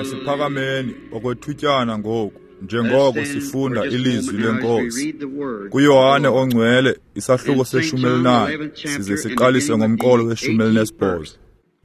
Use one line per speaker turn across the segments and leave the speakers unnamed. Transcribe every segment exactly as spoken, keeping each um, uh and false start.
Masiphakameni okwethutyana ngoku njengoko sifunda ilizwi leNkosi. KuYohane oNgcwele isahluko seshumi elinane size siqalise ngomqolo weshumi elinesibhozo.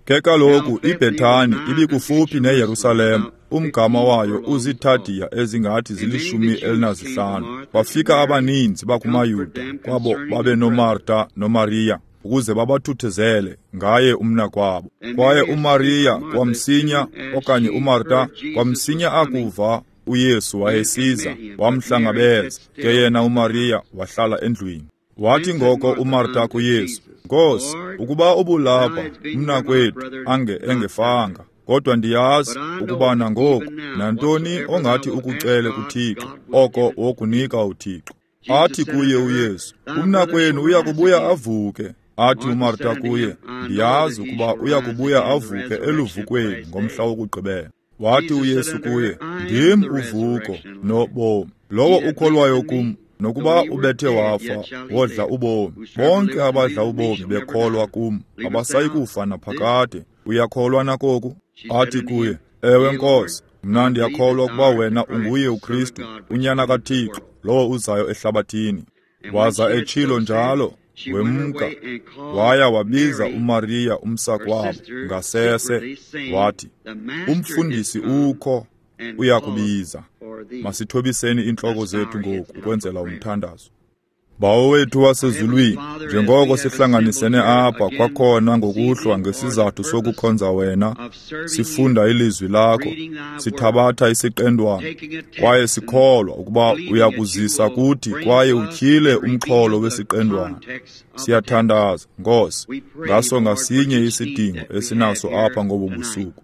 Ke kaloku iBhethani ibikufuphi neYerusalem, umgama wayo uzitadiya ezingathi zilishumi elinazihlanu. Bafika abaninzi bakumaYuda kwabo babe noMarta noMariya ukuze babathuthuzele ngaye umnakwabo. Kwaye uMariya kwamsinya okanye uMarta kwamsinya akuva uYesu wayesiza wamhlangabeza, ke yena uMariya wahlala endlwini. Wathi ngoko uMarta kuYesu, Nkosi, ukuba ubulapha umnakwethu ange engefanga, kodwa ndiyazi ukuba nangoku nantoni ongathi ukucele kuThixo, oko wokunika uThixo. Athi kuye uYesu, umnakwenu uya kubuya avuke. Athi uMarta kuye, ndiyazi ukuba uya kubuya avuke eluvukweni ngomhla wokugqibela. Wathi uYesu kuye, ndim uvuko nobomi. Lowo ukholwayo kum, nokuba ubethe wafa, wodla ubomi. Bonke abadla ubomi bekholwa kum, abasayi kufa naphakade. Uyakholwa nakoku? Athi kuye, ewe Nkosi, mna ndiyakholwa ukuba wena unguye uKristu, unyana kaThixo, lowo uzayo ehlabathini. Waza etshilo njalo, wemka, waya wabiza uMariya umsakwabo ngasese, wathi, umfundisi ukho, uyakubiza. Masithobiseni iintloko zethu ngoku ukwenzela umthandazo. Bawo wethu wasezulwini, njengoko sihlanganisene apha kwakhona ngokuhlwa ngesizathu sokukhonza wena, sifunda ilizwi lakho, sithabatha isiqendwana, kwaye sikholwa ukuba uyakuzisa kuthi kwaye utyhile umxholo wesiqendwana. Siyathandaza, Nkosi, ngaso ngasinye isidingo esinaso apha ngobu busuku.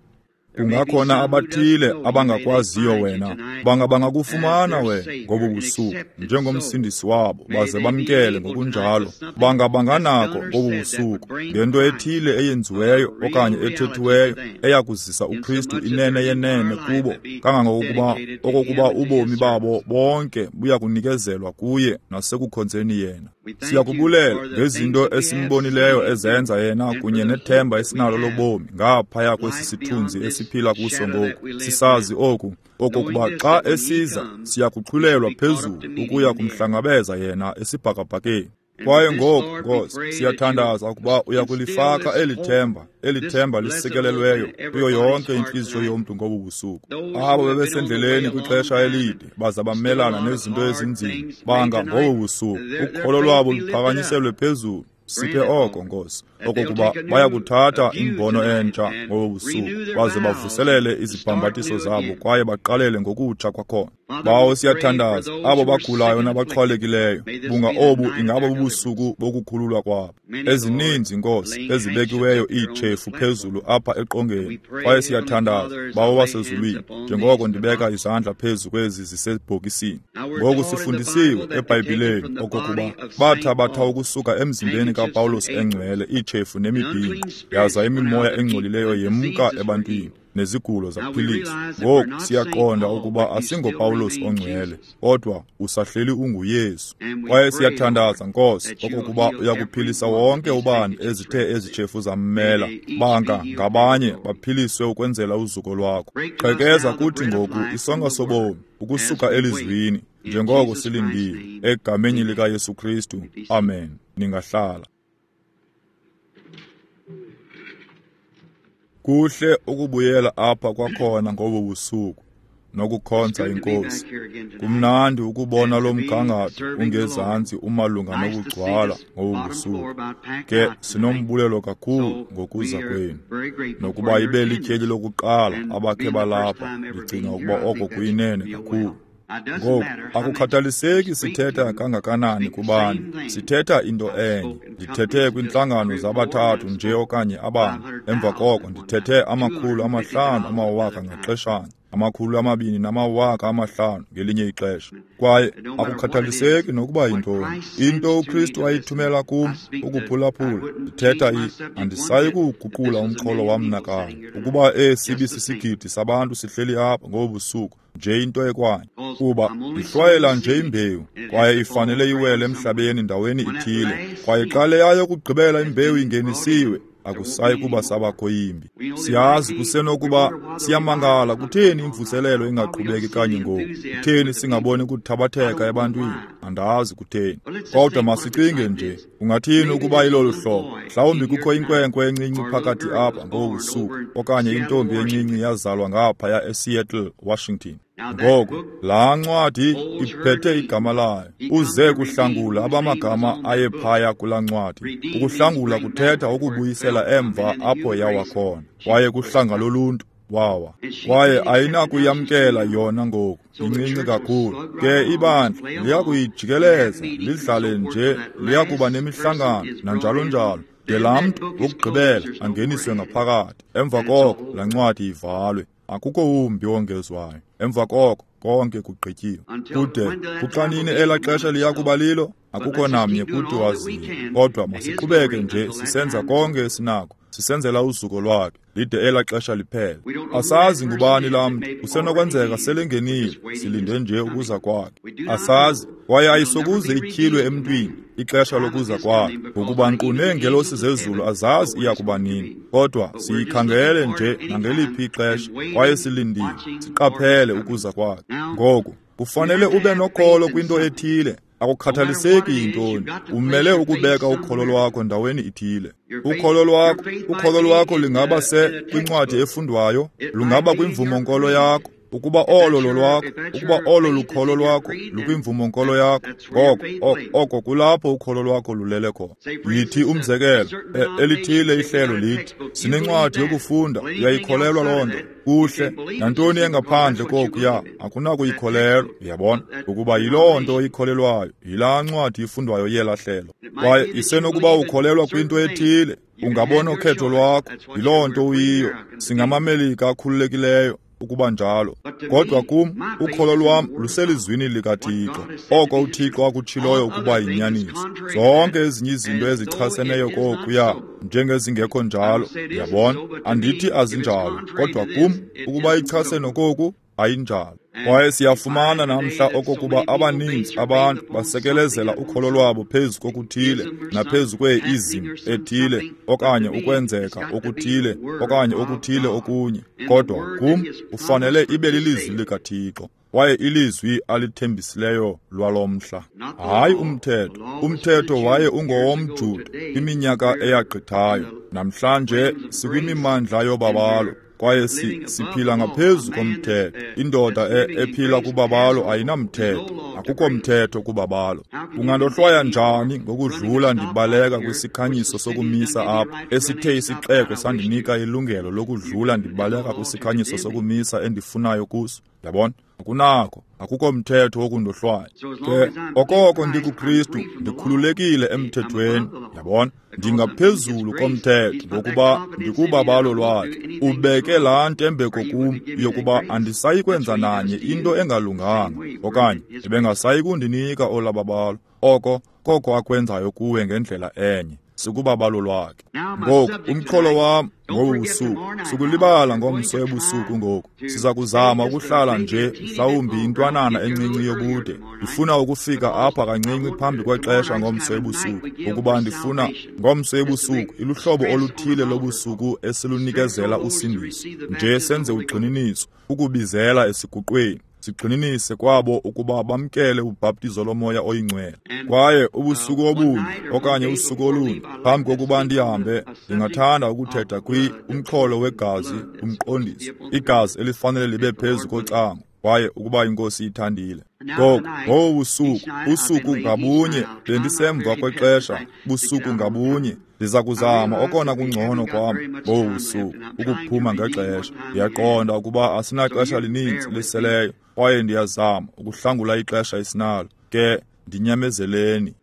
Kungakhona abathile abangakwaziyo wena, banga bangakufumana wena ngobu busuku njengomsindisi wabo, baze bamkele ngokunjalo. Banga banganako ngobu busuku ngento ethile eyenziweyo okanye ethethiweyo eyakuzisa uKristu inene yenene kubo, kangangokuba okokuba ubomi babo bonke buya kunikezelwa kuye nasekukhonzeni yena. Siyakubulela ngezinto esimbonileyo ezenza yena kunye nethemba esinalo lobomi ngaphaya kwesi sithunzi esiphila kuso ngoku. Sisazi oku okokuba xa esiza siyakuxhulelwa phezulu ukuya kumhlangabeza yena esibhakabhakeni. Kwaye ngoku, Nkosi, siyathandaza ukuba uyakulifaka eli themba, eli themba lisikelelweyo kuyo yonke intliziyo yomntu ngobu busuku. Abo bebesendleleni kwixesha elide baza bamelana nezinto ezinzima, banga ngobu busuku ukholo lwabo luphakanyiselwe phezulu. Siphe oko, Nkosi, okokuba bayakuthatha imbono entsha ngobu busuku, baze bavuselele izibhambathiso zabo kwaye baqalele ngokutsha kwakhona. Bawo, siyathandaza abo bagulayo nabaxhwalekileyo, bunga obu ingaba bubusuku bokukhululwa kwabo. Ezininzi, Nkosi, ezibekiweyo iitshefu phezulu apha eqongeni, kwaye siyathandaza, Bawo wasezulwini, njengoko ndibeka izandla phezu kwezi zisebhokisini. Ngoku sifundisiwe eBhayibhileni okokuba bathabatha ukusuka emzimbeni kaPawulos engcwele iitshefu nemibhinqo, yaza imimoya engcolileyo yemka ebantwini, nezigulo zaphiliswa. Ngoku siyaqonda ukuba asingoPawulos ongcwele, kodwa usahleli unguYesu. Kwaye siyathandaza, Nkosi, okokuba uyakuphilisa wonke ubani ezithe ezitshefu zammela, banga ngabanye baphiliswe ukwenzela uzuko lwakho. Qhekeza kuthi ngoku isonka sobomi ukusuka elizwini, njengoko silindile, egameni likaYesu Kristu. Amen. Ningahlala. Kuhle ukubuyela apha kwakhona ngobu busuku nokukhonza iNkosi. Kumnandi ukubona lo mgangatho ungezantsi umalunga nokugcwala ngobu busuku. Ke sinombulelo kakhulu ngokuza kwenu, nokuba ibe lityeli lokuqala abakhe balapha. Ndicinga ukuba oko kuyinene kakhulu. Ngoku akukhathaliseki sithetha kangakanani kubani, sithetha into enye. Ndithethe kwintlangano zabathathu nje okanye abane, emva koko ndithethe amakhulu amahlanu amawaka ngaxeshanye, amakhulu amabini namawaka amahlanu ngelinye ixesha. Kwaye akukhathaliseki nokuba yintoni, into uKristu ayithumela kum ukuphulaphula, ndithetha i andisayi kuwuguqula umxholo wam nakanye. Ukuba esi sisigidi sabantu sihleli apha ngobu busuku, nje into ekwanye, kuba ndihlwayela nje imbewu, kwaye ifanele iwele emhlabeni ndaweni ithile. Kwaye xa leya yokugqibela imbewu ingenisiwe, Akusayi kuba sabakho yimbi. Siyazi kusenokuba siyamangala kutheni imvuselelo ingaqhubeki kanye ngoku. Kutheni singaboni kuthabatheka ebantwini? Andazi kutheni. Kodwa masicinge nje, ungathini ukuba ilolu hlobo? Mhlawumbi kukho inkwenkwe encinci phakathi apha ngobu busuku, okanye intombi encinci yazalwa ngaphaya eSeattle, Washington. Ngoku, laa ncwadi iphethe igama layo. Uze kuhlangula abamagama ayephaya kulaa ncwadi. Ukuhlangula kuthetha ukubuyisela emva apho yawa khona. Kwaye kuhlanga loluntu wawa. Kwaye ayinakuyamkela yona ngoku, incinci kakhulu. Ke ibandla liyakuyijikeleza, lidlale nje, liyakuba nemihlangano nanjalo njalo. De laa mntu wokugqibela angeniswe ngaphakathi. Emva koko laa ncwadi ivalwe. Akukho wumbi wongezwayo. Emva koko konke kugqityiwe. Kude kuxanini elaa xesha liyakuba lilo, akukho namnye kuthi waziyo. Kodwa masiqhubeke nje sisenza konke esinako, sisenzela uzuko lwakhe lide elaa xesha liphele. Asazi ngubani laa mntu, kusenokwenzeka selengenile, silinde nje ukuza kwakhe. Asazi, kwaye ayisokuze ityhilwe emntwini ixesha lokuza kwakhe, ngokuba nkqu neengelosi zezulu azazi iya kuba nini. Kodwa siyikhangele nje nangeliphi ixesha, kwaye silindile, siqaphele ukuza kwakhe. Ngoku kufanele ube nokholo kwinto ethile. Akukhathaliseki yintoni, umele ukubeka ukholo lwakho ndaweni ithile. Ukholo lwakho, ukholo lwakho lingaba se kwincwadi efundwayo, lungaba kwimvumo-nkolo yakho. Ukuba olo lolwakho, ukuba olo lukholo lwakho lukwimvumo-nkolo yakho, ngoko oko kulapho ukholo lwakho lulele khona. Yithi umzekelo, elithile ihlelo lithi, sinencwadi yokufunda, uyayikholelwa loo nto. Kuhle, nantoni engaphandle kokuya akunakuyikholelwa, uyabona, ukuba yiloo nto oyikholelwayo, yilaa ncwadi ifundwayo yelaa hlelo. Kwaye isenokuba ukholelwa kwinto ethile, ungabona ukhetho lwakho, yiloo nto uyiyo. SingamaMelika akhululekileyo ukuba njalo. Kodwa kum, ukholo lwam luselizwini likaThixo, oko uThixo akutshiloyo ukuba yinyaniso. Zonke ezinye izinto ezichaseneyo kokuya njengezingekho njalo, uyabona, andithi azinjalo, kodwa kum, ukuba ichase nokoku, ayinjalo. Kwaye siyafumana namhla okokuba abaninzi abantu basekelezela ukholo lwabo phezu kokuthile naphezu kwee-ism ethile okanye ukwenzeka okuthile okanye okuthile okunye. Kodwa kum ufanele ibe lilizwi likaThixo, kwaye ilizwi alithembisileyo lwalo mhla. Hayi umthetho. Umthetho waye ungowomJuda kwiminyaka eyagqithayo. Namhlanje sikwimimandla yobabalo, kwaye si, siphila ngaphezu komthetho. Indoda e, ephila kubabalo ayinamthetho. Akukho mthetho kubabalo. Ungandohlwaya njani ngokudlula ndibaleka kwisikhanyiso sokumisa apha, esithe isixeko sandinika ilungelo lokudlula ndibaleka kwisikhanyiso sokumisa endifunayo kuso? Yabona? Akunakho, akukho mthetho wokundohlwaya. Ke okoko ndikuKristu, ndikhululekile emthethweni. Yabona? Ndingaphezulu komthetho ngokuba ndikubabalo lwakhe. Ubeke laa ntembeko kum yokuba andisayi kwenza nanye into engalunganga, okanye ebengasayi kundinika olababalo. Oko koko akwenzayo kuwe ngendlela enye, sikubabalo lwakhe. Ngoku umxholo wam ngobu busuku, sukulibala ngomso ebusuku ngoku. Siza kuzama ukuhlala nje mhlawumbi intwanana encinci yobude. Ndifuna ukufika apha kancinci phambi kwexesha ngomso ebusuku, ukuba ndifuna ngomso ebusuku iluhlobo oluthile lobusuku esilunikezela usindiso. Nje senze ugxininiso, ukubizela esiguqweni. Sigxininise kwabo ukuba bamkele ubhaptizo lomoya oyingcwele. Kwaye ubusuku obunye okanye usuku olunye phambi kokuba ndihambe, ndingathanda ukuthetha kwi umxholo wegazi, umqondiso, igazi elifanele libe phezu kocango, kwaye ukuba inkosi ithandile. Ngoku ngobu busuku, usuku ngabunye bendisemva kwexesha, busuku ngabunye ndiza kuzama okona kungcono kwam ngobu busuku ukuphuma ngexesha. Ndiyaqonda ukuba asinaxesha lininzi liseleyo, kwaye ndiyazama ukuhlangula ixesha esinalo. Ke ndinyamezeleni.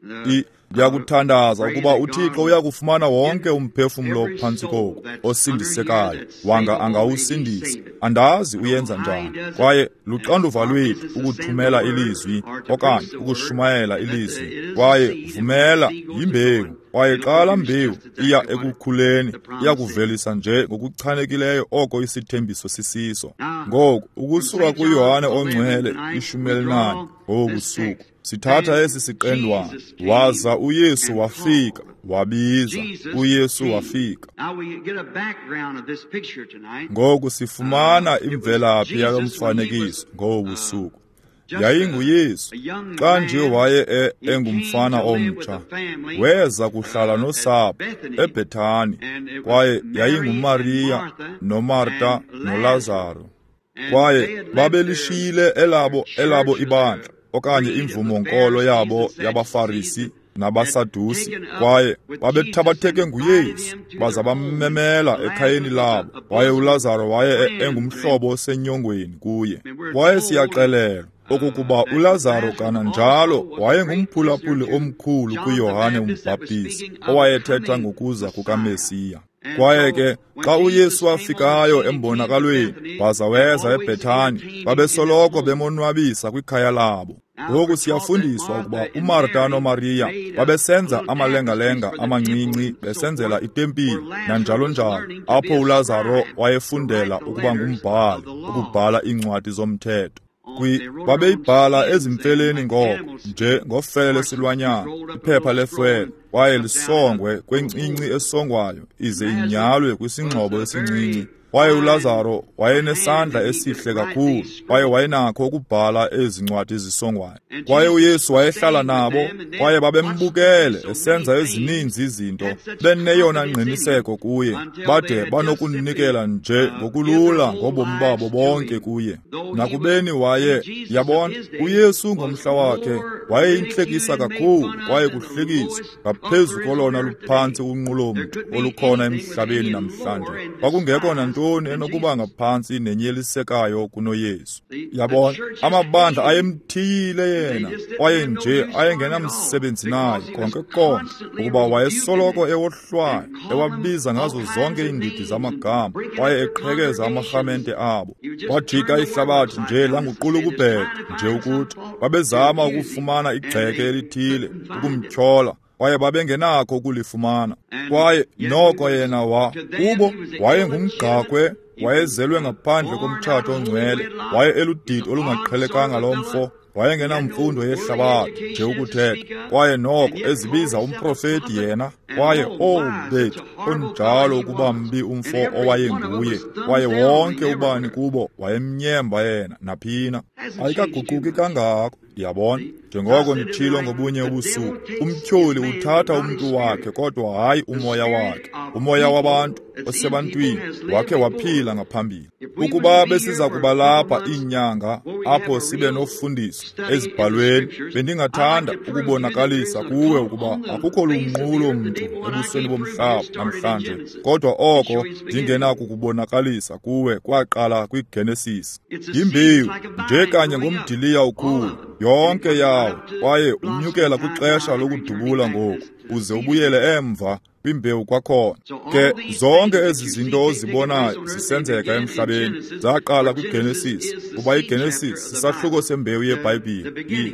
Ndiyakuthandaza ukuba uThixo uyakufumana wonke umphefumlo phantsi koku osindisekayo, wanga angawusindisa. Andazi uyenza njani, kwaye luxanduva lwethu ukuthumela ilizwi okanye ukushumayela ilizwi. Kwaye vumela yimbewu, kwaye xa laa mbewu iya ekukhuleni, iyakuvelisa nje ngokuchanekileyo oko isithembiso sisiso. Ngoku ukusuka kuYohane oNgcwele ishumi elinane ngobu busuku, sithatha esi siqendwana. Waza uYesu wafika, wabiza. UYesu wafika. Ngoku sifumana imvelaphi yalo mfanekiso ngobu busuku. YayinguYesu xa nje waye engumfana omtsha, weza kuhlala nosapho eBhethani, kwaye yayinguMariya noMarta noLazaro. Kwaye babelishiyile elabo elabo ibandla okanye imvumo-nkolo yabo yabaFarisi nabaSadusi, kwaye babethabatheke nguYesu baza bammemela ekhayeni labo. Kwaye uLazaro waye engumhlobo osenyongweni kuye. Kwaye siyaxelelwa okokuba uLazaro kananjalo wayengumphulaphuli omkhulu kuYohane uMbhaptizi, owayethetha ngokuza kukaMesiya. Kwaye ke xa uYesu wafikayo embonakalweni waza weza eBhethani, babesoloko bemonwabisa kwikhaya labo. Ngoku siyafundiswa ukuba uMarta noMariya babesenza amalengalenga amancinci besenzela itempile nanjalo njalo, apho uLazaro wayefundela ukuba ngumbhali, ukubhala iincwadi zomthetho. Kwi babeyibhala ezimfeleni ngoko, nje ngofele lesilwanyana, iphepha lefwele, kwaye lisongwe kwencinci esongwayo ize inyalwe kwisingxobo esincinci. Kwaye uLazaro wayenesandla esihle kakhulu, kwaye wayenakho ukubhala ezi ncwadi zisongwayo. Kwaye uYesu wayehlala nabo, kwaye babembukele esenza ezininzi izinto, beneyona ngqiniseko kuye, bade banokunikela nje ngokulula ngobomi babo bonke kuye. Nakubeni waye, yabona, uYesu ngomhla wakhe wayeyintlekisa kakhulu, kwaye kuhlekiswa ngaphezu kolona luphantsi unqulo-mntu olukhona emhlabeni namhlanje. Kwakungekho nantoni enokuba ngaphantsi nenyelisekayo kunoYesu. Yabona, amabandla ayemthiyile yena, kwaye nje ayengenamsebenzi naye konke konke, ukuba wayesoloko ewohlwaya, ewabiza ngazo zonke iindidi zamagama, kwaye eqhekeza amarhamente abo. Wajika ihlabathi nje languqulukubhede, nje ukuthi babezama ukufumana igxeke elithile ukumtyhola, kwaye babengenakho ukulifumana. Kwaye noko yena wa kubo wayengumgqakhwe, wayezelwe ngaphandle komtshato ongcwele, waye eludidi olungaqhelekanga lo mfo, wayengenamfundo yehlabathi nje ukuthetha, kwaye noko ezibiza umprofeti yena. Kwaye oh bethu, onjalo ukuba mbi umfo owayenguye, kwaye wonke ubani kubo wayemnyemba yena naphina. Ayikaguquki kangako, yabona. Njengoko nditshilo ngobunye ubusuku, umtyholi uthatha umntu wakhe kodwa hayi umoya wakhe. Umoya wabantu osebantwini wakhe waphila ngaphambili. Ukuba besiza kuba lapha iinyanga apho sibe nofundiso ezibhalweni, bendingathanda ukubonakalisa kuwe ukuba akukho lunqulo mntu ebusweni bomhlaba namhlanje, kodwa oko ndingenakukubonakalisa kuwe kwaqala kwiGenesis. Yimbewu nje kanye ngomdiliya ukhulu yonke yawo, kwaye unyukela kwixesha lokudubula ngoku, uze ubuyele emva kwimbewu kwakhona. Ke zonke ezi zinto ozibonayo zisenzeka emhlabeni zaqala kwiGenesis, kuba iGenesis sisahluko sembewu yeBhayibhile,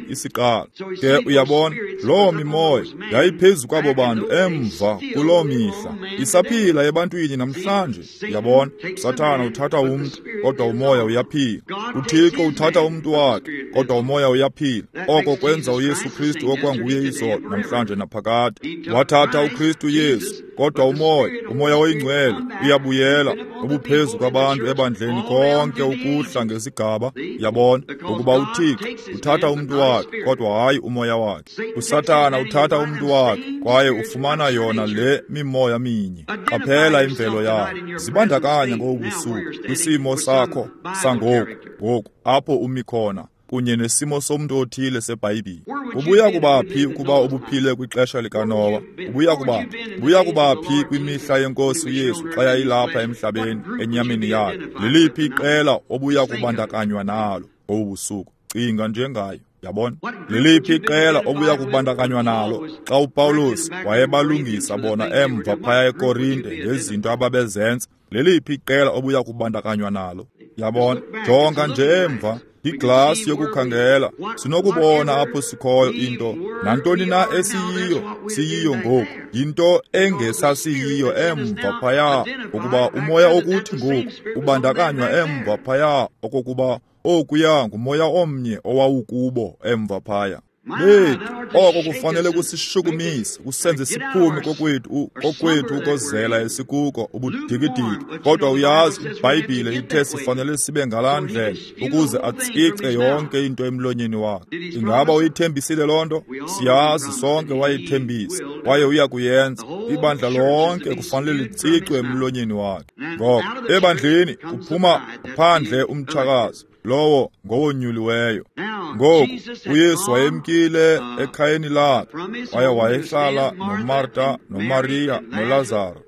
isiqalo. Ke uyabona, loo mimoya yayiphezu kwabo bantu emva kuloo mihla, isaphila ebantwini namhlanje. Uyabona, uSathana uthatha umntu, kodwa umoya uyaphila. UThixo uthatha umntu wakhe, kodwa umoya uyaphila. Oko kwenza uYesu Kristu okwanguye izolo, namhlanje naphakade. Wathatha uKristu Yesu, kodwa umoya, umoya oyingcwele uyabuyela ubuphezu kwabantu ebandleni konke ukuhla ngesigaba. Yabona, ukuba uThixo uthatha umntu wakhe, kodwa hayi umoya wakhe. uSathana uthatha umntu wakhe, kwaye ufumana yona le mimoya minye. Qaphela imvelo yakho, zibandakanya ngobu busuku kwisimo sakho sangoku, ngoku apho umi khona, kunye nesimo somntu othile seBhayibhile. Ubuya kuba phi ukuba ubuphile kwixesha likaNowa? Ubuya kuba ubuya kuba phi kwimihla yeNkosi uYesu xa yayilapha emhlabeni enyameni yayo? Liliphi iqela obuya kubandakanywa nalo ngobu busuku? Cinga njengayo. Yabona, liliphi iqela obuya kubandakanywa nalo xa uPawulos wayebalungisa bona emva phaya eKorinte ngezinto ababezenza? Liliphi iqela obuya kubandakanywa nalo? Yabona, jonga nje emva iglasi yokukhangela, sinokubona apho sikhoyo into. Nantoni na esiyiyo, siyiyo ngoku, yinto engesasiyiyo emva phaya, ukuba umoya okuthi ngoku ubandakanywa emva phaya, okokuba okuya ngumoya omnye owawukubo emva phaya. Bethu, oko kufanele kusishukumise, kusenze siphume kokwethu kokwethu ukozela esikuko ubudikidiki. Kodwa uyazi, iBhayibhile ithe sifanele sibe ngalaa ndlela ukuze atsice yonke into emlonyeni wakhe. Ingaba uyithembisile loo nto? Siyazi sonke wayithembisa, kwaye uya kuyenza. Ibandla lonke kufanele litsicwe emlonyeni wakhe. Ngoko ebandleni kuphuma phandle umtshakazi, lowo ngowonyuliweyo. Ngoku uYesu wayemkile ekhayeni lakhe, kwaye wayehlala noMarta, noMariya, noLazaro.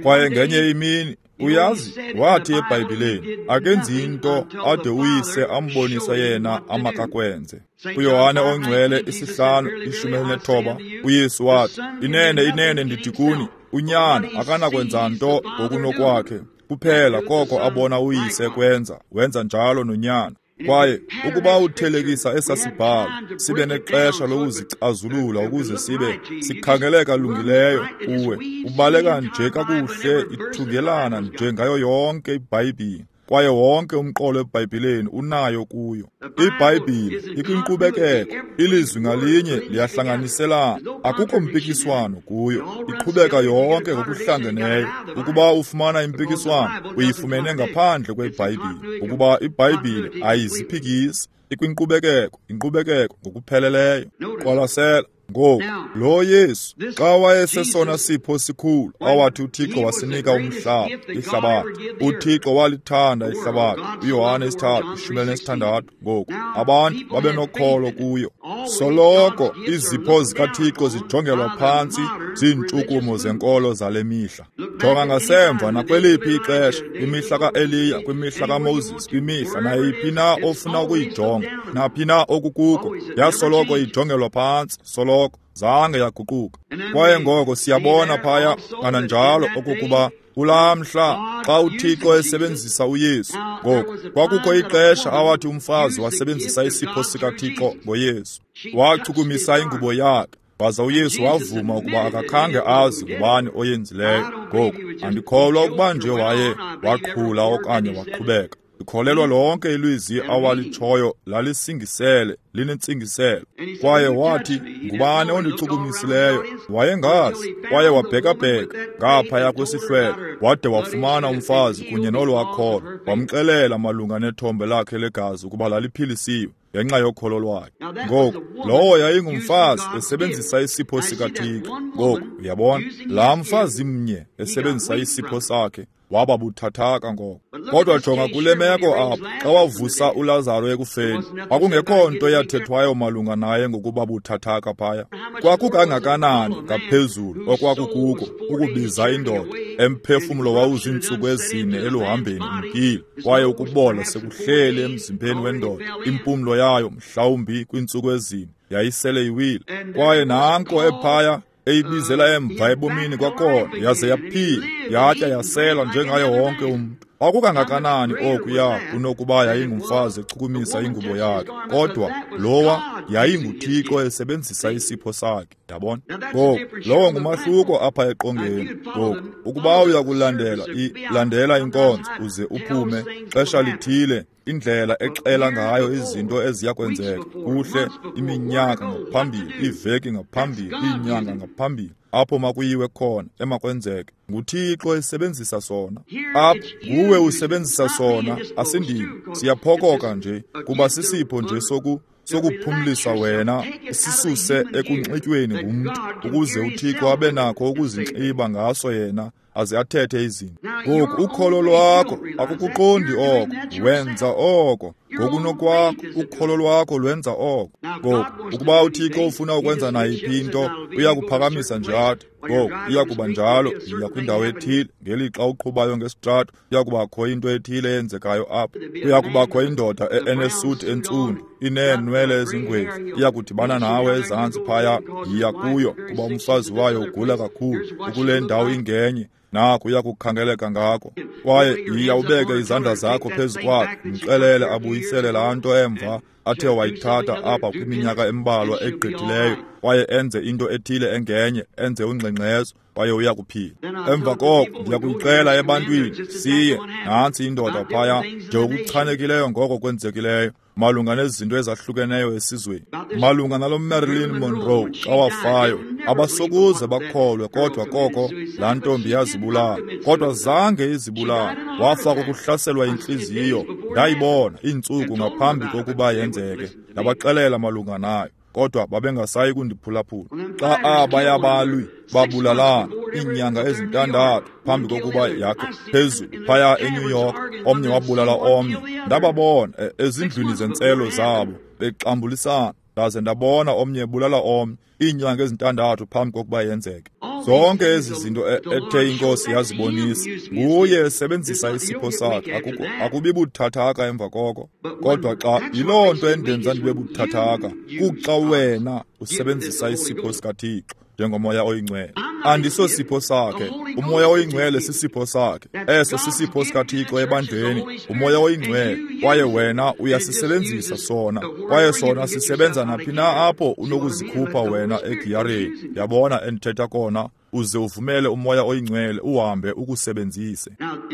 Kwaye ngenye imini, uyazi, wathi eBhayibhileni, akenzi into ade uyise ambonise yena amakakwenze. UYohane ongcwele isihlanu ishumi elinethoba, uYesu wathi, inene, inene ndithi kuni, unyana akanakwenza nto ngokunokwakhe, kuphela koko abona uyise kwenza, wenza njalo nonyana. Kwaye ukuba uthelekisa esasibhalo, sibe nexesha lokuzicazulula ukuze sibe sikhangeleka lungileyo kuwe, ubaleka nje kakuhle ithungelana nje ngayo yonke iBhayibhile. Kwaye wonke umqolo eBhayibhileni unayo kuyo. IBhayibhile ikwinkqubekeko, ilizwi ngalinye liyahlanganiselana, akukho mpikiswano kuyo, iqhubeka yonke ngokuhlangeneyo. Ukuba ufumana impikiswano, uyifumene ngaphandle kweBhayibhile, ukuba iBhayibhile ayiziphikisi, ikwinkqubekeko, inkqubekeko ngokupheleleyo. Qwalasela. Ngoku, lo Yesu, xa wayesesona sipho sikhulu awathi uThixo wasinika umhlaba, ihlabathi. UThixo walithanda ihlabathi. UYohane isithathu, ishumi elinesithandathu. Ngoku, abantu babenokholo kuyo. Soloko izipho zikaThixo zijongelwa phantsi ziintshukumo zenkolo zale mihla. Jonga ngasemva nakweliphi ixesha, kwimihla kaEliya, kwimihla kaMoses, kwimihla nayiphi na ofuna ukuyijonga, naphi na okukuko, yasoloko ijongelwa phantsi, soloko zange yaguquka. Kwaye ngoko siyabona phaya kananjalo okokuba kulaa mhla xa uThixo esebenzisa uYesu, ngoku kwakukho ixesha awathi umfazi wasebenzisa isipho sikaThixo ngoYesu. Wachukumisa ingubo yakhe, waza uYesu wavuma ukuba akakhange azi ngubani oyenzileyo. Ngoku andikholwa ukuba nje waye waqhula okanye waqhubeka. Ndikholelwa lonke ilizwi awalitshoyo lalisingisele, linentsingiselo. Kwaye wathi, ngubani ondichukumisileyo? Wayengazi. Kwaye wabhekabheka ngaphaya kwesihlwele, wade wafumana umfazi kunye nolwakholo. Wamxelela malunga nethombe lakhe legazi ukuba laliphilisiwe ngenxa yokholo lwakhe. Ngoku, lowo yayingumfazi esebenzisa isipho sikaThixo. Ngoku, uyabona, laa mfazi mnye esebenzisa isipho sakhe waba buthathaka ngoko. Kodwa jonga kule meko apha, xa wavusa uLazaro ekufeni, kwakungekho nto yathethwayo malunga naye ngokuba buthathaka phaya. Kwakukangakanani ngaphezulu okwakukuko ukubiza indoda emphefumlo wawuziintsuku ezine eluhambeni umkile, kwaye ukubola sekuhleli emzimbeni wendoda, impumlo yayo mhlawumbi kwiintsuku ezine yayisele iwile. Kwaye nanko ephaya eyibizela emva ebomini kwakhona, yaze yaphila, yatya yasela njengaye wonke umntu. Kwakukangakanani okuya kunokuba yayingumfazi echukumisa ingubo yakhe, kodwa lowa yayinguThixo esebenzisa isipho sakhe. Yabona? Ngoku, lowo ngumahluko apha eqongeni. Ngoku, ukuba uya kulandela ilandela inkonzo uze uphume xesha lithile, indlela exela ngayo izinto eziya kwenzeka kuhle iminyaka ngaphambili, iiveki ngaphambili, iinyanga ngaphambili, apho makuyiwe khona, emakwenzeke. nguThixo esebenzisa sona. Apha nguwe usebenzisa sona, asindimi. Siyaphokoka nje kuba sisipho nje soku sokuphumlisa wena, sisuse ekunxityweni ngumntu, ukuze uThixo abe nakho ukuzinxiba ngaso yena aze athethe izinto. Ngoku ukholo lwakho akukuqondi oko, wenza oko ngokunokwakho, ukholo lwakho lwenza oko. Ngoku ukuba uThixo ufuna ukwenza nayiphi into, uyakuphakamisa nje athi, ngoku iyakuba njalo, yiya kwindawo ethile. Ngelixa uqhubayo ngesitrato, iyakubakho into ethile eyenzekayo apha. Kuyakubakho indoda enesuti entsundu, ineenwele ezingwevu, iyakudibana nawe ezantsi phaya, yiya kuyo, kuba umfazi wayo ugula kakhulu, ukule ndawo ingenye. Naku uyakukhangeleka ngako. Kwaye yiya ubeke izandla zakho phezu kwakhe, mxelele abuyisele laa nto emva athe wayithatha apha kwiminyaka embalwa egqithileyo, kwaye enze into ethile engenye, enze ungxengxezo, kwaye uyakuphila. Emva koko ndiyakuyixela ebantwini, siye, nantsi indoda phaya, nje okuchanekileyo ngoko kwenzekileyo malunga nezinto ezahlukeneyo esizweni, malunga nalo Marilyn Monroe xa wafayo, abasokuze bakholwe kodwa koko laa ntombi yazibulala. Kodwa zange izibulala, wafa kokuhlaselwa yintliziyo. Ndayibona iintsuku ngaphambi kokuba yenzeke, ndabaxelela malunga nayo, kodwa babengasayi kundiphulaphula. Xa abaya balwi babulalana iinyanga ezintandathu phambi kokuba yakhe phezulu phaya eNew York, omnye wabulala omnye. Ndababona ezindlwini zentselo zabo bexambulisana, ndaze ndabona omnye ebulala omnye iinyanga ezintandathu phambi kokuba yenzeke. Zonke ezi zinto ethe iNkosi yazibonisa, nguye esebenzisa isipho sakhe. Akubi buthathaka emva koko. Kodwa xa yiloo nto endenza ndibe buthathaka, kuxa wena usebenzisa isipho sikaThixo njengoMoya oyiNgcwele. Andisosipho sakhe, uMoya oyiNgcwele sisipho sakhe. Eso sisipho sikaThixo ebandleni, uMoya oyiNgcwele, kwaye wena uyasisebenzisa sona, kwaye sona sisebenza naphi na apho unokuzikhupha wena egiyareni. Yabona endithetha kona, uze uvumele uMoya oyiNgcwele uhambe ukusebenzise.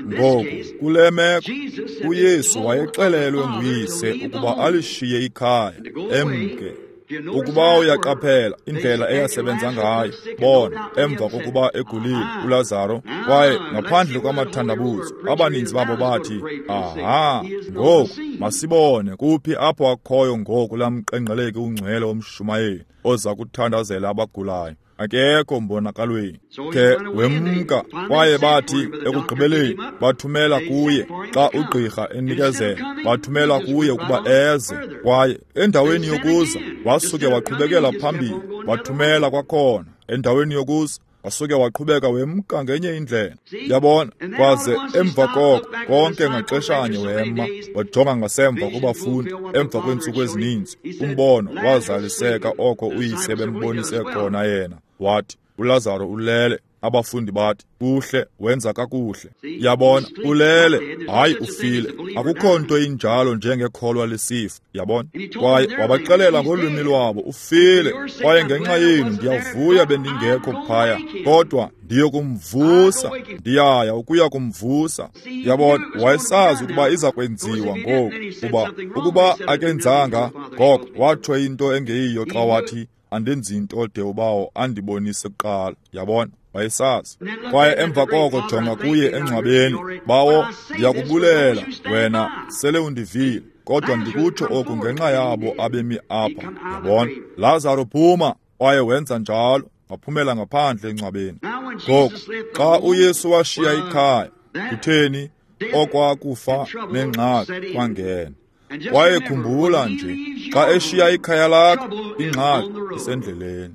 Ngoku kule meko uYesu wayexelelwe nguyise ukuba alishiye ikhaya emke. Ukuba uyaqaphela indlela eyasebenza ngayo, bona emva kokuba egulile uLazaro, kwaye ngaphandle kwamathandabuzo abaninzi babo bathi, aha, ngoku masibone kuphi apho akhoyo ngoku lamqengqeleki ungcwele womshumayeli oza kuthandazela abagulayo. Akekho mbonakalweni. Ke wemka, kwaye bathi ekugqibeleni bathumela kuye xa ugqirha enikezela, bathumela kuye ukuba eze, kwaye endaweni yokuza wasuke waqhubekela phambili, bathumela kwakhona endaweni yokuza wasuke waqhubeka wemka ngenye indlela. Yabona, kwaze emva koko konke ngaxeshanye wema, wajonga ngasemva kubafundi emva kweentsuku ezininzi. Umbono wazaliseka oko uyise bembonise khona yena. Wathi, uLazaro ulele. Abafundi bathi, kuhle, wenza kakuhle. Yabona, ulele, hayi ufile. Akukho nto injalo njengekholwa lisifa. Yabona, kwaye wabaxelela ngolwimi lwabo, ufile, kwaye ngenxa yenu ndiyavuya bendingekho phaya, kodwa ndiyokumvusa, ndiyaya ukuya kumvusa. Yabona, wayesazi ukuba iza kwenziwa ngoku, kuba ukuba akenzanga ngoko watsho into engeyiyo xa wathi, andenzi into de ubawo andibonise kuqala. Yabona, wayesazi. Kwaye emva koko jonga kuye engcwabeni, bawo, ndiyakubulela wena sele undivile, kodwa ndikutsho oku ngenxa yabo abemi apha. Yabona, Lazaro phuma, kwaye wenza njalo, waphumela ngaphandle engcwabeni. Ngoku xa uYesu washiya ikhaya, kutheni okwakufa nengxaki kwangena. Kwaye khumbula nje, xa eshiya ikhaya lakho, ingxaki isendleleni.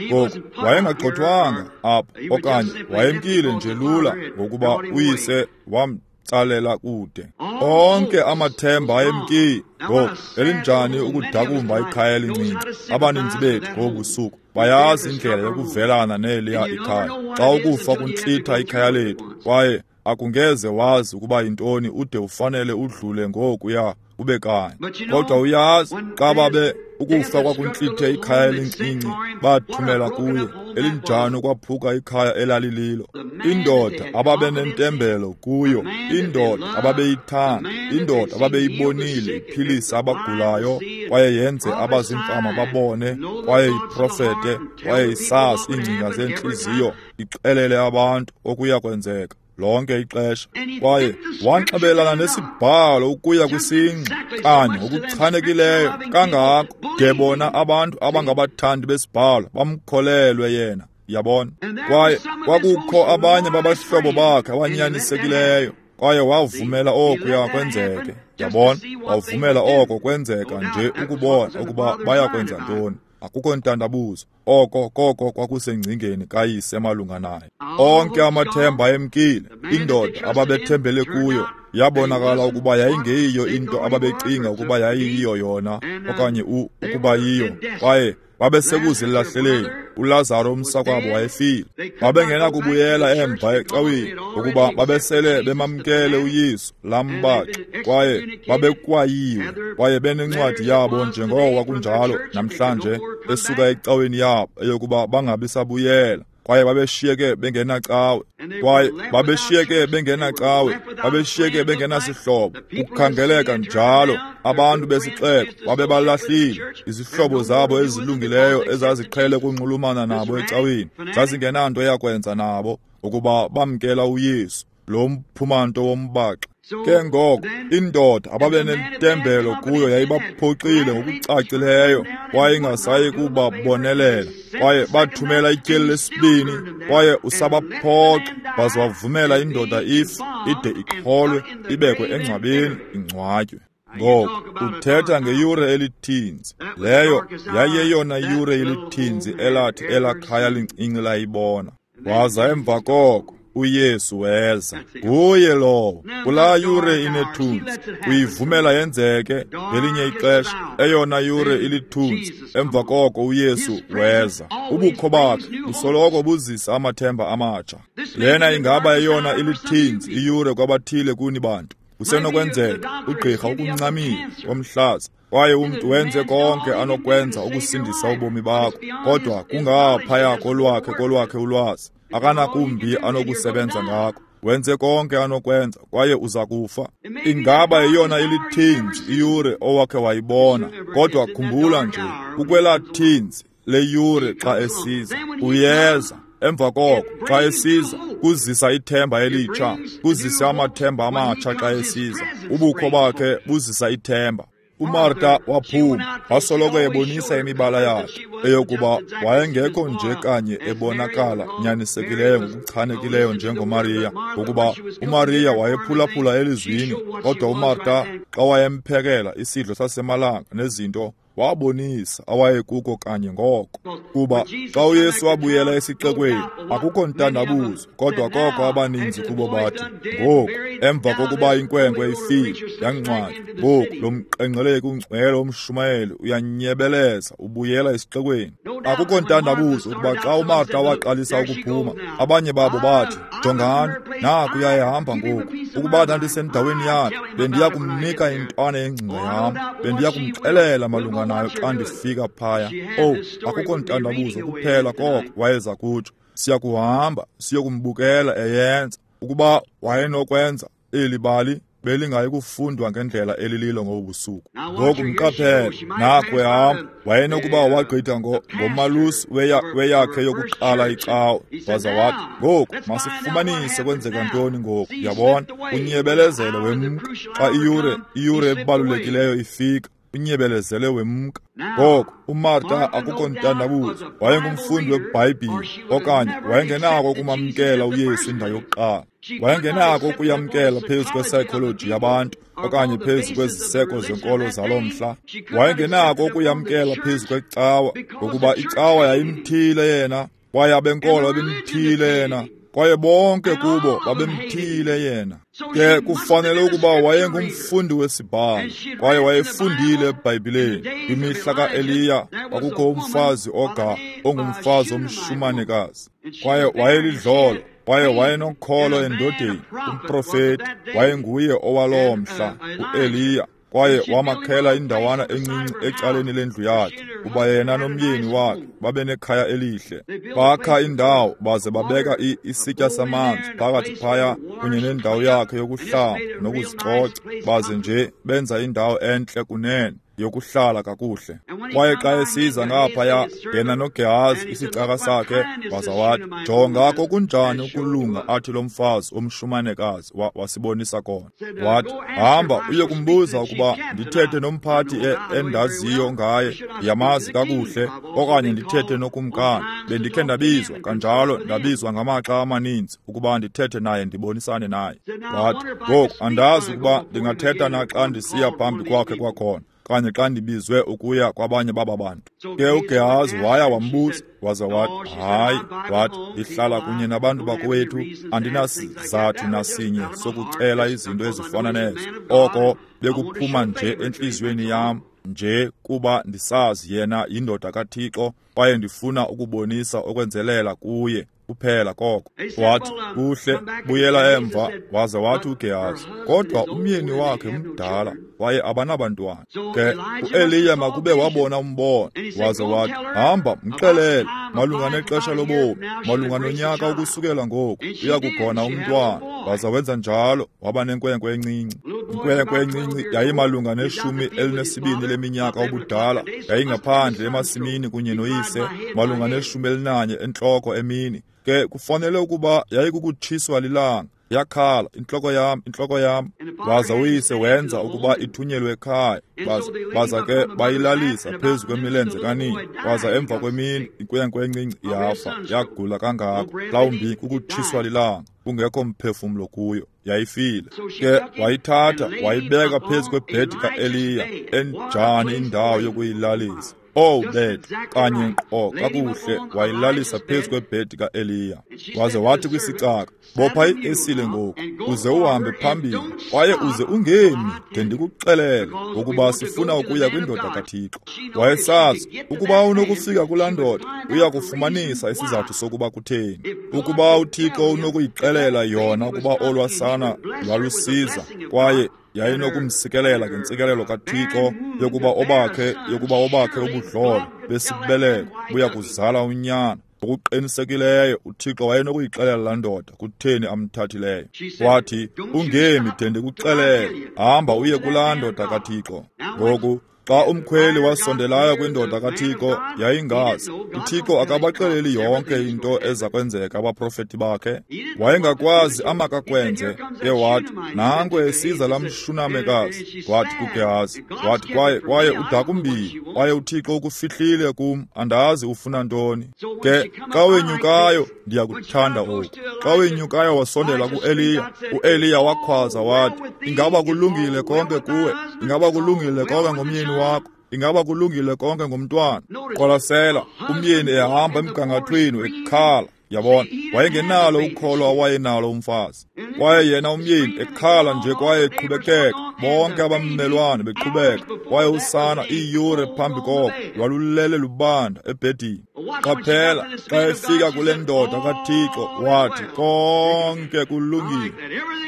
Ngoku wayengagxothwanga apho, okanye wayemkile nje lula ngokuba uyise wamtsalela kude. Onke amathemba ayemkile. Ngoku elinjani ukudakumba ikhaya elincinci. Abaninzi bethu ngobusuku bayazi indlela yokuvelana neliya ikhaya. Xa ukufa kuntlitha ikhaya lethu, kwaye akungeze wazi ukuba yintoni ude ufanele udlule ngokuya ube kanye. Kodwa uyazi, xa babe ukufa kwakuntlithe ikhaya elincinci, bathumela kuye elinjani ukwaphuka ikhaya elalililo. Indoda ababenentembelo kuyo, indoda ababeyithanda, indoda ababeyibonile iphilisa abagulayo, kwaye yenze abazimfama babone, kwaye iprofete, kwaye isazi iingcinga zentliziyo, ixelele abantu okuya kwenzeka lonke ixesha. Kwaye wanxibelana nesibhalo ukuya kwisingxi kanye ngokuchanekileyo kangako de bona abantu abangabathandi besibhalo bamkholelwe yena. Yabona, kwaye kwakukho abanye babahlobo bakhe abanyanisekileyo, kwaye wavumela okuya kwenzeke. Yabona, wavumela oko kwenzeka nje ukubona ukuba bayakwenza ntoni. Akukho ntandabuzo, oko koko kwakusengcingeni kayise malunga naye. Onke amathemba ayemkile. Indoda ababethembele kuyo yabonakala ukuba yayingeyiyo into ababecinga ukuba yayiyiyo yona, okanye ukuba yiyo, kwaye babesekuzilahleleni. uLazaro umsakwabo wayefile. Babengenakubuyela emva ecaweni ngokuba babesele bemamkele uYesu lambaxa, kwaye babekwayiwe, kwaye benencwadi yabo njengoko kwakunjalo namhlanje esuka ecaweni yabo eyokuba bangabi sabuyela. Kwaye babeshiyeke bengenacawe, kwaye babeshiyeke bengenacawe, babeshiyeke bengenasihlobo. Kukhangeleka njalo, abantu besixeko babebalahlile. Izihlobo zabo ezilungileyo ezaziqhele ukunxulumana nabo ecaweni zazingenanto yakwenza nabo ukuba bamkela uYesu, lo mphumanto wombaxa. Ke ngoko indoda ababenentembelo kuyo yayibaphoxile ngokucacileyo, kwaye ingasayi kubabonelela. Kwaye bathumela ityeli lesibini, kwaye usabaphoxa, baze wavumela indoda ife ide iqholwe, ibekwe engcwabeni, ingcwatywe. Ngoku uthetha ngeyure elithinzi. Leyo yayeyona yure elithinzi elathi elakhaya lincinci layibona. Waza emva koko uYesu weza. Nguye lowo. Kulaa yure inethunzi, uyivumela yenzeke ngelinye ixesha, eyona yure ilithunzi. Emva koko uYesu weza. Ubukho bakhe busoloko buzisa amathemba amatsha. Lena ingaba eyona ilithinzi iyure kwabathile kuni bantu. Kusenokwenzeka ugqirha ukuncamile womhlaza, kwaye umntu wenze konke anokwenza ukusindisa ubomi bakho, kodwa kungaphaya kolwakhe kolwakhe ulwazi. Akanakumbi anokusebenza ngako. Wenze konke anokwenza, kwaye uza kufa. Ingaba yeyona ilithinzi iyure owakhe wayibona, kodwa khumbula nje, kukwelaa thinzi leyure xa esiza. Uyeza. Emva koko xa esiza, kuzisa ithemba elitsha, kuzisa amathemba amatsha xa esiza. Ubukho bakhe buzisa ithemba. UMarta waphuma, wasoloko ebonisa imibala yakhe, eyokuba wayengekho nje kanye ebonakala nyanisekileyo ngokuchanekileyo njengoMariya, ngokuba uMariya wayephulaphula elizwini, kodwa uMarta xa wayemphekela isidlo sasemalanga nezinto, wabonisa awayekuko kanye ngoko. Kuba xa uYesu wabuyela esixekweni, akukho ntandabuzo, kodwa koko abaninzi kubo bathi, ngoku emva kokuba inkwenkwe ifile yangcwatywa, ngoku lo mqengqeleki ungcwele womshumayeli uyanyebeleza ubuyela esixekweni. Akukho ntandabuzo ukuba xa uMarta waqalisa ukuphuma, abanye babo bathi, jongani, naku uyahamba ngoku. Ukuba ndandisendaweni yakhe, bendiya kumnika intwana yengcinga yam, bendiya kumxelela malunga nayo xa ndifika phaya. Oh, akukho ntandabuzo kuphela koko wayeza kutsho. Siyakuhamba siyokumbukela eyenza. Ukuba wayenokwenza eli bali, belingayi kufundwa ngendlela elililo ngobu busuku. Ngoku mqaphele, naku ehamba. Wayenokuba wagqitha ngomalusi weyakhe yokuqala icawe, waza wathi, ngoku masifumanise kwenzeka ntoni ngoku. Yabona, unyebelezele wemka xa iyure iyure ebalulekileyo ifika. Unyebelezele wemka. Ngoko uMarta akukho ntandabuzo, wayengumfundi weBhayibhile, okanye wayengenako ukumamkela uYesu indawo yokuqala. Wayengenako ukuyamkela phezu kwepsychology yabantu okanye phezu kweziseko zenkolo zaloo mhla. Wayengenako ukuyamkela phezu kwecawa, ngokuba icawa yayimthile yena, kwaye abenkolo babemthile yena, kwaye bonke kubo babemthile yena. Ke kufanele ukuba wayengumfundi wesibhalo, kwaye wayefundile eBhayibhileni. Kwimihla kaEliya kwakukho umfazi oga ongumfazi omshumanekazi, kwaye wayelidlolo, kwaye wayenokholo endodeni, umprofeti. Wayenguye owaloo mhla, uEliya. Kwaye wamakhela indawana encinci ecaleni lendlu yakhe, kuba yena nomyeni wakhe babenekhaya elihle. Bakha indawo baze babeka isitya samanzi phakathi phaya kunye nendawo yakhe yokuhlamba nokuzicoca, baze nje benza indawo entle kunene yokuhlala kakuhle. Kwaye xa esiza ngaphaya, yena noGehazi isicaka sakhe, waza wathi, jonga kokunjani ukulunga athi lo mfazi omshumanekazi wasibonisa kona. Wathi, hamba uye kumbuza ukuba ndithethe nomphathi endaziyo ngaye, ndiyamazi kakuhle, okanye ndithethe nokumkani. Bendikhe ndabizwa kanjalo, ndabizwa ngamaxa amaninzi ukuba ndithethe naye, ndibonisane naye. Wathi, ngoku andazi ukuba ndingathetha na xa ndisiya phambi kwakhe kwakhona, kanye xa ndibizwe ukuya kwabanye baba bantu. Ke uGehazi waya wambuza, waza wathi, hayi. Wathi, ndihlala kunye nabantu bakowethu, andinasizathu nasinye sokucela izinto ezifana nezo. Oko bekuphuma nje entliziyweni yam, nje kuba ndisazi yena yindoda kaThixo, kwaye ndifuna ukubonisa okwenzelela kuye kuphela koko. Wathi, kuhle, buyela emva. Waza wathi uGehazi, kodwa umyeni wakhe mdala, kwaye abanabantwana. Ke uEliya makube wabona umbono, waza wathi, hamba mxelele malunga nexesha lobomi, malunga nonyaka ukusukela ngoku, uyakugona umntwana. Waza wenza njalo, waba nenkwenkwe encinci. Inkwenkwe encinci yayimalunga neshumi elinesibini leminyaka ubudala, yayingaphandle emasimini kunye noyise, malunga neshumi elinanye entloko emini. Ke kufanele ukuba yayikukutshiswa lilanga. Yakhala, intloko yam, intloko yam. Waza uyise wenza ukuba ithunyelwe ekhaya. Baza, baza ke bayilalisa phezu kwemilenze kanina. Waza emva kwemini inkwenkwe encinci yafa, yagula kangako, mhlawumbi kukutshiswa lilanga, kungekho mphefumlo kuyo, yayifile. Ke wayithatha wayibeka phezu kwebhedi kaEliya. Enjani indawo yokuyilalisa! Oh bethu, kanye nkqo kakuhle wayilalisa phezu kwebhedi kaEliya. Waze wathi kwisicaka, bopha iesile ngoku, uze uhambe phambili, kwaye uze ungemi de ndikuxelele, ngokuba sifuna ukuya kwindoda kaThixo. Wayesazi ukuba unokufika kulaa ndoda, uya kufumanisa isizathu sokuba kutheni. Ukuba uThixo unokuyixelela yona ukuba olwasana lwalusiza, kwaye yayinokumsikelela ngentsikelelo kaThixo yokuba obakhe yokuba obakhe ubudlolo besibeleko buya kuzala unyana. Ngokuqinisekileyo uThixo wayenokuyixelela laa ndoda kutheni amthathileyo. Wathi, ungemi de ndikuxelele, hamba uye kulaa ndoda kaThixo. Ngoku xa umkhweli wasondelayo kwindoda kaThixo, yayingazi. uThixo akabaxeleli yonke into eza kwenzeka abaprofeti bakhe. Wayengakwazi amakakwenze. Ke wathi, nanko esiza laa mshunamekazi. Wathi kuGehazi, wathi kwaye kwaye udakumbile, kwaye uThixo ukufihlile kum, andazi ufuna ntoni. Ke xa wenyukayo, ndiyakuthanda oku. Xa wenyukayo wasondela kuEliya, uEliya wakhwaza wathi, ingaba kulungile konke kuwe? Ingaba kulungile konke ngomyeni wakho? Ingaba kulungile konke ngomntwana? Qwalasela, umyeni ehamba emgangathweni ekhala. Yabona, wayengenalo ukholo awayenalo umfazi. Kwaye yena umyeni ekhala nje kwaye eqhubekeka, bonke abammelwane beqhubeka, kwaye usana iiyure phambi koko lwalulele lubanda ebhedini. Qaphela, xa efika kule ndoda kaThixo, wathi, konke kulungile.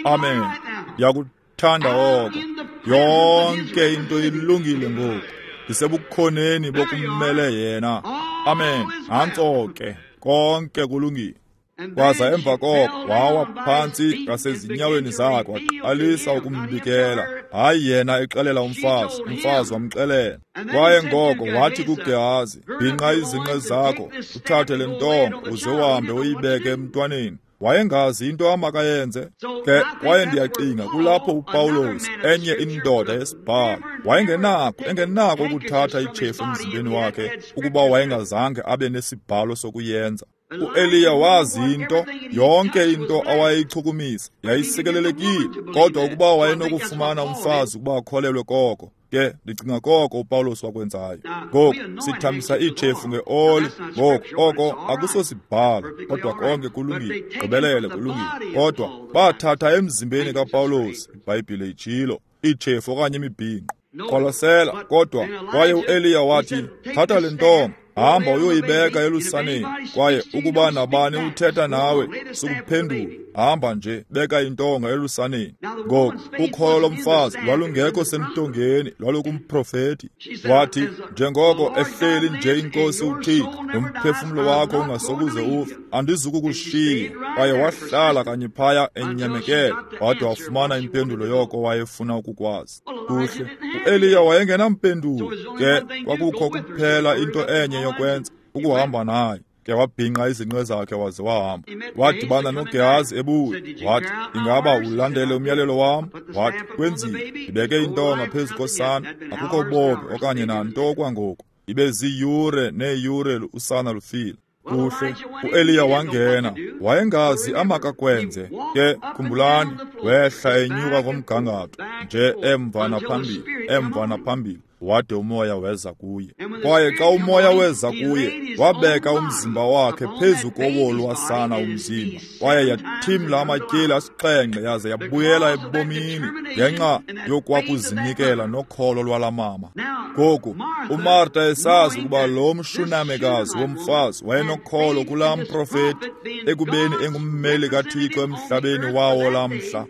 Amen. Ndiyakuthanda oko. Yonke into ilungile ngoku. Ndisebukhoneni bokummele yena. Amen. Nantso ke, konke kulungile. Kwaza emva koko wawa phantsi ngasezinyaweni zakhe, waqalisa ukumbikela. Hayi yena exelela umfazi, umfazi wamxelela. Kwaye ngoko wathi kuGehazi, bhinqa izinqe zakho, uthathe le ntonga, uze uhambe uyibeke emntwaneni. Wayengazi into amakayenze. Ke kwaye ndiyacinga kulapho uPawulos, enye indoda yesibhalo, wayengenako engenako ukuthatha itshefu emzimbeni wakhe ukuba wayengazange abe nesibhalo sokuyenza. uEliya wazi into, yonke into awayeyichukumisa yayisikelelekile, kodwa ukuba wayenokufumana umfazi ukuba akholelwe koko. Ke ndicinga koko uPawulos wakwenzayo. Ngoku sithambisa iitshefu ngeoli. Ngoku oko akusosibhalo, kodwa konke kulungile, gqibelele kulungile. Kodwa bathatha emzimbeni kaPawulos, iBhayibhile itshilo, iitshefu okanye imibhinqo. Qwalasela, kodwa kwaye uEliya wathi, thatha le ntonga, hamba uyoyibeka elusaneni, kwaye ukuba nabani uthetha nawe, sukuphendula, hamba nje, beka intonga elusaneni. Ngoku ukholo lomfazi lwalungekho semntongeni, lwalukumprofeti. Wathi, njengoko ehleli nje inkosi uThixo, nomphefumlo wakho ungasokuze ufe, andizukukushiya. Kwaye wahlala kanye phaya enyamekele, wade wafumana impendulo yoko wayefuna ukukwazi. Kuhle, uEliya wayengenampendulo. Ke kwakukho kuphela into enye yokwenza, ukuhamba naye. Ke wabhinqa izinqe zakhe waze wahamba. Wadibana noGehazi ebuya. Wathi, ingaba ulandele umyalelo wam? Wathi, kwenzile, ndibeke intonga phezu kosana, akukho bomi okanye nanto kwangoku. Ibe ziiyure neeyure usana lufile. Kuhle, uEliya wangena, wayengazi amakakwenze. Ke khumbulani, wehla enyuka komgangatho, nje emva naphambili, emva naphambili, wade umoya weza kuye. Kwaye xa umoya weza kuye, wabeka umzimba wakhe phezu kowolwasana umzimba, kwaye yathimla amatyeli asixhenxe yaze yabuyela ebomini ngenxa yokwakuzinikela nokholo lwala mama. Ngoku uMarta esazi ukuba lo mshunamekazi womfazi wayenokholo kulaa mprofeti, ekubeni engummeli kaThixo emhlabeni wawo lamhla.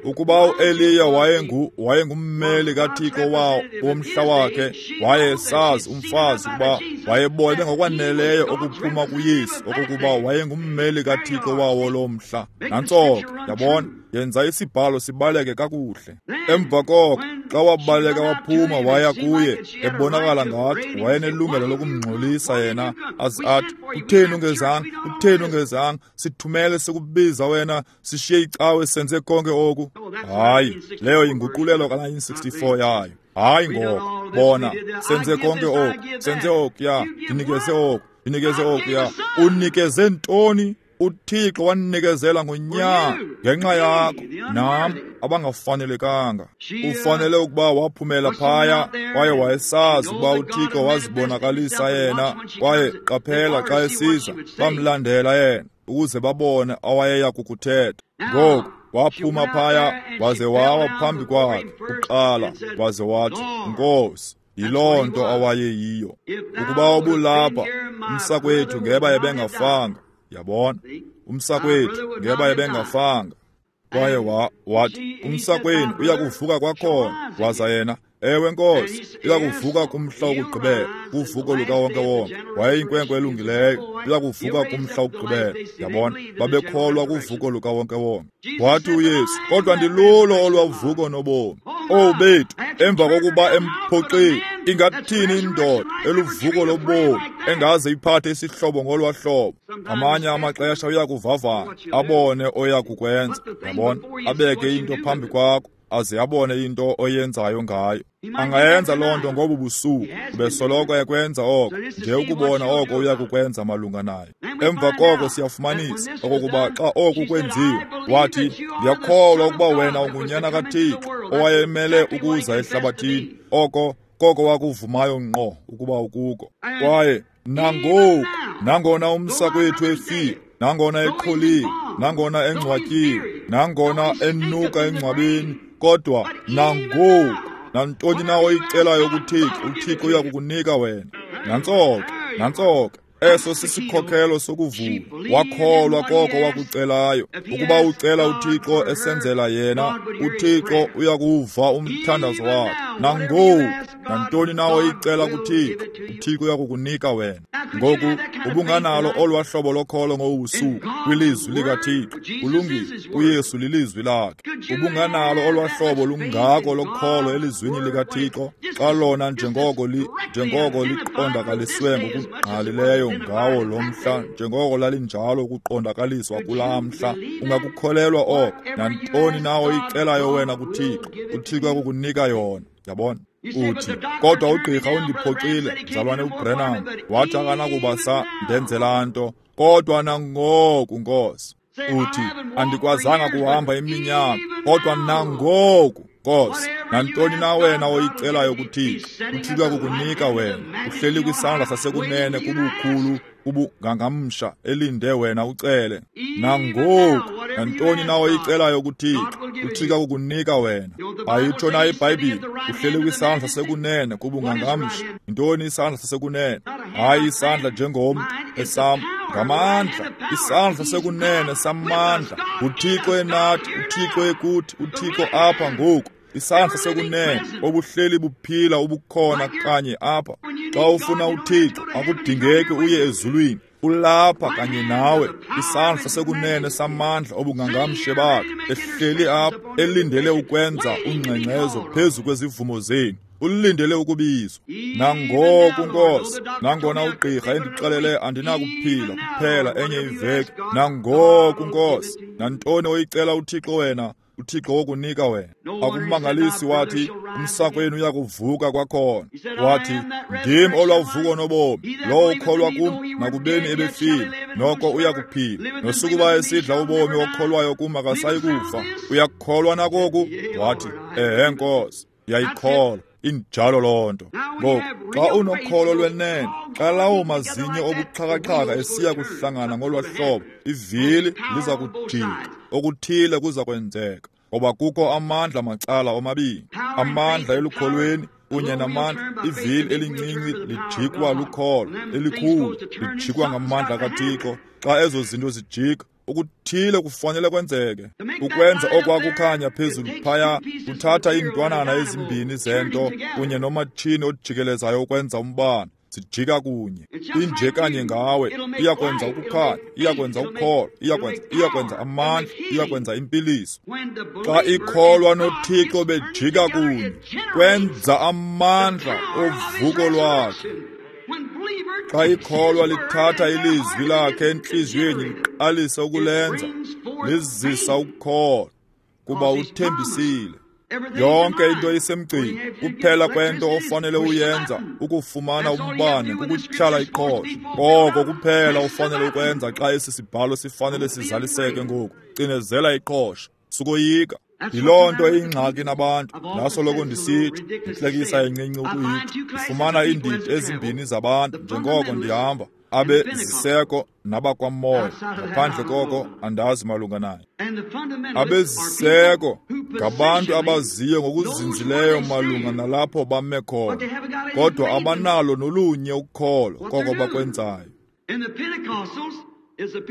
Ukuba uEliya wayengu wayengummeli kaThixo wawo womhla wakhe, wayesazi umfazi ukuba wayebone ngokwaneleyo okuphuma kuYesu okokuba wayengummeli kaThixo wawo lo mhla. Nantso ke, yabona, yenza isibhalo sibaleke kakuhle. Emva koko xa wabaleka waphuma waya kuye, ebonakala ngathi wayenelungelo lokumngxolisa yena, aze athi, utheni ungezanga, utheni ungezanga, sithumele sikubiza wena, sishiye icawe senze konke oku. Hayi, leyo yinguqulelo ka nineteen sixty-four yayo. Hayi ngoko, bona, senze konke oku, senze okuya, ndinikeze oku, ndinikeze okuya. Unikeze ntoni? UThixo wanikezela ngonyana ngenxa yakho nam abangafanelekanga. Ufanele ukuba waphumela phaya kwaye wayesazi ukuba uThixo wazibonakalisa yena, kwaye qaphela xa esiza bamlandela yena ukuze babone awayeya kukuthetha. Ngoku waphuma phaya waze wawa phambi kwakhe kuqala, waze wathi, Nkosi. Yiloo nto awayeyiyo. Ukuba ubulapha umsakwethu ngeba ebengafanga. Yabona, umsakwethu ngeba ebengafanga. Kwaye wa, wathi, umsakwenu uyakuvuka kwakhona. Waza yena, ewe Nkosi, uyakuvuka kumhla wokugqibela, kuvuko lukawonke-wonke. Wayeyinkwenkwe elungileyo, uyakuvuka kumhla wokugqibela. Yabona, babekholwa kuvuko lukawonke-wonke. Wathi uYesu, kodwa ndilulo olwavuko nobomi. Owu bethu, emva kokuba emphoxile, ingathini indoda eluvuko lobomi engaze iphathe isihlobo ngolwa hlobo? Ngamanye amaxesha uyakuvavanya, abone oyakukwenza. Yabona, abeke into phambi kwakho, aze abone into oyenzayo ngayo. Angayenza loo nto ngobu busuku, ubesoloko ekwenza oko, nje ukubona oko uyakukwenza malunga nayo. Emva koko siyafumanisa okokuba xa oku kwenziwe, wathi, ndiyakholwa ukuba wena ungunyana kaThixo owayemele ukuza ehlabathini. Oko koko wakuvumayo ngqo ukuba ukuko. Kwaye nangoku, nangona umsakwethu efile, nangona eqholiwe, nangona engcwatyiwe, nangona enuka engcwabeni, kodwa nangoku, nantoni na oyicelayo kuThixo, uThixo uyakukunika wena. Nantso ke, nantso ke. Eso sisikhokelo sokuvuma. Wakholwa koko wakucelayo. Ukuba ucela uThixo esenzela yena, uThixo uyakuva umthandazo wakho. Nangoku, nantoni na oyicela kuThixo, uThixo uyakukunika wena. Ngoku ubunganalo olwa hlobo lokholo ngobusuku kwilizwi likaThixo. Kulungile, uYesu lilizwi lakhe. Ubunganalo olwa hlobo lungako lokholo elizwini likaThixo, xa lona njengoko li njengoko liqondakaliswe ngokungqalileyo ngawo lo mhla, njengoko lalinjalo ukuqondakaliswa kulaa mhla. Ungakukholelwa oko. Nantoni na oyicelayo wena kuThixo, uThixo akukunika yona. Yabona? Uthi, kodwa ugqirha undiphoxile, mzalwane uBrenham, wathi akanakuba sa ndenzela nto, kodwa nangoku Nkosi. Uthi, andikwazanga kuhamba iminyaka, kodwa nangoku Nkosi. Nantoni na wena oyicelayo kuThixo, uThixo akukunika wena. Uhleli kwisandla sasekunene kubukhulu ubungangamsha, elinde wena ucele. Nangoku, nantoni na oyicelayo kuThixo, uThixo akukunika wena. Ayitsho na iBhayibhile, uhleli kwisandla sasekunene kubungangamsha. Yintoni isandla sasekunene? Hayi isandla njengomntu, esam ngamandla, isandla sasekunene samandla. UThixo enathi, uThixo ekuthi, uThixo apha ngoku. Isandla sasekunene obuhleli buphila ubukhona kanye apha. Xa ufuna uThixo, akudingeki uye ezulwini, ulapha kanye nawe. Isandla sasekunene samandla obungangamshe bakhe ehleli apha, elindele ukwenza ungxengxezo phezu kwezivumo zenu. Ulindele ukubizwa. Nangoku Nkosi, nangona ugqirha endixelele andinakuphila kuphela enye iveki, nangoku Nkosi, nantoni oyicela uThixo wena, uThixo wokunika wena. Akumangalisi wathi, umsakwenu uyakuvuka kwakhona. Wathi, ndim olwavuko nobomi, lowo ukholwa kum nakubeni ebefile, noko uyakuphila. Nosukuba esidla ubomi okholwayo kum akasayi kufa. Uyakholwa nakoku? Wathi, ehe Nkosi, ndiyayikholwa. Injalo loo nto. Ngoku xa unokholo lwenene, xa lawo mazinyo obuxhakaxhaka esiya kuhlangana ngolwa hlobo, ivili liza kujika, okuthile kuza kwenzeka, ngoba kukho amandla macala omabini, amandla elukholweni kunye namandla. Ivili elincinci lijikwa lukholo, elikhulu lijikwa ngamandla kaThixo. Xa ezo zinto zijika, Okuthile kufanele kwenzeke. Ukwenza okwakukhanya phezulu phaya, kuthatha iintwanana ezimbini zento kunye nomatshini ojikelezayo ukwenza umbane. Sijika kunye. Inje kanye ngawe, iyakwenza ukukhanya, iyakwenza ukholo, iyakwenza iyakwenza amandla, iyakwenza impiliso. Xa ikholwa noThixo bejika kunye, kwenza amandla ovuko lwakhe. Xa ikholwa lithatha ilizwi lakhe entliziyweni liqalise ukulenza, lizisa ukukholwa, kuba uthembisile. Yonke into isemgcini. Kuphela kwento ofanele uyenza ukufumana umbane kukutyhala iqhosha. Koko kuphela ufanele ukwenza xa esi sibhalo sifanele sizaliseke ngoku. Cinezela iqhosha. Sukoyika. Yiloo nto ingxaki nabantu. Ndasoloko ndisithi, intlekisa encinci ukuyitsho. Ndifumana iindidi ezimbini zabantu njengoko ndihamba, abe ziseko nabakwamoya. Ngaphandle koko andazi malunga naye. Abeziseko ngabantu abaziyo ngokuzinzileyo malunga nalapho bame khona, kodwa abanalo nolunye ukholo koko bakwenzayo.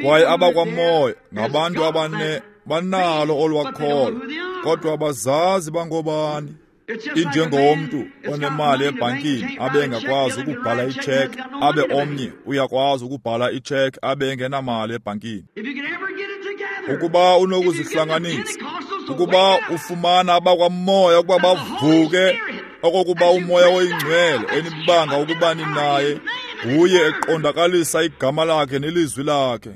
Kwaye abakwamoya ngabantu abane banalo olwakholo, kodwa abazazi bangobani. Injengomntu onemali ebhankini abe engakwazi ukubhala itsheke, abe omnye uyakwazi ukubhala itsheke abe engenamali ebhankini. Ukuba unokuzihlanganisa, ukuba ufumana abakwamoya ukuba bavuke, okokuba uMoya oyiNgcwele enibanga ukuba ninaye, nguye eqondakalisa igama lakhe nelizwi lakhe.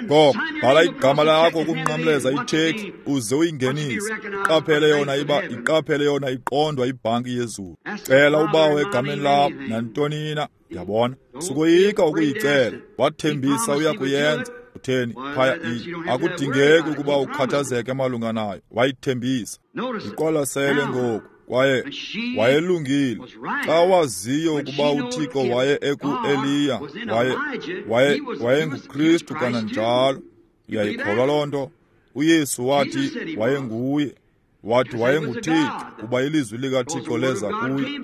Ngoko bhala igama lakho ukunqamleza itsheki uze uyingenise. Iqaphele yona iba iqaphele yona iqondwa ibhanki yezulu. Cela ubawo egameni lakho nantoni na, yabona. Sukoyika ukuyicela. Wathembisa uyakuyenza. Utheni phaya akudingeki ukuba ukhathazeke malunga nayo. Wayithembisa. Iqwalasele ngoku. Kwaye wayelungile xa waziyo ukuba uThixo waye eku-Eliya, waye waye wayenguKristu kananjalo. Uyayikholwa loo nto? uYesu wathi wayenguye, wathi wayenguThixo, kuba ilizwi likaThixo leza kuye.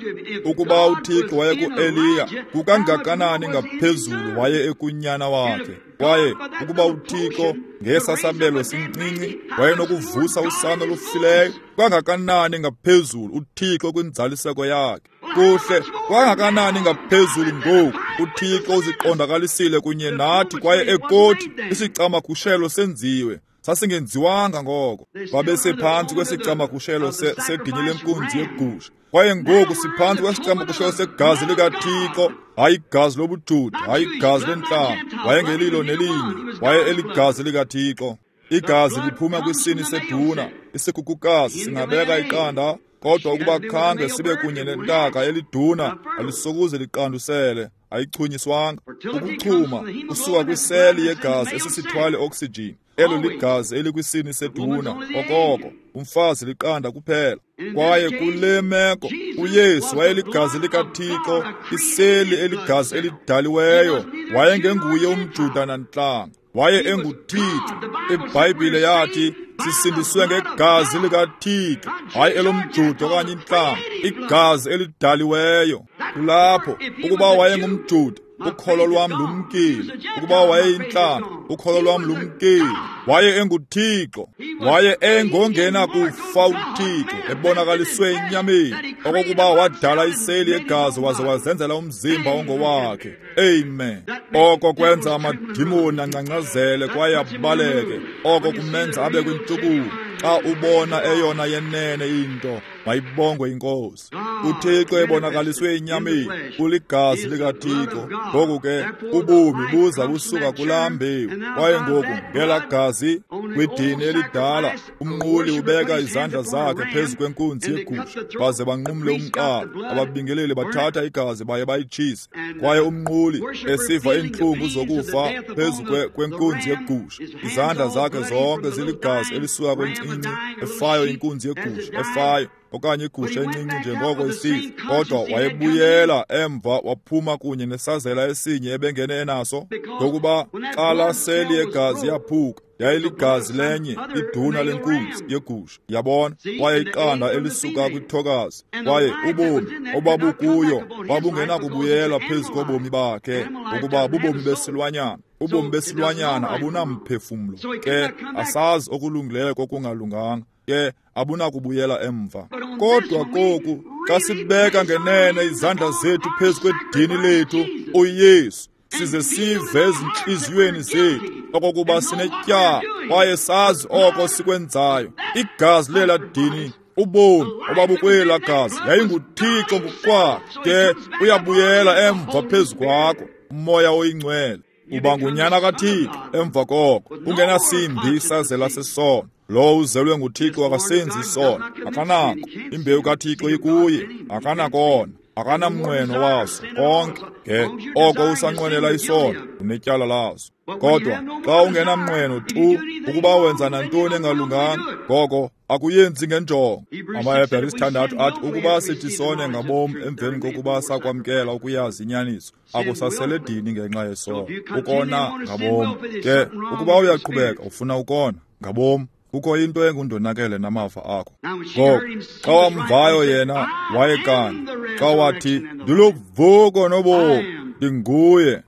Ukuba uThixo wayeku-Eliya, kukangakanani ngaphezulu waye ekunyana wakhe. Kwaye ukuba uThixo ngesasabelo sincinci wayenokuvusa usana olufileyo, kangakanani ngaphezulu uThixo kwinzaliseko yakhe. Kuhle, kangakanani ngaphezulu ngoku uThixo uziqondakalisile kunye nathi, kwaye ekothi isicamagushelo senziwe. Sasingenziwanga ngoko. Babesephantsi kwesicamagushelo seginye lenkunzi yegusha. Kwaye ngoku siphantsi kwesicamagushelo segazi likaThixo, hayi igazi lobuJuda, hayi igazi lentlanga. Wayengelilo nelinye, waye eligazi likaThixo. Igazi liphuma kwisini seduna, isikhukukazi singabeka iqanda, kodwa ukuba khange sibe kunye nentaka eliduna, alisokuze liqandusele. Ayichunyiswanga. Ukuchuma kusuka kwiseli yegazi esisithwale oxygen. Elo ligazi elikwisini seduna, okoko umfazi liqanda kuphela. Kwaye kule meko uYesu wayeligazi likaThixo, iseli eligazi elidaliweyo. Wayengenguye umJuda nantlanga, waye enguThixo. IBhayibhile yathi sisindiswe ngegazi likaThixo, hayi elomJuda okanye intlanga, igazi elidaliweyo. Kulapho ukuba wayengumJuda, ukholo lwam lumkile. Ukuba wayeyintlanga, ukholo lwam lumkile. Waye enguThixo, waye engongena kufa uThixo ebonakaliswe enyameni, okokuba wadala iseli yegazi waze wazenzela umzimba ongowakhe. Amen. Oko kwenza amadimoni angcangcazele kwaye abaleke. Oko kumenza abe kwintshukumo. Xa ubona eyona yenene into, mayibongwe iNkosi. uThixo ebonakaliswe enyameni uligazi likaThixo. Ngoku ke ubomi buza busuka kulaa mbewu. Kwaye ngoku ngelaa gazi kwidini elidala, umnquli ubeka izandla zakhe phezu kwenkunzi yegusha, baze banqumle umqala. Ababingeleli bathatha igazi baye bayitshise. Kwaye umnquli esiva iintlungu zokufa phezu kwenkunzi yegusha, izandla zakhe zonke ziligazi elisuka kwencinci efayo inkunzi yegusha efayo, okanye igusha encinci njengoko isifa. Kodwa wayebuyela emva waphuma kunye nesazela esinye ebengene enaso, ngokuba xa laa seli yegazi yaphuka, Yayiligazi lenye iduna lenkunzi yegusha, yabona, kwaye iqanda elisuka kwithokazi, kwaye ubomi obabukuyo babungenakubuyela phezu kobomi bakhe, ngokuba bubomi besilwanyana. Ubomi besilwanyana abunamphefumlo, ke asazi okulungileyo kokungalunganga, ke abunakubuyela emva. Kodwa koku, xa sibeka ngenene izandla zethu phezu kwedini lethu uYesu, size sive ezintliziyweni zethu okokuba sinetyala kwaye sazi oko sikwenzayo, igazi lela dini, ubomi obabukwela gazi yayinguThixo ngokwakhe, ke uyabuyela emva phezu kwakho uMoya oyiNgcwele. Uba ngunyana kaThixo emva koko, ungenasimbi isazela sesono. Lowo uzelwe nguThixo akasenzi isono, akanako. Imbewu kaThixo ikuye, akanakona, akanamnqweno waso konke. Ke oko usanqwenela isono, unetyala laso. Kodwa xa ungenamnqweno tu ukuba wenza nantoni engalunganga, ngoko akuyenzi ngenjongo. AmaHebhere isithandathu athi ukuba sithi sone ngabom emveni kokuba sakwamkela ukuyazi inyaniso, akusasele dini ngenxa yesono, ukona ngabom. Ke ukuba uyaqhubeka ufuna ukona ngabom, kukho into engundonakele namava akho. Ngoko xa wamvayo yena wayekanye, xa wathi ndiluvuko nobomi, ndinguye.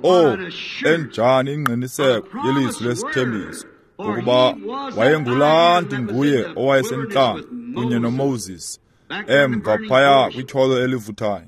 Oh, enjani ingqiniseko yelizwi lesithembiso, ngokuba wayengulaa ndinguye owayesentlango kunye noMoses emva phaya kwitholo elivuthayo.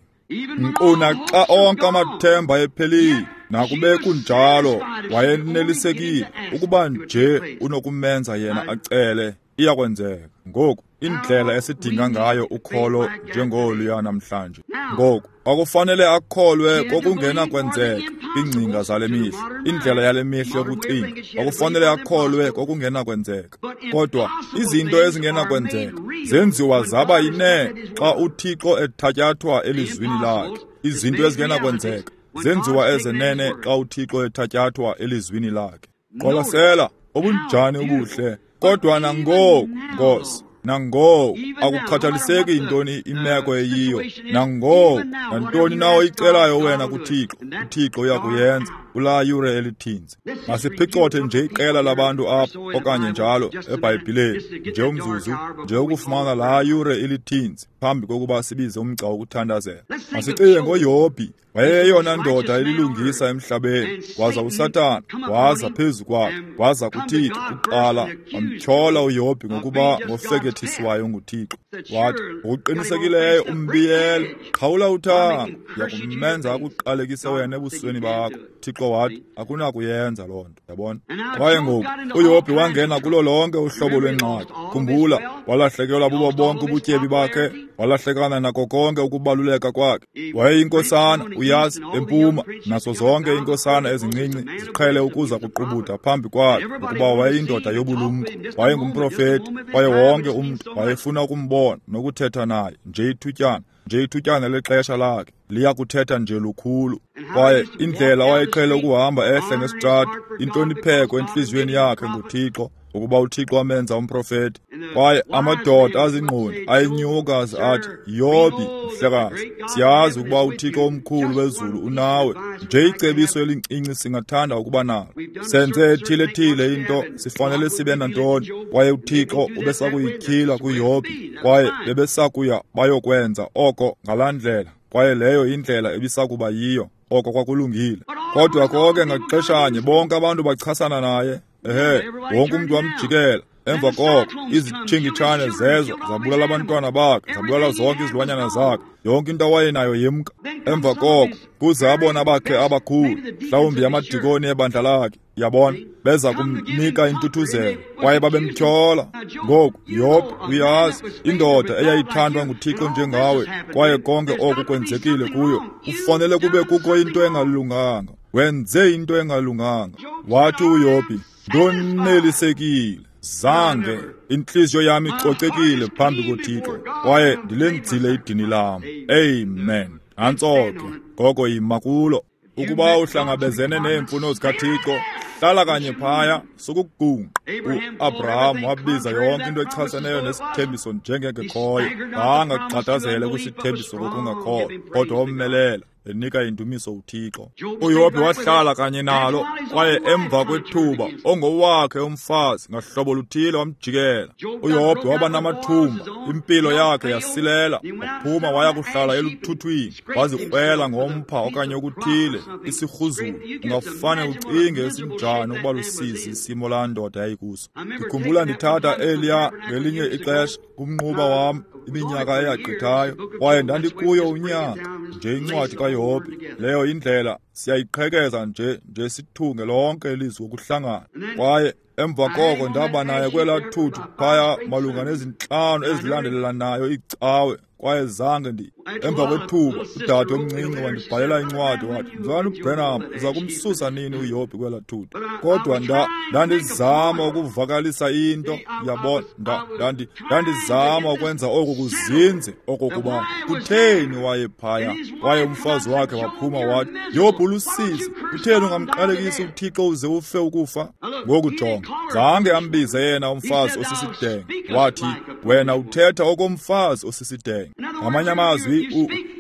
Nkqu naxa onke amathemba ephelile, nakube kunjalo wayenelisekile ukuba nje unokumenza yena acele, iyakwenzeka. Ngoku indlela esidinga ngayo ukholo njengoluya namhlanje. Ngoku akufanele akholwe kokungenakwenzeka ingcinga zale mihla, indlela yale mihla yokucinga. Akufanele akholwe kokungenakwenzeka, kodwa izinto ezingenakwenzeka zenziwa zaba yinene xa uThixo ethatyathwa elizwini lakhe. Izinto ezingenakwenzeka zenziwa ezenene xa uThixo ethatyathwa elizwini lakhe. Qwalasela obunjani ubuhle. Kodwa nangoku, Nkosi, nangoku, akukhathaliseki intoni imeko eyiyo, nangoku, nantoni na oyicelayo wena kuThixo, uThixo uyakuyenza kulaa yure elithinzi. Masiphicothe nje iqela labantu apha okanye njalo eBhayibhileni, nje umzuzu, nje ukufumana laa yure elithinzi phambi kokuba sibize umgca wokuthandazela. Masicinge ngoYobhi. Wayeyona ndoda elilungisa emhlabeni, waza uSathana waza phezu kwakhe, waza kuThixo kuqala, wamtyhola uYobhi ngokuba ngofekethiswayo nguThixo. Wathi, ngokuqinisekileyo umbiyele, qhawula uthango, ndiyakumenza akuqalekise wena ebusweni bakho. Thixo wathi, akunakuyenza loo nto, yabona. Kwaye ngoku uYobhi wangena kulo lonke uhlobo lwengxaki. Khumbula, walahlekelwa bubo bonke ubutyebi bakhe, walahlekana nako konke ukubaluleka kwakhe. Wayeyinkosana, uyazi, empuma, naso zonke iinkosana ezincinci ziqhele ukuza kuqubuda phambi kwakhe, ngokuba wayeyindoda yobulumko, wayengumprofeti, kwaye wonke umntu wayefuna ukumbona nokuthetha naye nje ithutyana, nje ithutyana lexesha lakhe liya kuthetha nje lukhulu. Kwaye indlela wayeqhele ukuhamba ehle ngesitrato, intlonipheko entliziyweni yakhe nguThixo, ukuba uThixo wamenza umprofeti. Kwaye amadoda azingqondi ayenyuka aze athi, Yobhi, mhlekazi, siyazi ukuba uThixo omkhulu wezulu unawe. Nje icebiso elincinci singathanda ukuba nalo. Senze ethile-thile into, sifanele sibe nantoni. Kwaye uThixo ubesakuyityhila kuYobhi, kwaye bebesakuya bayokwenza oko ngalaa ndlela. Kwaye leyo indlela ebisakuba yiyo, oko kwakulungile. Kodwa konke ngaxeshanye bonke abantu bachasana naye. Ehe, wonke umntu wamjikela. Emva koko izitshingitshane zezo zabulala abantwana bakhe, zabulala zonke izilwanyana zakhe, yonke into awayenayo yemka. Emva koko kuze abona bakhe abakhulu, mhlawumbi amadikoni ebandla lakhe, yabona, beza kumnika intuthuzelo, kwaye babemtyhola. Ngoku Yobhi, uyazi, indoda eyayithandwa nguThixo njengawe, kwaye konke oku kwenzekile kuyo, kufanele kube kukho into engalunganga, wenze into engalunganga. Wathi uYobhi, ndonelisekile, zange intliziyo yami icocekile phambi koThixo, kwaye ndilenzile idini lam. Amen. Nantso ke, ngoko yima kulo. Ukuba uhlangabezene neemfuno zikaThixo, hlala kanye phaya, sukugungqa. U-Abraham wabiza yonke into echaseneyo nesithembiso njengengekhoyo. Zange agxadazele kwisithembiso ngokungakholwa, kodwa womelela enika indumiso uThixo. UYobhi wahlala kanye nalo, kwaye emva kwethuba ongowakhe umfazi ngahlobo luthile wamjikela. UYobhi waba namathumba, impilo yakhe yasilela, waphuma waya kuhlala eluthuthwini, wazikrwela ngompha okanye okuthile, isirhuzulu. Ungafane ucinge esinjani ukuba lusizi isimo laa ndoda yayikuso. Ndikhumbula ndithatha eliya ngelinye ixesha kumnquba wam iminyaka eyagqithayo, kwaye ndandikuyo unyaka nje incwadi kaYobhi. Leyo indlela siyayiqhekeza nje nje sithunge lonke ilizwi ngokuhlangana. Kwaye emva koko ndaba naye kwelaa thuthu phaya malunga nezintlanu ezilandelelanayo iicawe, kwaye zange ndi. Emva kwethuba udade omncinci wandibhalela incwadi wathi, "Mzalwana uBranham, uza kumsusa nini uYobhi kwelaa thuthu?" Kodwa nda ndandizama ukuvakalisa into, uyabona, nda ndandi ndandizama ukwenza oku kuzinze okokuba kutheni wayephaya. Kwaye umfazi wakhe waphuma wathi, "Yobhi ulusizi, kutheni ungamqalekisi uThixo uze ufe ukufa?" Ngoku jonga, zange ambize yena umfazi osisidenge, wathi, "Wena uthetha okomfazi osisidenge." Ngamanye amazwi,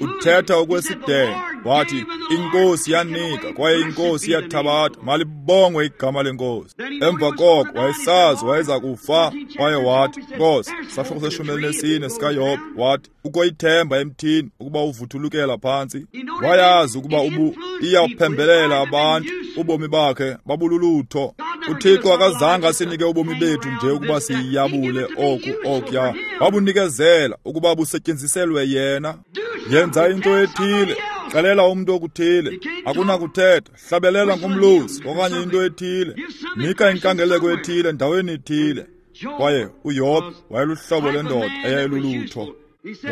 uthetha okwesidenge. Wathi, "Inkosi yanika kwaye inkosi iyathabatha, malibongwe igama lenkosi." Emva koko wayesazi wayeza kufa, kwaye wathi, "Nkosi," sahluko seshumi elinesine sikaYobhi, wathi, "Kukho ithemba emthini ukuba uvuthulukela phantsi." Wayazi ukuba ubu iyaphembelela abantu, ubomi bakhe babululutho. UThixo akazange asinike ubomi bethu nje ukuba siyabule oku okuya, wabunikezela ukuba busetyenziselwe yena. Yenza into ethile, xelela umntu okuthile, akunakuthetha, hlabelela ngomlozi okanye into ethile, nika inkangeleko ethile endaweni ethile. Kwaye uYobhi wayeluhlobo lwendoda eyayilulutho.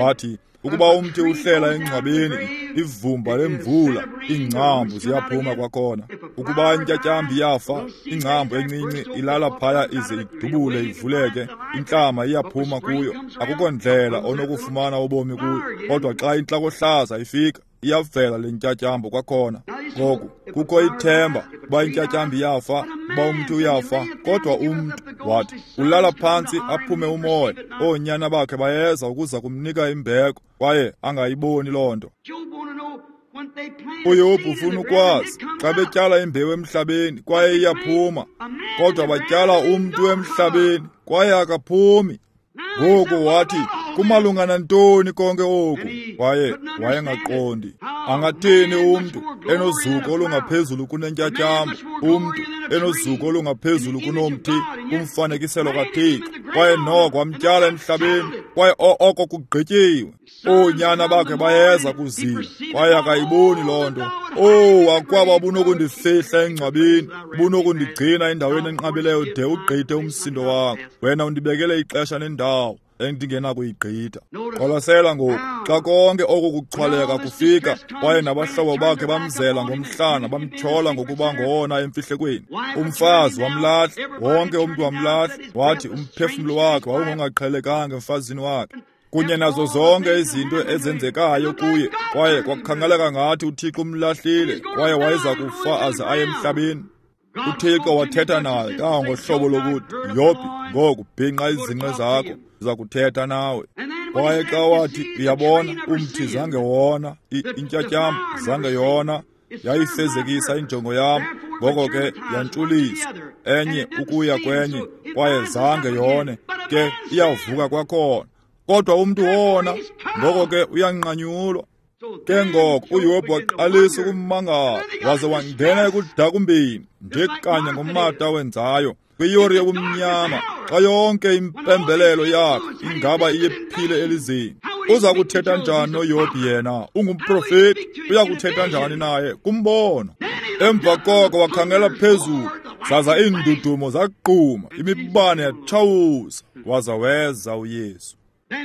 Wathi, ukuba umthi uhlela engcwabeni, ivumba lemvula, iingcambu ziyaphuma kwakhona. Ukuba intyatyambo iyafa, ingcambu encinci ilala phaya ize idubule ivuleke, intlama iyaphuma kuyo. Akukho ndlela onokufumana ubomi kuyo, kodwa xa intlakohlaza ifika, iyavela le ntyatyambo kwakhona. Ngoku kukho ithemba uba intyatyambo iyafa, uba umntu uyafa, kodwa umntu, wathi, ulala phantsi aphume umoya, oonyana bakhe bayeza ukuza kumnika imbeko, kwaye angayiboni loo nto. UYobhi ufuna ukwazi xa betyala imbewu emhlabeni kwaye iyaphuma, kodwa batyala umntu emhlabeni kwaye akaphumi. Ngoku wathi, kumalunga nantoni konke oku? Kwaye wayengaqondi. Angathini umntu enozuko olungaphezulu kunentyatyambo, umntu enozuko olungaphezulu kunomthi, kumfanekiselo kaThixo, kwaye noko wamtyala emhlabeni, kwaye oko kugqityiwe. Oonyana bakhe bayeza kuzila, kwaye akayiboni loo nto. Oh, akwaba bunokundifihla engcwabeni, bunokundigcina endaweni enqabileyo de ugqithe umsindo wakho. Wena undibekele ixesha nendawo endingenakuyigqitha. Qwalasela ngoku, xa konke oku kuxhwaleka kufika, kwaye nabahlobo bakhe bamzela ngomhlana, bamtyhola ngokuba ngowona emfihlekweni. Umfazi wamlahla, wonke umntu wamlahla, wathi umphefumlo wakhe wawungongaqhelekanga emfazini wakhe, kunye nazo zonke izinto ezenzekayo kuye, kwaye kwakukhangeleka ngathi uThixo umlahlile, kwaye wayeza kufa aze aye emhlabeni. UThixo wathetha naye kangangohlobo lokuthi, "Yobhi, ngoku bhinqa izinqe zakho, ndiza kuthetha nawe." Kwaye xa wathi, uyabona, umthi zange wona, intyatyambo zange yona, yayifezekisa injongo yam, ngoko ke yantshuliswa enye ukuya kwenye, kwaye zange yone, ke iyavuka kwakhona. Kodwa umntu wona, ngoko ke uyanqanyulwa. Ke ngoko uYobhi waqalisa ukumangala, waze wangena ekudakumbeni nje kanye ngomata wenzayo kwiyure yobumnyama, xa yonke impembelelo yakhe ingaba iyephile elizeni. Uza kuthetha njani noYobhi yena? Ungumprofeti, uya kuthetha njani naye? Kumbono. Emva koko wakhangela phezulu, zaza iindudumo zaqhuma, imibane yatshawuza, waza weza uYesu.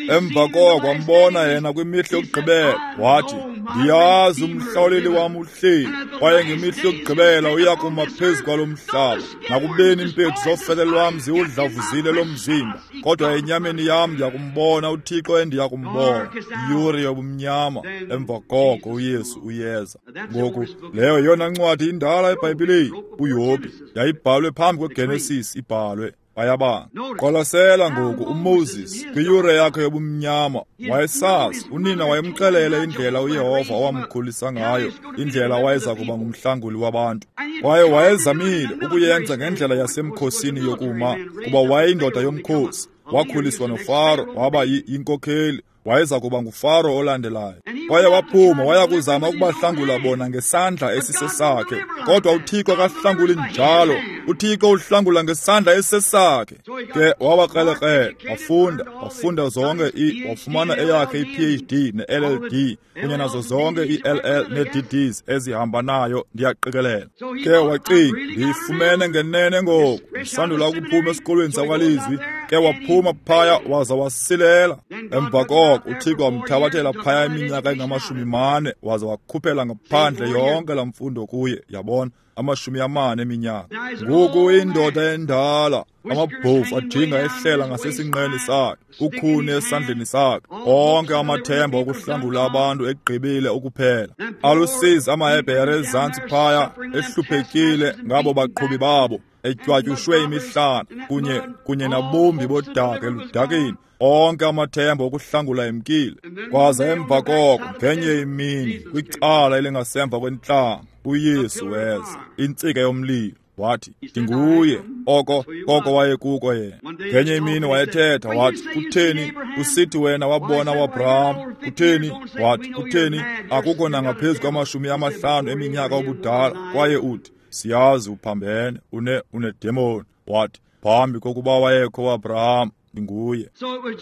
Emva koko wambona yena kwimihla yokugqibela, wathi, "Ndiyazi umhlawuleli wam uhleli, kwaye ngemihla yokugqibela uya kuma phezu kwalo mhlaba. Nakubeni iimpethu zofele lwam ziwudlavuzile lo mzimba, kodwa enyameni yam ndiyakumbona uThixo endiyakumbona." Iyure yobumnyama. Emva koko uYesu uyeza. Ngoku leyo yeyona ncwadi indala eBhayibhileni, uYobhi, yayibhalwe phambi kweGenesis ibhalwe. Bayabanga. Qwalasela ngoku uMoses kwiyure yakhe yobumnyama wayesazi, unina wayemxelele indlela uYehova owamkhulisa ngayo, indlela wayeza kuba ngumhlanguli wabantu. Kwaye wayezamile ukuyenza ngendlela yasemkhosini yokuma, kuba wayeyindoda yomkhosi. Wakhuliswa noFaro, waba yinkokheli, wayeza kuba nguFaro olandelayo. Kwaye waphuma waya kuzama ukubahlangula bona ngesandla esisesakhe, kodwa uThixo akahlanguli njalo. uThixo uhlangula ngesandla esisesakhe. Ke wabakrelekrele, wafunda, wafunda zonke i wafumana eyakhe i-P H D ne-L L D kunye nazo zonke i-L L ne-D Ds ezihamba nayo, ndiyaqikelela. Ke wacinga, ndiyifumene ngenene ngoku, ndisandula ukuphuma esikolweni sakwalizwi. Ke waphuma phaya waza wasilela. Emva koko uThixo wamthabathela phaya iminyaka engamashumi mane waza wakhuphela ngaphandle yonke laa mfundo kuye, yabona, amashumi amane eminyaka. Ngoku indoda endala, amabhovu ajinga ehlela ngasesinqeni sakhe, ukhuni esandleni sakhe, onke amathemba okuhlangula abantu egqibile ukuphela. Alusizi amaHebhere ezantsi phaya ehluphekile ngabo baqhubi babo, etywatyushwe imihlana kunye kunye nabombi bodaka eludakeni. Onke amathemba okuhlangula emkile. Kwaza emva koko ngenye imini kwicala elingasemva kwentlango uYesu weza, intsika yomlilo. Wathi, ndinguye, oko koko wayekuko yena. Ngenye imini wayethetha wathi, kutheni usithi wena wabona uAbraham? Kutheni? Wathi, kutheni akukho nangaphezu kwamashumi amahlanu eminyaka obudala, kwaye uthi siyazi uphambene, une unedemoni. Wathi, phambi kokuba wayekho uAbraham, ndinguye.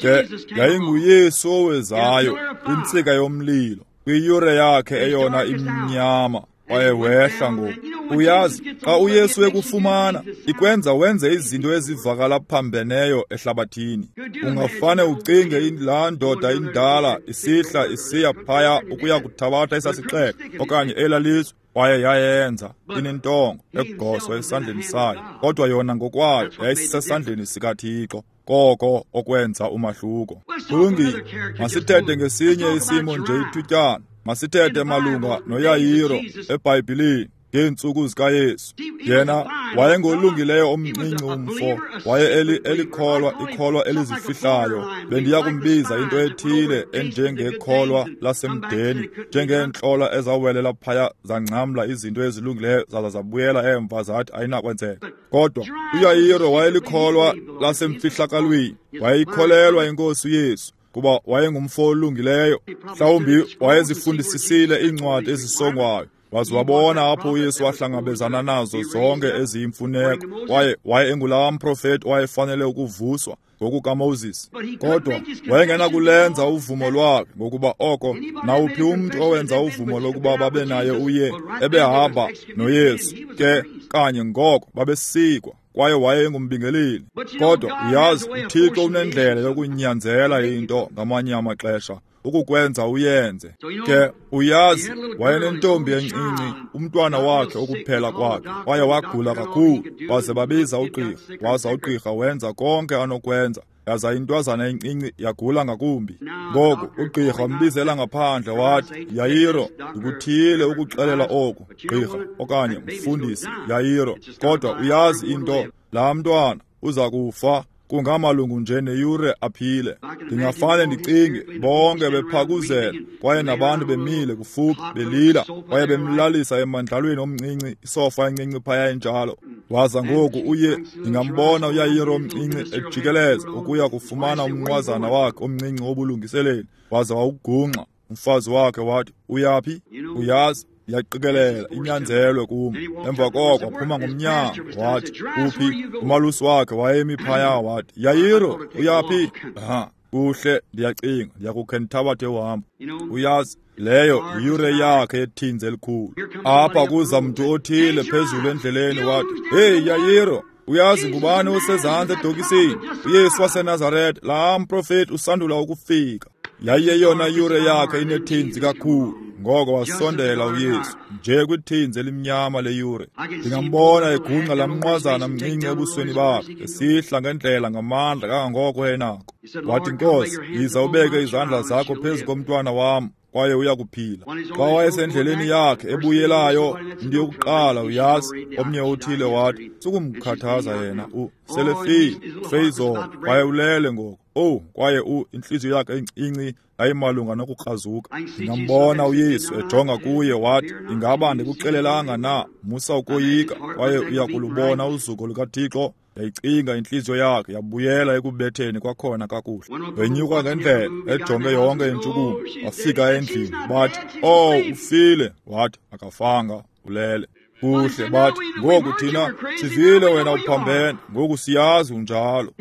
Ke yayinguYesu owezayo, intsika yomlilo, kwiyure yakhe eyona imnyama. Kwaye wehla ngoku. Uyazi, xa uYesu ekufumana, ikwenza wenze izinto ezivakala phambeneyo ehlabathini. Ungafane ucinge laa ndoda indala isihla isiya phaya ukuya kuthabatha esasixeko okanye elaa lizwe. Kwaye yayenza inentongo egoswa esandleni sayo, kodwa yona ngokwayo yayisesandleni sikaThixo. Koko okwenza umahluko. Kulungile, masithethe ngesinye isimo nje ithutyana. Masithethe malunga noYayiro eBhayibhilini ngeentsuku zikaYesu. Yena wayengolungileyo omncinci umfo, waye eli elikholwa ikholwa elizifihlayo. Bendiya kumbiza into ethile enjengekholwa lasemdeni, njengeentlola ezawelela phaya zangcamla izinto ezilungileyo zaza zabuyela emva zathi ayinakwenzeka. Kodwa uYayiro wayelikholwa lasemfihlakalweni, wayeyikholelwa iNkosi uYesu, kuba wayengumfo olungileyo. Mhlawumbi wayezifundisisile iincwadi ezisongwayo, waze wabona apho uYesu wahlangabezana nazo zonke eziyimfuneko. Kwaye waye engulaa mprofeti owayefanele ukuvuswa ngokukaMoses, kodwa wayengenakulenza uvumo lwakhe, ngokuba oko nawuphi umntu owenza uvumo lokuba babe naye uye ebehamba noYesu, ke kanye ngoko babesikwa. Kwaye wayengumbingeleli. Kodwa uyazi, uThixo unendlela yokunyanzela into ngamanye amaxesha, ukukwenza uyenze. Ke uyazi, wayenentombi encinci, umntwana wakhe okuphela kwakhe, kwaye wagula kakhulu. Waze babiza ugqirha, waza ugqirha wenza konke anokwenza, yaza intwazana encinci yagula ngakumbi. Ngoku ugqirha wambizela ngaphandle wathi, Yayiro, ndikuthiyile ukuxelela oku, gqirha okanye mfundisi Yayiro, kodwa uyazi into, laa mntwana uza kufa kungamalungu nje neyure aphile. Ndingafane ndicinge bonke bephakuzela, kwaye nabantu bemile kufuphi belila, kwaye bemlalisa emandlalweni omncinci, isofa encinci phaya enjalo. Waza ngoku uye ndingambona uYayiro omncinci ejikeleza ukuya kufumana umnqwazana wakhe omncinci wobulungiseleli, waza wawugungqa. Umfazi wakhe wathi, uyaphi? Uyazi, yaqikelela inyanzelwe kum. Emva koko waphuma ngomnyango wathi, uphi? Umalusi wakhe wayemi phaya wathi, Yayiro, uyaphi? Aha, kuhle, ndiyacinga ndiyakukhe ndithabathe uhambo. Uyazi, leyo yiyure yakhe yethinzi elikhulu. Apha kuza mntu othile phezulu endleleni wathi, hey Yayiro, uyazi ngubani osezantsi edokisini? uYesu waseNazaretha, laa mprofeti usandula ukufika. Yayiyeyona yure yakhe inethinzi kakhulu. Ngoko wasondela uYesu nje kwithinzi elimnyama leyure. Ndingambona egungqa lamnqwazana mncinci ebusweni bakhe, esihla ngendlela ngamandla kangangoko enako. Wathi, Nkosi, yiza ubeke izandla zakho phezu komntwana wam, kwaye uyakuphila. Xa wayesendleleni yakhe ebuyelayo, into yokuqala uyazi, omnye othile wathi, sukumkhathaza yena, u selefile, feyizolo, kwaye ulele ngoku. Oh, kwaye u intliziyo yakhe encinci yayimalunga nokukrazuka. Ndingambona uYesu ejonga kuye wathi, ingaba ndikuxelelanga na, musa ukoyika, kwaye uyakulubona uzuko lukaThixo. Yayicinga intliziyo yakhe yabuyela ekubetheni kwakhona kakuhle. Wenyuka ngendlela ejonge yonke intshukumo, wafika endlini bathi, oh, ufile. Wathi, akafanga, ulele. Kuhle, bathi, ngoku thina sivile wena uphambene, ngoku siyazi unjalo.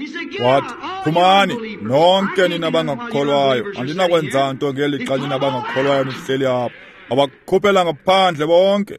Wathi, phumani nonke nina bangakukholwayo, andinakwenza nto ngeli xa nina bangakukholwayo nihleli apha. Abakhuphela ngaphandle bonke.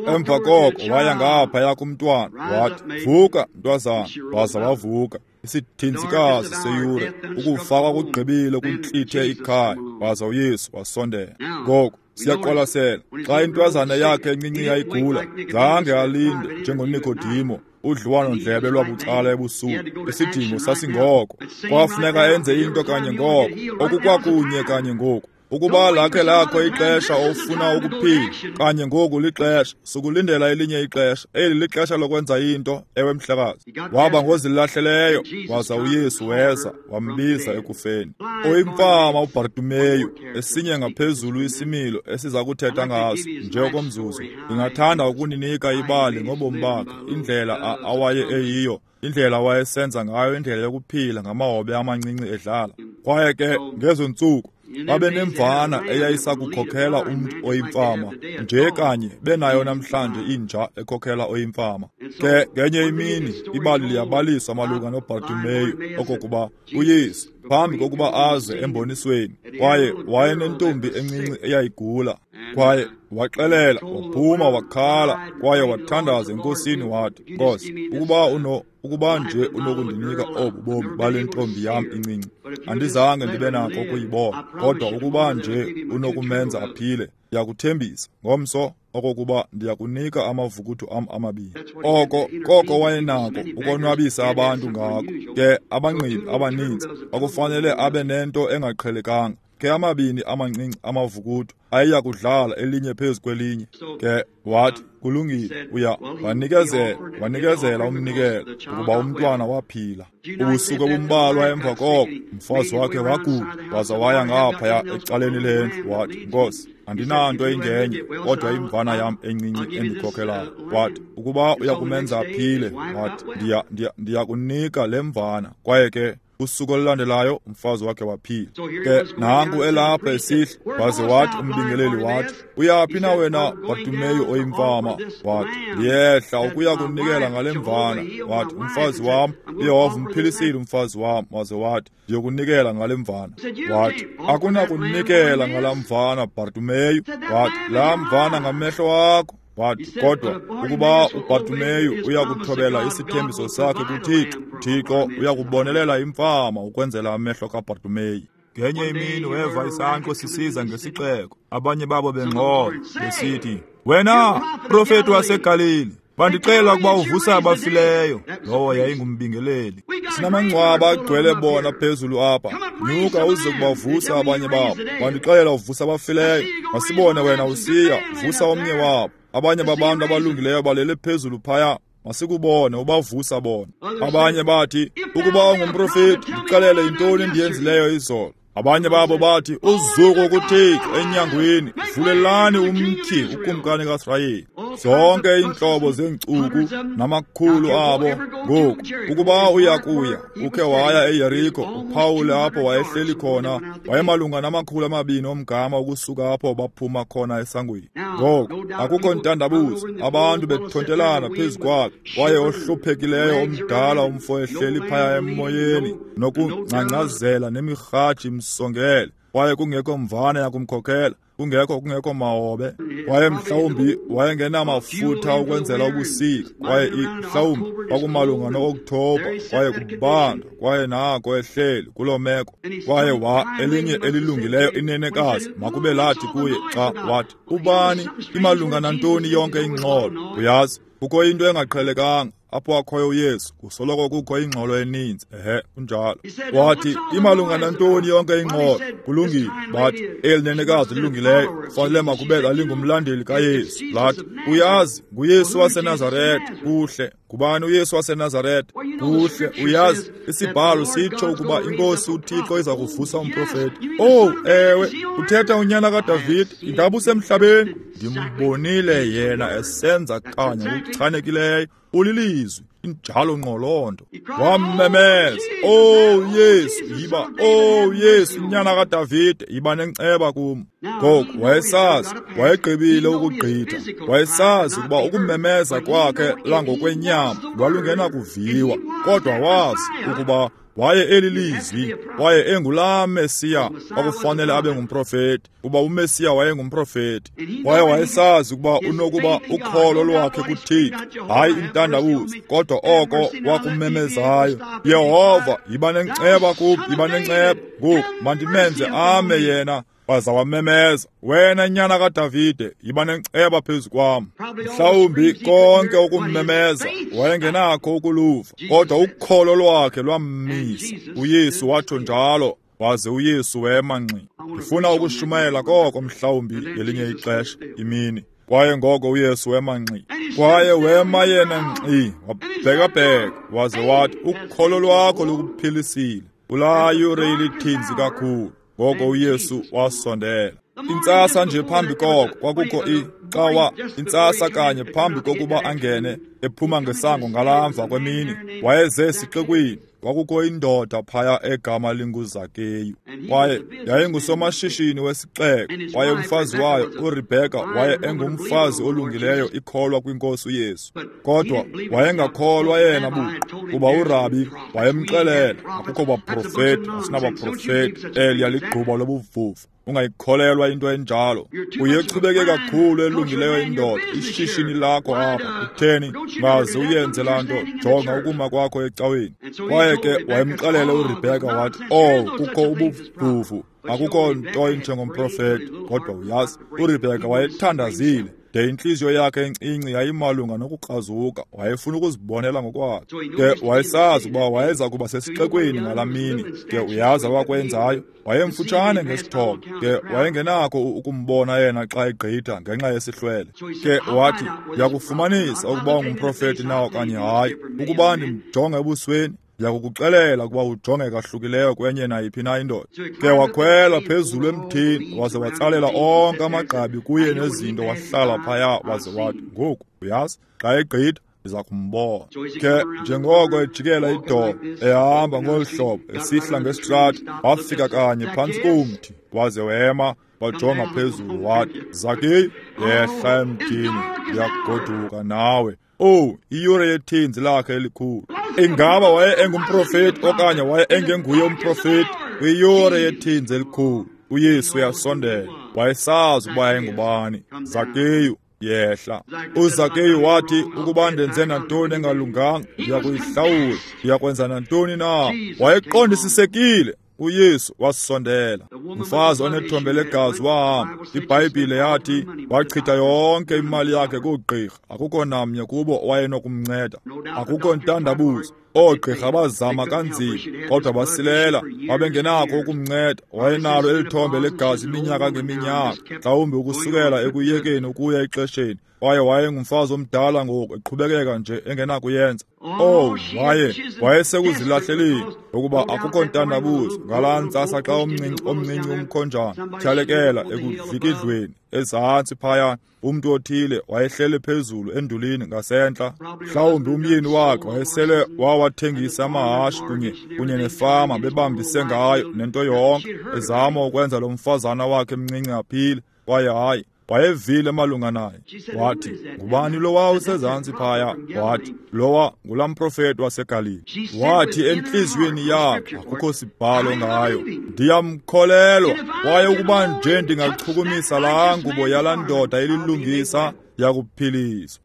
Emva koko waya ngaphaya kumntwana, wathi, vuka mntwazana. Waza wavuka. Isithinzikazi seyure, ukufa kwakugqibile kuntlithe ikhaya. Waza uYesu wasondela. Ngoku siyaqwalasela, xa intwazana yakhe encinci yayigula, zange alinde njengoNikodimo, udliwano-ndlebe lwabucala ebusuku. Isidingo sasingoko, kwafuneka enze into kanye ngoko, okukwakunye kanye ngoku. Ukuba lakhe lakho ixesha ofuna ukuphila, kanye ngoku lixesha, sukulindela elinye ixesha. Eli lixesha lokwenza into, ewe mhlekazi. Waba ngozilahleleyo, waza uYesu weza, wambiza ekufeni. Oyimfama uBartimeyu, esinye ngaphezulu isimilo esiza kuthetha ngaso nje okomzuzu. Ndingathanda ukuninika ibali ngobomi bakhe, indlela awaye eyiyo, indlela awayesenza ngayo, indlela yokuphila ngamahobe amancinci edlala. Kwaye ke ngezo ntsuku babenemvana eyayisakukhokhela umntu oyimfama, nje kanye benayo namhlanje inja ekhokhela oyimfama. Ke ngenye imini ibali liyabaliswa malunga noBartimeyu okokuba uYesu phambi kokuba aze embonisweni, kwaye wayenentombi encinci eyayigula. Kwaye waxelela, waphuma wakhala, kwaye wathandaza eNkosini wathi, Nkosi, ukuba uno ukuba nje unokundinika obu bomi bale ntombi yam incinci, andizange ndibe nako ukuyibona, kodwa ukuba nje unokumenza aphile, ndiyakuthembisa ngomso okokuba ndiyakunika amavukuthu am amabini. Oko koko wayenako ukonwabisa abantu ngako. Ke abangqibi abaninzi kwakufanele abe nento engaqhelekanga. Ke amabini amancinci amavukuthu ayeyakudlala elinye phezu kwelinye. Ke wathi, kulungile, uya wanikezela, wanikezela umnikelo ukuba umntwana waphila. Ubusuku obumbalwa emva koko, umfazi wakhe wagula, waza waya ngaphaya ecaleni lendlu. Wathi, Nkosi, andinanto ingenye kodwa imvana yam encinci endikhokhelayo. Wathi, ukuba uyakumenza aphile, wathi, ndiya ndiya ndiyakunika le mvana. Kwaye ke usuku olulandelayo umfazi wakhe waphila. Ke nangu elapha esihla, waze wathi umbingeleli wathi, uyaphi na wena Bartimeyu oyimfama? Wathi, ndiyehla ukuya kunikela ngale mvana. Wathi, umfazi wam, uYehova umphilisile umfazi wam. Waze wathi, ndiyokunikela ngale mvana. Wathi, akunakunikela ngala mvana Bartimeyu. Wathi, laa mvana ngamehlo akho. Wathi, kodwa ukuba uBartimeyu uyakuthobela isithembiso sakhe kuThixo, Thixo uyakubonelela imfama ukwenzela amehlo kaBartimeyu. Ngenye imini weva isankxwe sisiza ngesixeko, abanye babo bengxola besithi, wena profeti waseGalili, bandixela ukuba uvusa abafileyo. Lowo yayingumbingeleli. Sinamangcwaba agcwele bona phezulu apha, nyuka uze kubavusa abanye babo. Bandixelela uvusa abafileyo, masibone wena usiya vusa omnye wabo. Abanye babantu abalungileyo balele phezulu phaya, masikubone ubavusa bona. Abanye bathi, ukuba ungumprofeti, ndixelele yintoni endiyenzileyo izolo. Abanye babo bathi, uzuko kuThixo enyangweni, vulelani umtyhi ukumkani kaSirayeli. Zonke iintlobo zeenkcuku namakhulu abo. Ngoku ukuba uyakuya ukhe waya eYeriko, uphawule apho wayehleli khona, wayemalunga namakhulu amabini omgama ukusuka apho baphuma khona esangweni. Ngoku akukho ntandabuzo, abantu bethontelana phezu kwakhe, kwaye ohluphekileyo omdala umfo ehleli phaya emoyeni nokungcangcazela nemirhaji imsongele, kwaye kungekho mvana yakumkhokhela, kungekho kungekho mahobe, kwaye mhlawumbi wayengenamafutha ukwenzela ubusika, kwaye mhlawumbi kwakumalunga no-Okthobha, kwaye kubanda, kwaye nako ehleli kuloo meko. Kwaye wa elinye elilungileyo inenekazi makube lathi kuye xa wathi, ubani imalunga nantoni yonke ingxolo? Uyazi, kukho into engaqhelekanga. apho akhoyo uYesu kusoloko kukho ingxolo eninzi. Ehe, kunjalo. Wathi, imalunga nantoni yonke ingxolo? Kulungile. Bathi, eli nenekazi lilungileyo fanele makube lalingumlandeli kaYesu. Lathi, uyazi, nguYesu waseNazaretha. Kuhle. Ngubani uYesu waseNazaretha? Kuhle, uyazi, isibhalo sitsho ukuba iNkosi uThixo iza kuvusa umprofeti. Oh, ewe, uthetha unyana kaDavide, ingaba usemhlabeni? Ndimbonile yena esenza kanye ngokuchanekileyo. Ulilizwi, injalo ngqo loo nto. Wammemeza, oh Yesu, yiba, oh Yesu, nyana kaDavide, yiba nenceba kum. Ngoku wayesazi, wayegqibile ukugqitha, wayesazi ukuba ukumemeza kwakhe langokwenyama lwalungenakuviwa, kodwa wazi ukuba waye elilizwi, waye engulaa Mesiya kwakufanele abe ngumprofeti, kuba uMesiya wayengumprofeti. Waye wayesazi ukuba unokuba ukholo lwakhe kuThixo, hayi intandabuzo, kodwa oko wakumemezayo, Yehova, yiba nenceba kum, yiba nenceba. Ngoku mandimenze ame yena. Waza wamemeza, wena nyana kaDavide, yiba nenceba phezu kwam. Mhlawumbi konke ukummemeza wayengenakho ukuluva, kodwa ukholo lwakhe lwammisa. uYesu watsho njalo, waze uYesu wema ngxi. Ndifuna ukushumayela koko mhlawumbi ngelinye ixesha imini. Kwaye ngoko uYesu wema ngxi. Kwaye wema yena ngxi, wabhekabheka, waze wathi, ukholo lwakho lukuphilisile. Kulaa yure ilithinzi kakhulu. Ngoko uYesu wasondela. Intsasa nje phambi koko kwakukho icawa, intsasa kanye phambi kokuba angene ephuma ngesango ngalamva kwemini, wayeze esixekweni. Kwakukho indoda phaya egama linguZakeyu, kwaye yayingusomashishini wesixeko. Kwaye umfazi wayo uRebheka waye engumfazi olungileyo, ikholwa kwinkosi uYesu, kodwa wayengakholwa yena buqu, kuba uRabi wayemxelela akukho baprofeti, asinabaprofeti, eliya ligquba lobuvuvu. Ungayikholelwa into enjalo. Uyechubeke kakhulu elungileyo indoda, ishishini lakho apha. Utheni ngaze uyenze laa nto? Jonga ukuma kwakho ecaweni. Kwaye ke wayemxelele uRebheka wathi, oh, kukho ubuvuvu, akukho nto injengomprofeti. Kodwa uyazi, uRebheka wayethandazile de intliziyo yakhe encinci yayimalunga nokukrazuka. Wayefuna ukuzibonela ngokwakhe. Ke wayesazi ukuba wayeza kuba sesixekweni ngalaa mini. Ke uyazi awakwenzayo, wayemfutshane ngesithobo. Ke wayengenakho ukumbona yena xa egqitha ngenxa yesihlwele. Ke wathi, ndiyakufumanisa ukuba ungumprofeti na okanye hayi. Ukuba ndimjonge ebusweni, ndiyakukuxelela ukuba ujonge kahlukileyo kwenye nayiphi na indoda. Ke wakhwela phezulu emthini, waze watsalela onke amagqabi kuye nezinto, wahlala phaya, waze wathi, ngoku uyazi, xa egqitha ndiza kumbona. Ke njengoko ejikela idolo, ehamba ngolu hlobo, esihla ngesitrati, wafika kanye phantsi komthi, waze wema, wajonga phezulu, wathi, Zakeyu, yehla emthini, ndiyakugoduka nawe. Oh, iyure yethinzi lakhe elikhulu. Ingaba waye engumprofeti okanye waye engenguye umprofeti? Kwiyure yethinzi elikhulu, uYesu uyasondela. Wayesazi ukuba yayingubani. Zakeyu, yehla. uZakeyu wathi, ukuba ndenze nantoni engalunganga, ndiyakuyihlawula. Ndiyakwenza nantoni na? Wayeqondisisekile. uYesu wasondela. Umfazi onethombe legazi wahamba. IBhayibhile yathi wachitha yonke imali yakhe koogqirha. Akukho namnye kubo owayenokumnceda. Akukho ntandabuzo. Oogqirha bazama kanzima, kodwa basilela. Babengenakho ukumnceda. Wayenalo eli thombe legazi iminyaka ngeminyaka, mhlawumbi ukusukela ekuyekeni ukuya exesheni. Kwaye wayengumfazi omdala ngoku, eqhubekeka nje engenakuyenza. Oh, waye wayesekuzilahleleni ukuba akukho ntandabuzo. Ngalaa ntsasa xa omncinci omncinci umkhonjana tyhalekela ekuvikidlweni ezantsi phaya, umntu othile wayehlele phezulu endulini ngasentla. Mhlawumbi umyeni wakhe wayesele wawathengisa amahashe kunye kunye nefama bebambise ngayo nento yonke, ezama ukwenza lo mfazana wakhe mncinci aphile. Kwaye hayi, wayevile malunga naye. Wathi, ngubani lowa usezantsi phaya? Wathi, lowa ngulaa mprofeti waseGalili. Wathi entliziyweni yakhe, akukho sibhalo ngayo, ndiyamkholelwa. Kwaye ukuba nje ndingachukumisa laa ngubo yalaa ndoda ililungisa, Ndiyakuphiliswa.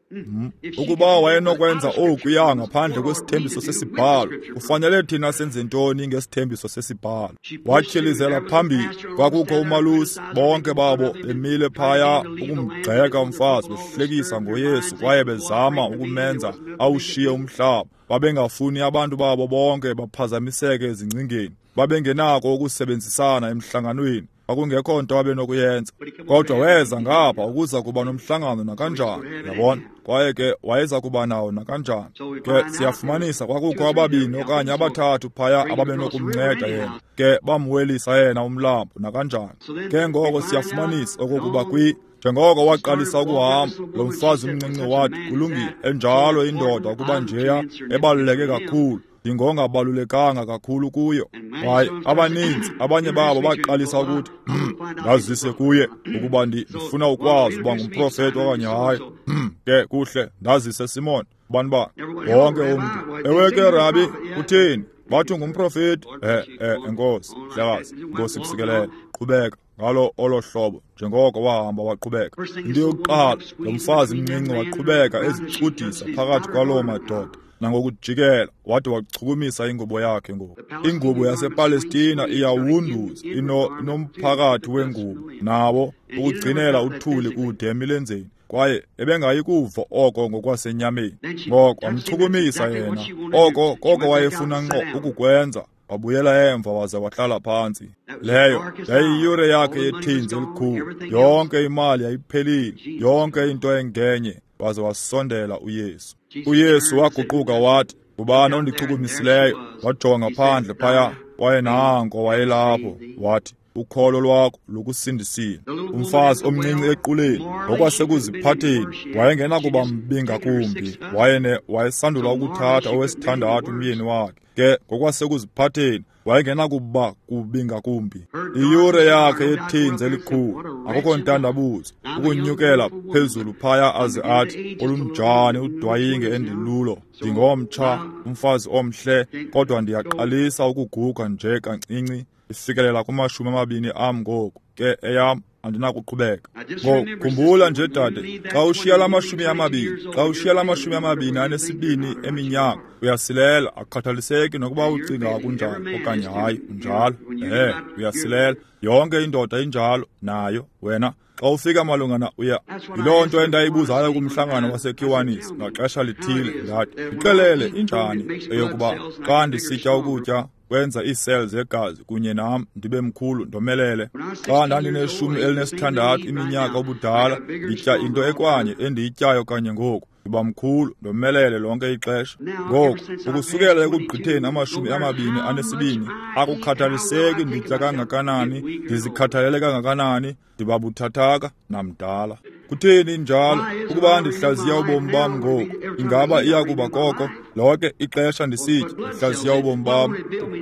Ukuba wayenokwenza okuya ngaphandle kwesithembiso sesibhalo, kufanele thina senze ntoni ngesithembiso sesibhalo? Watyhilizela phambili. Kwakukho umalusi, bonke babo bemile phaya ukumgxeka umfazi, behlekisa ngoYesu kwaye bezama ukumenza awushiye umhlaba. Babengafuni abantu babo bonke baphazamiseke ezingcingeni. Babengenako ukusebenzisana emhlanganweni. Kwakungekho nto abenokuyenza. Kodwa weza ngapha ukuza kuba nomhlangano nakanjani, yabona. Kwaye ke wayeza kuba nawo nakanjani. Ke siyafumanisa kwakukho ababini okanye abathathu phaya ababenokumnceda yena. Ke bamwelisa yena umlambo nakanjani. Ke ngoko siyafumanisa okokuba kwi njengoko waqalisa ukuhamba, lo mfazi umncinci wathi, kulungile, enjalo indoda ukuba njeya ebaluleke kakhulu. Ndingongabalulekanga kakhulu kuyo. Kwaye abaninzi abanye babo baqalisa ukuthi, ndazise kuye ukuba ndifuna ukwazi uba ngumprofeti okanye hayi. Ke kuhle, ndazise Simon, bani ba wonke umntu. Ewe ke Rabi, utheni? Bathi ngumprofeti. Eh eh enkosi, Mhlekazi, Nkosi kusikelele. Qhubeka ngalo olo hlobo njengoko wahamba waqhubeka. Into yokuqala, lo mfazi mncinci waqhubeka ezicudisa phakathi kwaloo madoda. Nangokujikela wade wachukumisa ingubo yakhe ngoku. Ingubo yasePalestina iyawunduza, ino inomphakathi wengubo nawo ukugcinela uthuli kude emilenzeni, kwaye ebengayi kuva oko ngokwasenyameni. Ngoko wamchukumisa yena, oko koko wayefuna ngqo ukukwenza. Wabuyela emva waze wahlala phantsi. Leyo yayiyure yakhe yethinzi elikhulu. Yonke imali yayiphelile, yonke into engenye. Waze wasondela uYesu. uYesu waguquka wathi, ngubani ondichukumisileyo? Wajonga phandle phaya, kwaye nanko wayelapho. Wathi, ukholo lwakho lukusindisile. Umfazi omncinci equleni, ngokwasekuziphatheni, wayengenakuba mbi ngakumbi. Wayene wayesandula ukuthatha owesithandathu umyeni wakhe. Ke ngokwasekuziphatheni, wayengenakuba kubi ngakumbi. Iyure yakhe yethinzi elikhulu, akukho ntandabuzo, ukunyukela phezulu phaya aze athi, olunjani udwayinge endilulo, ndingomtsha, umfazi omhle, kodwa ndiyaqalisa ukuguga nje kancinci, ifikelela kumashumi amabini am ngoku, ke eyam andinakuqhubeka. Ngoku khumbula nje dade, xa ushiya la mashumi amabini, xa ushiya la mashumi amabini anesibini eminyaka, uyasilela, akukhathaliseki nokuba ucinga kunjani okanye hayi, unjalo. Eh, uyasilela. Yonke indoda injalo nayo wena. Xa ufika malunga na uya, yiloo nto endayibuzayo kumhlangano waseKiwanis ngaxesha lithile, ndathi, ndixelele injani eyokuba xa ndisitya ukutya kwenza ii-cells zegazi kunye nam ndibe mkhulu ndomelele. Xa ndandineshumi elinesithandathu iminyaka ubudala, nditya into ekwanye endiyityayo kanye ngoku, ndiba mkhulu ndomelele lonke ixesha. Ngoku ukusukela ekugqitheni amashumi amabini anesibini, akukhathaliseki nditya kangakanani, ndizikhathalele kangakanani, ndiba buthathaka namdala. Kutheni njalo? Ukuba ndihlaziya ubomi bam ngoku, ingaba iya kuba koko lonke ixesha ndisitya ndihlaziya ubomi bam,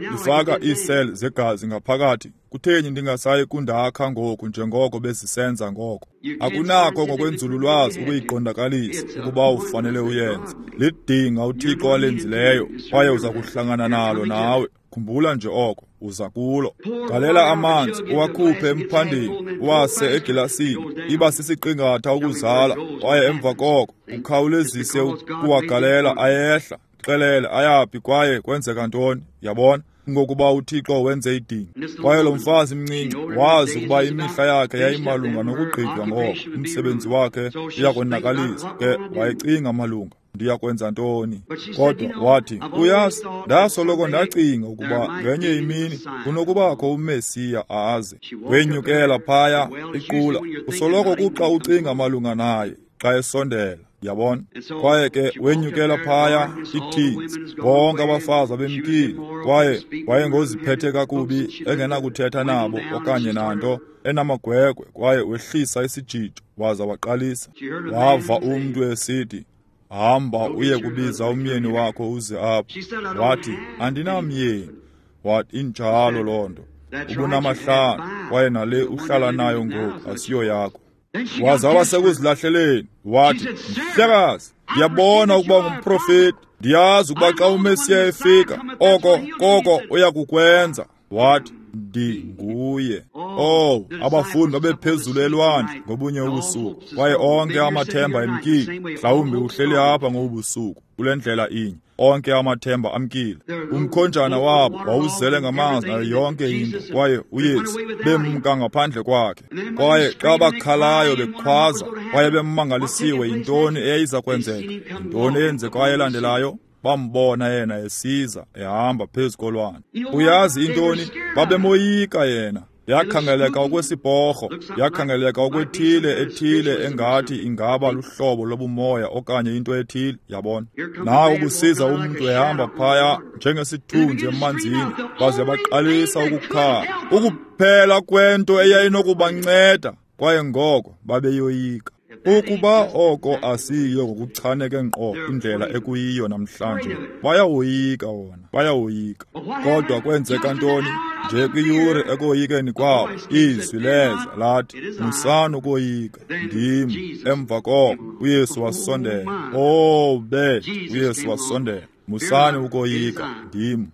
ndifaka iiseli zegazi ngaphakathi. Kutheni ndingasayi kundakha ngoku njengoko bezisenza ngoko? Akunakho ngokwenzululwazi ukuyiqondakalisa ukuba ufanele uyenze. Lidinga uThixo alenzileyo, kwaye uza kuhlangana nalo nawe. Khumbula nje oko, uza kulo. Galela amanzi, uwakhuphe emphandeni, uwase egilasini. Iba sisiqingatha ukuzala, kwaye emva koko ukhawulezise ukuwagalela ayehla. Xelele ayaphi kwaye kwenzeka ntoni, yabona? Ngokuba uThixo wenze idinga. Kwaye lo mfazi mncinci wazi ukuba imihla yakhe yayimalunga nokugqitywa ngoko, umsebenzi wakhe uyakonakalisa. Ke wayecinga malunga, ndiyakwenza ntoni? Kodwa wathi, uyazi, ndasoloko ndacinga ukuba ngenye imini kunokubakho uMesiya aze. Wenyukela phaya iqula, usoloko kuxa ucinga malunga naye xa esondela, yabona. Kwaye ke wenyukela phaya ithinzi, bonke abafazi babemkile, kwaye wayengoziphethe kakubi, engenakuthetha nabo okanye nanto, enamagwegwe, kwaye wehlisa isijijo waza waqalisa. Wava umntu esithi, hamba uye kubiza umyeni wakho uze apha. Wathi, andinamyeni. Wathi, injalo loo nto, ubunamahlanu, kwaye nale uhlala nayo ngoku asiyo yakho. Waza wasekuzilahleleni, wathi, mhlekazi, ndiyabona ukuba ngumprofeti, ndiyazi ukuba xa uMesiya efika, oko koko uya kukwenza. Wathi, Ndinguye. Oh, abafundi babephezulu elwandle ngobunye ubusuku, kwaye onke amathemba emkile. Mhlawumbi uhleli apha ngobusuku kule ndlela inye, onke amathemba amkile. Umkhonjana wabo wawuzele ngamanzi nayo yonke into, kwaye uYesu bemka ngaphandle kwakhe. Kwaye xa bakhalayo bekhwaza, kwaye bemangalisiwe yintoni eyayiza kwenzeka, yintoni eyenzekayo elandelayo? Bambona yena esiza ehamba phezu kolwandle. Uyazi intoni? Babemoyika yena. Yakhangeleka okwesiporho, yakhangeleka okwethile ethile engathi ingaba luhlobo lobumoya okanye into ethile, yabona. Nawo kusiza umntu ehamba phaya njengesithunzi emanzini, baze baqalisa ukukhala. Ukuphela kwento eyayinokubanceda, kwaye ngoko babeyoyika. Ukuba oko asiyo ngokuchaneke ngqo indlela ekuyiyo namhlanje, bayawoyika wona, bayawoyika. Kodwa kwenzeka ntoni? Nje kwiyure ekoyikeni kwabo, izwi leza lathi, musani ukoyika, ndim. Emva koko uYesu wasondela. Oh, be, uYesu wasondela. Musani ukoyika, ndim.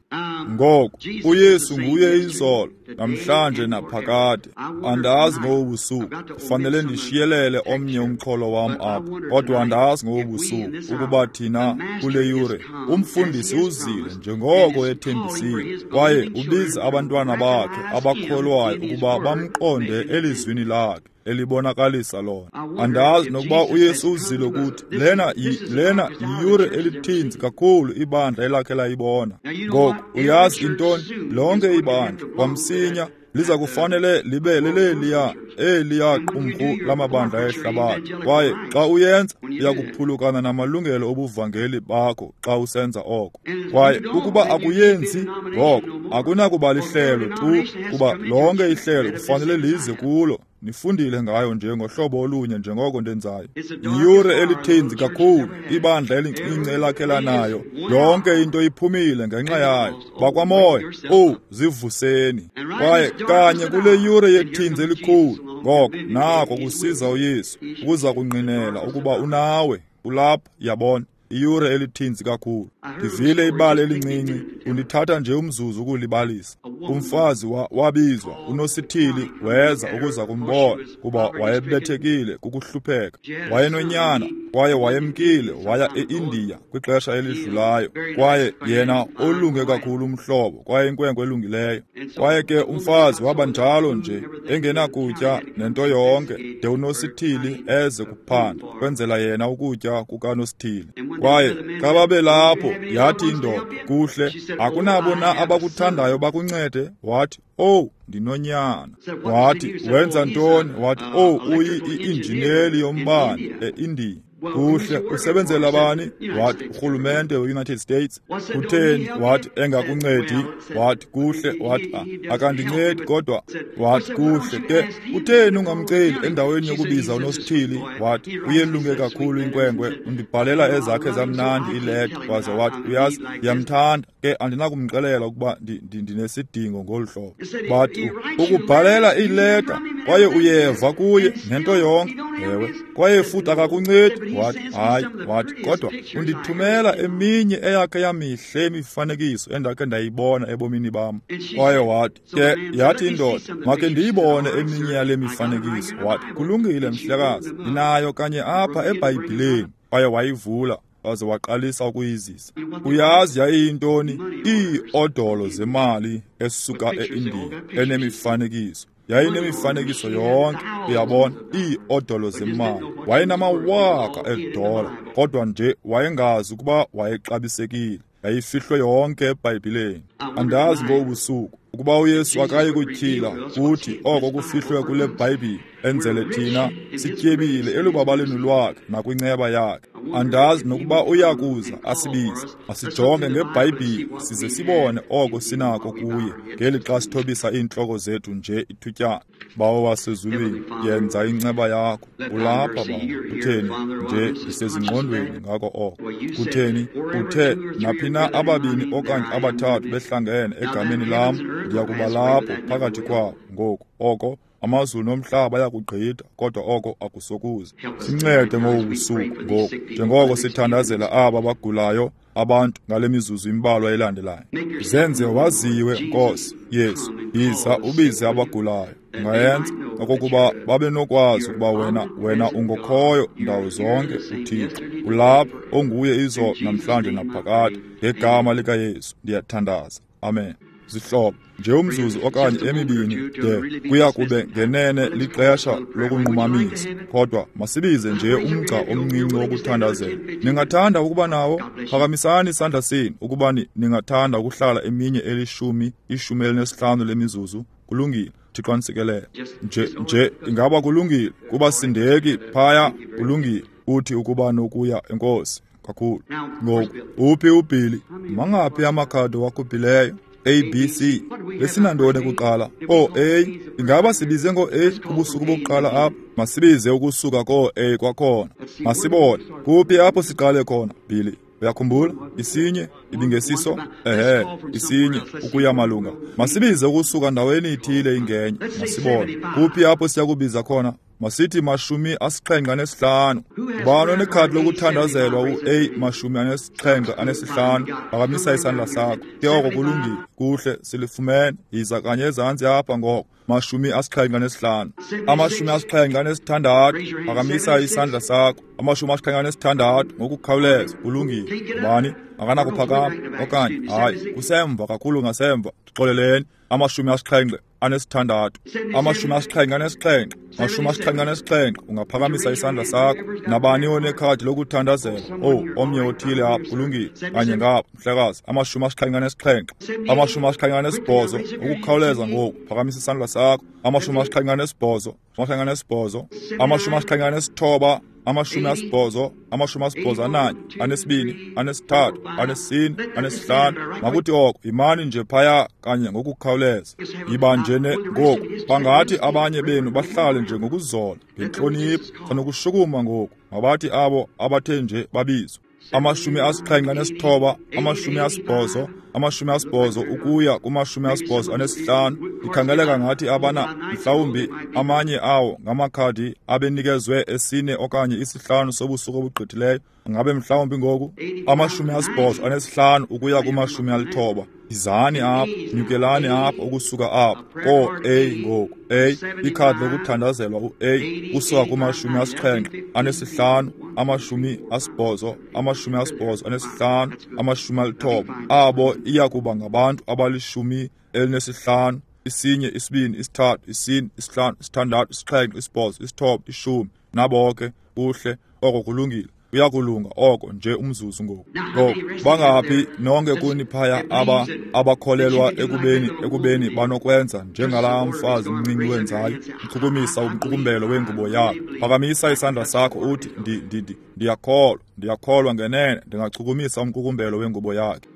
Ngoku uYesu nguye izolo, namhlanje naphakade. Andazi ngobusuku, kufanele ndishiyelele omnye umxholo wam apha, kodwa andazi ngobusuku ukuba thina kule yure umfundisi uzile njengoko ethembisile, kwaye ubiza abantwana bakhe abakholwayo ukuba bamqonde elizwini lakhe elibonakalisa lona. Andazi nokuba uYesu uzile kuthi lena lena yiyure elithinzi kakhulu ibandla elakhe layibona. Ngoku uyazi intoni? Lonke ibandla kwamsinya liza kufanele libe leleliya eliya qumrhu lamabandla ehlabathi. Kwaye xa uyenza, uya kuphulukana namalungelo obuvangeli bakho xa usenza oko. Kwaye ukuba akuyenzi ngoko, akunakuba lihlelo tu, kuba lonke ihlelo kufanele lize kulo. Nifundile ngayo nje ngohlobo olunye njengoko ndenzayo. Yiyure elithinzi kakhulu ibandla elincinci elakhe lanayo. Yonke into iphumile ngenxa yayo. Bakwamoya, oh, zivuseni. Kwaye kanye kule yure yethinzi elikhulu, ngoko nako kusiza uYesu ukuza kungqinela ukuba unawe, ulapha, yabona. Iyure elithinzi kakhulu. Ndivile ibali elincinci, undithatha nje umzuzu ukulibalisa. Umfazi wa, wabizwa unosithili weza ukuza kumbona, kuba wayebethekile kukuhlupheka. Wayenonyana, kwaye wayemkile waya eIndiya kwixesha elidlulayo. Kwaye yena olunge kakhulu umhlobo, kwaye inkwenkwe elungileyo. Kwaye ke umfazi waba njalo nje, engenakutya nento yonke, de unosithili eze kuphanda, kwenzela yena ukutya kukanosithili. Kwaye xa babelapho, yathi indoda, kuhle, akunabo na abakuthandayo bakuncede? Wathi, oh, ndinonyana. Wathi, wenza ntoni? Wathi, oh, uyi-injineli yombane eIndiya. Kuhle, usebenzela bani? Wathi, urhulumente we-United States. Kutheni? Wathi, engakuncedi. Wathi, kuhle. Wathi, akandincedi kodwa. Wathi, kuhle ke, kutheni ungamceli endaweni yokubiza unosithili? Wathi, uyelunge kakhulu inkwenkwe, undibhalela ezakhe zamnandi ileta. Waze wathi, uyazi, ndiyamthanda ke, andinakumxelela ukuba ndinesidingo ngolu hlobo. Bathi, ukubhalela ileta kwaye uyeva kuye nento yonke. Ewe, kwaye futhi akakuncedi. Wathi, hayi. Wathi, kodwa undithumela eminye eyakhe yamihle imifanekiso endakhe ndayibona ebomini bam. Kwaye wathi ke, yathi indoda, make ndiyibone eminye yale mifanekiso. Wathi, kulungile mhlekazi, ndinayo kanye apha eBhayibhileni. Kwaye wayivula waze waqalisa ukuyizisa. Uyazi yayiyintoni? Iiodolo zemali esuka eIndiya enemifanekiso. Yayinemifanekiso yonke, uyabona, iiodolo zemali. Wayenamawaka edola, kodwa nje wayengazi ukuba wayexabisekile. Yayifihlwe yonke eBhayibhileni. Andazi ngobusuku ukuba uYesu akayi kutyhila kuthi oko kufihlwe kule Bhayibhile, enzele thina sityebile elubabaleni lwakhe nakwinceba yakhe. Andazi nokuba uyakuza asibize, asijonge ngeBhayibhile size sibone oko sinako kuye, ngeli xa sithobisa iintloko zethu nje ithutyana. Bawo wasezulwini, yenza inceba yakho. Ulapha, Bawo. Kutheni nje ndisezingqondweni ngako oko? Kutheni uthe naphi na ababini okanye abathathu behlangene egameni lam, ndiya kuba lapho phakathi kwabo. Ngoku oko amazulu nomhlaba ayakugqitha, kodwa oko akusokuze. Sincede ngobu busuku ngoku, njengoko sithandazela aba bagulayo abantu ngale mizuzu imbalwa elandelayo. Zenze waziwe, Nkosi Yesu, yiza ubize abagulayo. Ungayenza okokuba babe nokwazi ukuba wena wena ungokhoyo ndawo zonke uThixo. Ulapha onguye izolo namhlanje naphakade. Ngegama likaYesu ndiyathandaza. Amen. Zihlobo, nje umzuzu okanye emibini de kuya kube ngenene lixesha lokunqumamisa, kodwa masibize nje umgca omncinci wokuthandazela. Ningathanda ukuba nawo? Phakamisani isandla senu ukuba ningathanda ukuhlala eminye elishumi, ishumi elinesihlanu lemizuzu. Kulungile. Thixo anisikelele. Nje nje ingaba kulungile kuba sindeki phaya. Kulungile. Uthi ukuba nokuya enkosi kakhulu. Ngoku uphi uBilly? Mangaphi amakhadi wakhuphileyo? A B C. Besinantoni kuqala? O A. Ingaba sibize ngo A kubusuku bokuqala apha? Masibize ukusuka ko A kwakhona. Masibone kuphi apho siqale khona, Billy. Uyakhumbula? Isinye ibingesiso? Ehe, isinye ukuya malunga. Masibize ukusuka ndaweni ithile ingenye. Masibone kuphi apho siyakubiza khona. Masithi mashumi asixhenxe anesihlanu. Ubani onekhadi lokuthandazelwa u-A mashumi anesixhenxe anesihlanu? Phakamisa isandla sakho. Ke oko kulungile. Kuhle, silifumene. Yiza kanye ezantsi apha ngoko. Mashumi asixhenxe anesihlanu. Amashumi asixhenxe anesithandathu. Phakamisa isandla sakho. Amashumi asixhenxe anesithandathu ngokukhawuleza. Kulungile. Ubani akanakuphakama okanye hayi, kusemva kakhulu ngasemva. Xoleleni. Amashumi asixhenxe anesithandathu. Amashumi asixhenxe anesixhenxe. Amashumi asixhenxe anesixhenxe. Ungaphakamisa isandla sakho. Nabani onekhadi lokuthandazela? Oh, omnye othile apha. Kulungile. Kanye ngapha, mhlekazi. Amashumi asixhenxe anesixhenxe. Amashumi asixhenxe anesibhozo. Ukukhawuleza ngoku. Phakamisa isandla sakho. Amashumi asixhenxe anesibhozo. Amashumi anesibhozo. Amashumi asixhenxe anesithoba. Amashumi asibhozo, amashumi asibhozo ananye, anesibini, anesithathu, anesine, anesihlanu. Makuthi oko imani nje phaya kanye ngokukhawuleza. Yiba nje ne ngoku. Bangathi abanye benu bahlale nje ngokuzola, ngentlonipho, sanokushukuma ngoku. Mabathi abo abathe nje babizwe. Amashumi asixhenxe anesithoba, amashumi asibhozo, amashumi asibhozo ukuya kumashumi asibhozo anesihlanu. Ikhangeleka ngathi abana mhlawumbi amanye awo ngamakhadi abenikezwe esine okanye isihlanu sobusuku obugqithileyo. Ngabe mhlawumbi ngoku amashumi asibhozo anesihlanu ukuya kumashumi alithoba. Izani apha, nyukelani apha ukusuka apha ko A ngoku. A ikhadi lokuthandazelwa u-A kusuka kumashumi asixhenxe anesihlanu, amashumi asibhozo, amashumi asibhozo anesihlanu, amashumi alithoba. Abo iya kuba ngabantu abalishumi elinesihlanu. Isinye, isibini, isithathu, isine, isihlanu, isithandathu, isixhenxe, isibhozo, isithoba, ishumi. Nabo ke kuhle, oko kulungile. Uyakulunga oko nje umzuzu ngoku. Ngoku bangaphi nonke kuni phaya aba abakholelwa ekubeni ekubeni banokwenza njengalaa mfazi mncinci wenzayo, uchukumisa umqukumbelo wengubo yakhe. Phakamisa isandla sakho uthi ndi ndi ndiyakholwa, ndiyakholwa ngenene ndingachukumisa umqukumbelo wengubo yakhe.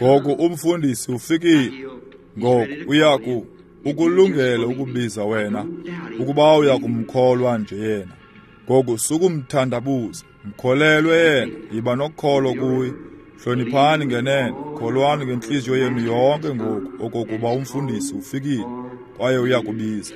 Ngoku umfundisi ufikile. Ngoku uyaku ukulungele ukubiza wena ukuba uyakumkholwa nje yena. Ngoku sukumthandabuza, mkholelwe yena, yiba nokholo kuye. Hloniphani ngenene, kholwani ngentliziyo yenu yonke ngoku okokuba umfundisi ufikile kwaye uyakubiza.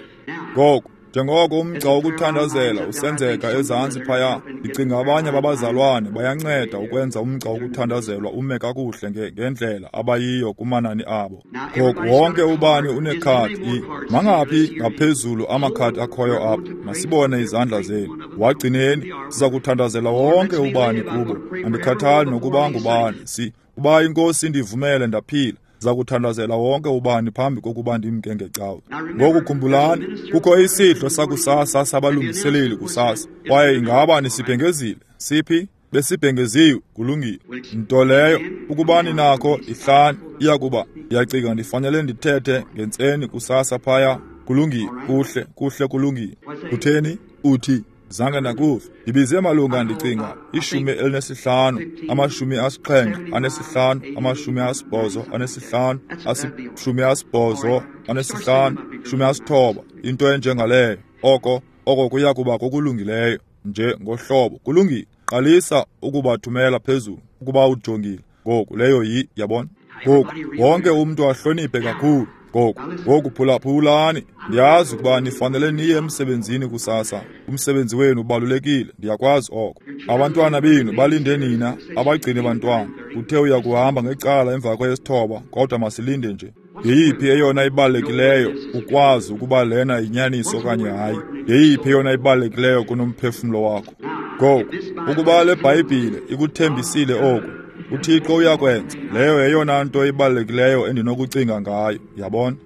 Ngoku njengoko umgca wokuthandazela usenzeka ezantsi phaya, ndicinga abanye babazalwane bayanceda ukwenza umgca wokuthandazelwa ume kakuhle ngendlela abayiyo kumanani abo. Ngoku wonke ubani unekhadi. Mangaphi ngaphezulu amakhadi akhoyo apha? Masibone izandla zenu. Wagcineni, siza kuthandazela wonke ubani kubo. Andikhathali nokuba ngubani. Si uba inkosi indivumele ndaphila, za kuthandazela wonke ubani phambi kokuba ndimke ngecawe. Ngoku khumbulani, kukho isidlo sakusasa sabalungiseleli kusasa, kwaye ingaba nisibhengezile? Siphi? Besibhengeziwe. Kulungile. Nto leyo ukuba ninakho ihlani iyakuba ndiyacinga ndifanele ndithethe ngentseni kusasa phaya. Kulungile. Kuhle, kuhle kulungile. Utheni? Uthi zange ndakuva. Ndibize malunga ndicinga ishumi elinesihlanu, amashumi asixhenxe anesihlanu, amashumi asibhozo anesihlanu, ashumi asibhozo anesihlanu, shumi asithoba, into enjengaleyo. Oko oko kuya kuba kokulungileyo nje ngohlobo. Kulungile. Qalisa ukubathumela phezulu ukuba ujongile. Ngoku leyo yi, yabona. Ngoku wonke umntu ahloniphe kakhulu. Ngoku, ngoku phulaphulani. Ndiyazi ukuba nifanele niye emsebenzini kusasa. Umsebenzi wenu ubalulekile, ndiyakwazi oko. Abantwana benu balinde nina, abagcine bantwana. Uthe uya kuhamba ngecala emva kwesithoba, kodwa masilinde nje. Yeyiphi eyona ibalulekileyo ukwazi ukuba lena yinyaniso okanye hayi? Yeyiphi eyona ibalulekileyo kunomphefumlo wakho? Ngoku, ukuba le Bhayibhile ikuthembisile oku, uThixo uyakwenza. Leyo yeyona nto ibalulekileyo endinokucinga ngayo, yabona?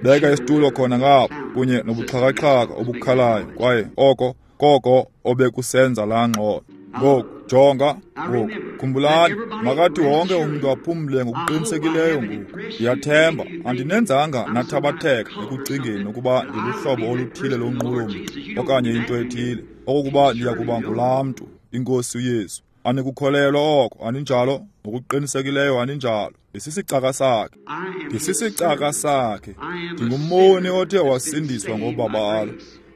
Beka isitulo khona ngapha kunye nobuxhakaxhaka obukhalayo, kwaye oko koko obekusenza laa ngxolo. Ngoku, jonga, ngoku, khumbulani, makathi wonke umntu aphumle ngokuqinisekileyo ngoku. Ndiyathemba andinenzanga nathabatheka ekucingeni ukuba ndiluhlobo oluthile lonqulo-mntu okanye into ethile, okokuba ndiya kuba ngulaa mntu, iNkosi uYesu. Anikukholelwa oko, aninjalo? Ngokuqinisekileyo aninjalo. Ndisisicaka sakhe. Ndisisicaka sakhe. Ndingumoni othe wasindiswa ngobabalo.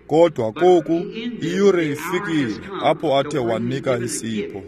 Kodwa koku iyure ifikile apho athe wanika isipho.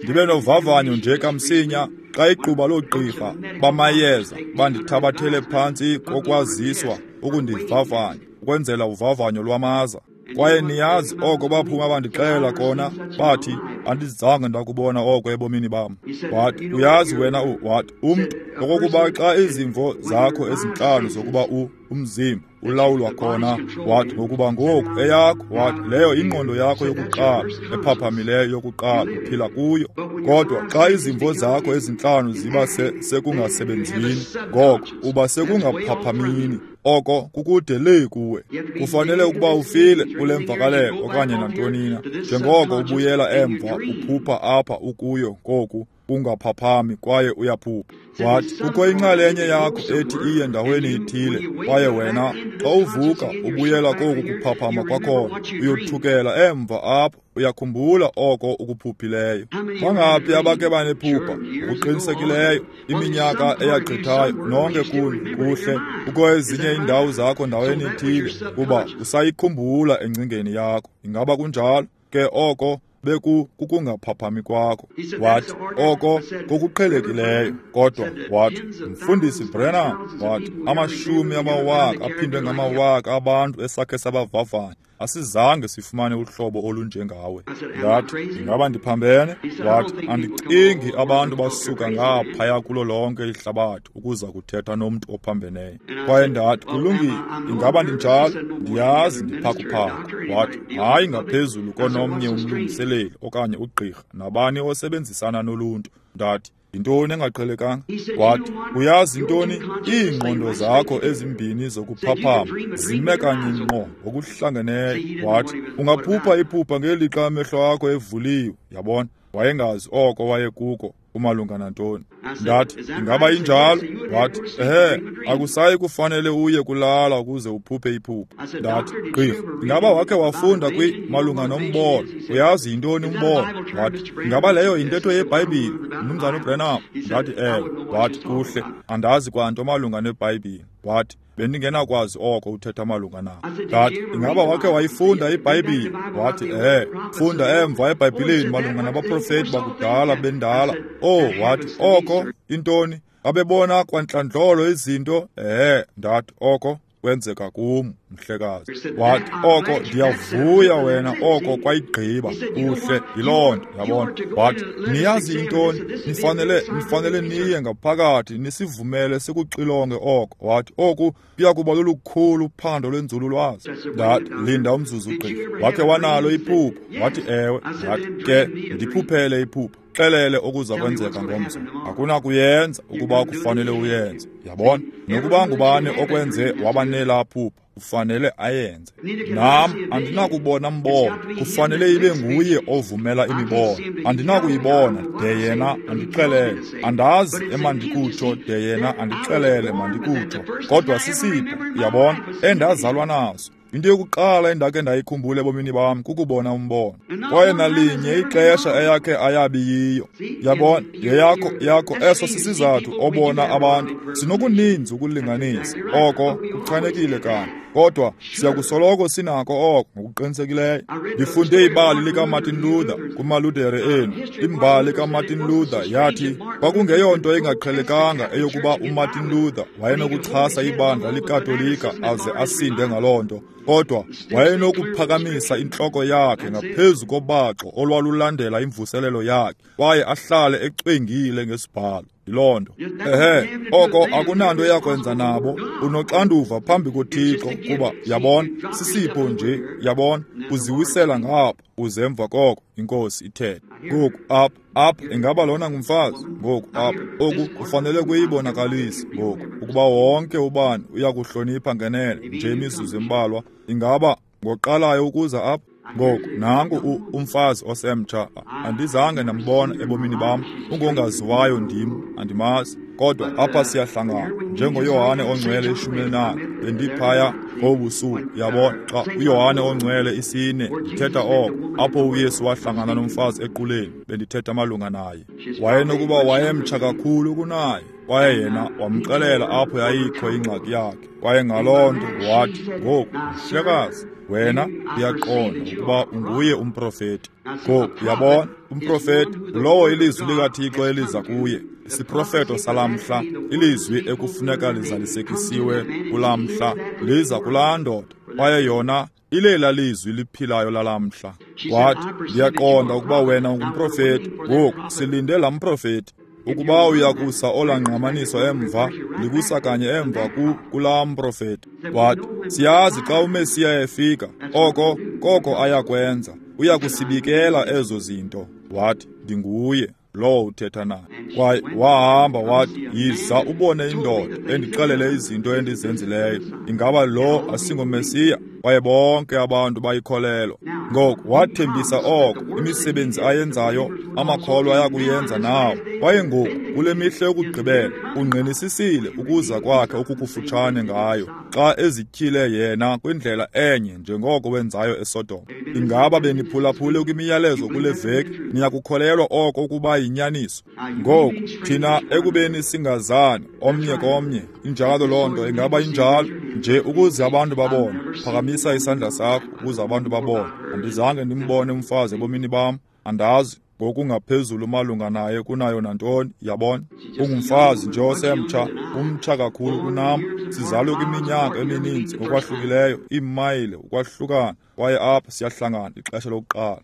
Ndibe novavanyo nje kamsinya xa igquba loogqirha bamayeza bandithabathele phantsi kokwaziswa ukundivavanya, ukwenzela uvavanyo lwamaza. Kwaye niyazi oko baphuma bandixelela kona, bathi andizange ndakubona oko ebomini bam. Wathi, uyazi wena, wathi umntu okokuba xa izimvo zakho ezintlanu zokuba u umzimba ulawulwa khona, wathi ngokuba ngoku eyakho, wathi leyo ingqondo yakho yokuqala ephaphamileyo yokuqala uphila kuyo. Kodwa xa izimvo zakho ezintlanu ziba sekungasebenzini, ngoko uba sekungaphaphamini, oko kukude lee kuwe. Kufanele ukuba ufile kule mvakalelo okanye nantoni na. Njengoko ubuyela emva uphupha apha ukuyo ngoku ungaphaphami kwaye uyaphupha. Wathi kukho inxalenye yakho ethi iye ndaweni ithile, kwaye wena xa uvuka ubuyela koku kuphaphama kwakhona, uyothukela emva apho, uyakhumbula oko ukuphuphileyo. Bangaphi abake banephupha ngokuqinisekileyo iminyaka eyagqithayo? Nonke kuni kuhle, kukho ezinye iindawo zakho ndaweni ithile kuba usayikhumbula engcingeni yakho. Ingaba kunjalo? Ke oko beku kukungaphaphami kwakho. Wathi oko kokuqhelekileyo. Kodwa wathi, Mfundisi Branham, wathi amashumi amawaka aphindwe ngamawaka abantu esakhe sabavavanya, asizange sifumane uhlobo olunjengawe. Ndathi, ingaba ndiphambene? Wathi, andicingi abantu basuka ngaphaya kulo lonke ihlabathi ukuza kuthetha nomntu ophambeneyo. Kwaye ndathi, kulungile, ingaba ndinjalo? Ndiyazi ndiphakuphaku. Wathi, hayi ngaphezulu konomnye umlungiseleli okanye ugqirha nabani osebenzisana noluntu. Ndathi, yintoni engaqhelekanga? Wathi, uyazi intoni? Iingqondo zakho ezimbini zokuphaphama zime kanye ngqo ngokuhlangeneyo. Wathi, ungaphupha iphupha ngelixa amehlo akho evuliwe. Yabona, wayengazi oko wayekuko umalunga nantoni. Ndathi, ingaba injalo? Wathi, ehe, akusayi kufanele uye kulala ukuze uphuphe iphupha. Ndathi, gqirha, ingaba wakhe wafunda kwi malunga nombono? Uyazi yintoni umbono? Wathi, ingaba leyo yintetho yeBhayibhile, Mnumzana uBranham? Ndathi, ewe. Wathi, kuhle, andazi kwanto malunga neBhayibhile. Wathi, bendingenakwazi oko uthetha malunga nako. Ndathi, ingaba wakhe wayifunda iBhayibhile? Wathi, ehe, funda emva eBhayibhileni malunga nabaprofeti bakudala bendala. Oh, wathi, oko intoni? Babebona kwantlandlolo izinto. Ehe, ndathi, oko kwenzeka kum, mhlekazi. Wathi, oko ndiyavuya wena, oko kwayigqiba. Kuhle, yiloo nto, yabona. Wathi, niyazi intoni? Nifanele, nifanele niye ngaphakathi nisivumele sikuxilonge oko. Wathi, oku kuya kuba lolukhulu uphando lwenzululwazi. Ndathi, linda umzuzu gqirha. Wakhe wanalo iphupha? Wathi, ewe. Ndathi, ke ndiphuphele iphupha. Xelele okuza kwenzeka ngomso. Akunakuyenza ukuba kufanele uyenze. Yabona, nokuba ngubani okwenze wabanelaa phupha, ufanele ayenze. Nam andinakubona mbono, kufanele ibe nguye ovumela imibono. Andinakuyibona de yena andixelele. Andazi emandikutsho de yena andixelele mandikutsho. Kodwa sisipho, yabona, endazalwa naso. Into yokuqala endakhe ndayikhumbula ebomini bam kukubona umbono. Kwaye nalinye ixesha eyakhe ayabi yiyo. Yabona, yeyakho yakho eso sisizathu obona abantu. Sinokuninzi ukulinganisa. Oko kuchanekile kanye. Kodwa siyakusoloko sinako oko ngokuqinisekileyo. Ndifunde ibali likaMartin Luther kumaLuthere enu. Imbali kaMartin Luther yathi kwakungeyonto engaqhelekanga eyokuba uMartin Luther wayenokuchasa ibandla likaKatolika aze asinde ngaloo nto. Kodwa wayenokuphakamisa intloko yakhe ngaphezu kobaxo olwalulandela imvuselelo yakhe kwaye ahlale ecwengile ngesibhalo. Yiloo nto. Ehe, oko akunanto yakwenza nabo. Unoxanduva phambi koThixo kuba, yabona, sisipho nje, yabona, uziwisela ngapha uze emva koko iNkosi ithethe. Ngoku apha, apha ingaba lona ngumfazi? Ngoku apha, oku kufanele kuyibonakalise ngoku ukuba wonke ubani uyakuhlonipha ngenene nje imizuzu embalwa. Ingaba ngoqalayo ukuza apha? Ngoku nangu umfazi osemtsha, andizange ndambona ebomini bam, ungongaziwayo ndim, andimazi. Kodwa apha siyahlangana njengoYohane oNgcwele ishumi elinane. Bendiphaya ngobusuku, yabona, xa uYohane oNgcwele isine ndithetha oko, apho uYesu wahlangana nomfazi equleni, bendithetha malunga naye. Wayenokuba wayemtsha kakhulu kunaye, kwaye yena wamxelela apho yayikho ingxaki yakhe. Kwaye ngaloo nto wathi, ngoku mhlekazi, wena uyaqonda ukuba unguye umprofeti. Ngoku yabona, umprofeti lowo ilizwi likaThixo eliza kuye, isiprofeto salamhla, ilizwi ekufuneka lizalisekisiwe kulamhla, liza kulaa ndoda, kwaye yona ilela lizwi liphilayo lalamhla. Wathi, ndiyaqonda ukuba wena ungumprofeti. Ngoku silinde laa mprofeti. Ukuba uyakusa olaa ngqamaniso emva, likusa kanye emva ku kulaa mprofeti. Wathi, siyazi xa uMesiya efika, oko koko ayakwenza, uyakusibikela ezo zinto. Wathi, ndinguye lowo uthetha naye. Kwaye wahamba wathi, yiza ubone indoda endixelele izinto endizenzileyo. Ingaba lo asingoMesiya? Kwaye bonke abantu bayikholelwa. Ngoku wathembisa oko, imisebenzi ayenzayo amakholwa ayakuyenza nawo. Kwaye ngoku kule mihla yokugqibela ungqinisisile ukuza kwakhe okukufutshane ngayo, xa ezityhile yena kwindlela enye njengoko wenzayo eSodom. Ingaba beniphulaphule kwimiyalezo kule veki? Niyakukholelwa oko ukuba yinyaniso? Ngoku thina ekubeni singazani omnye komnye, injalo loo nto? Ingaba injalo? Nje ukuze abantu babone, phakamisa isandla sakho ukuze abantu babone. Andizange ndimbone umfazi ebomini bam, andazi ngokungaphezulu malunga naye kunayo nantoni, yabona. Ungumfazi nje osemtsha, umtsha kakhulu kunam. Sizalwe kwiminyaka emininzi ngokwahlukileyo, iimayile ukwahlukana, kwaye apha siyahlangana ixesha lokuqala.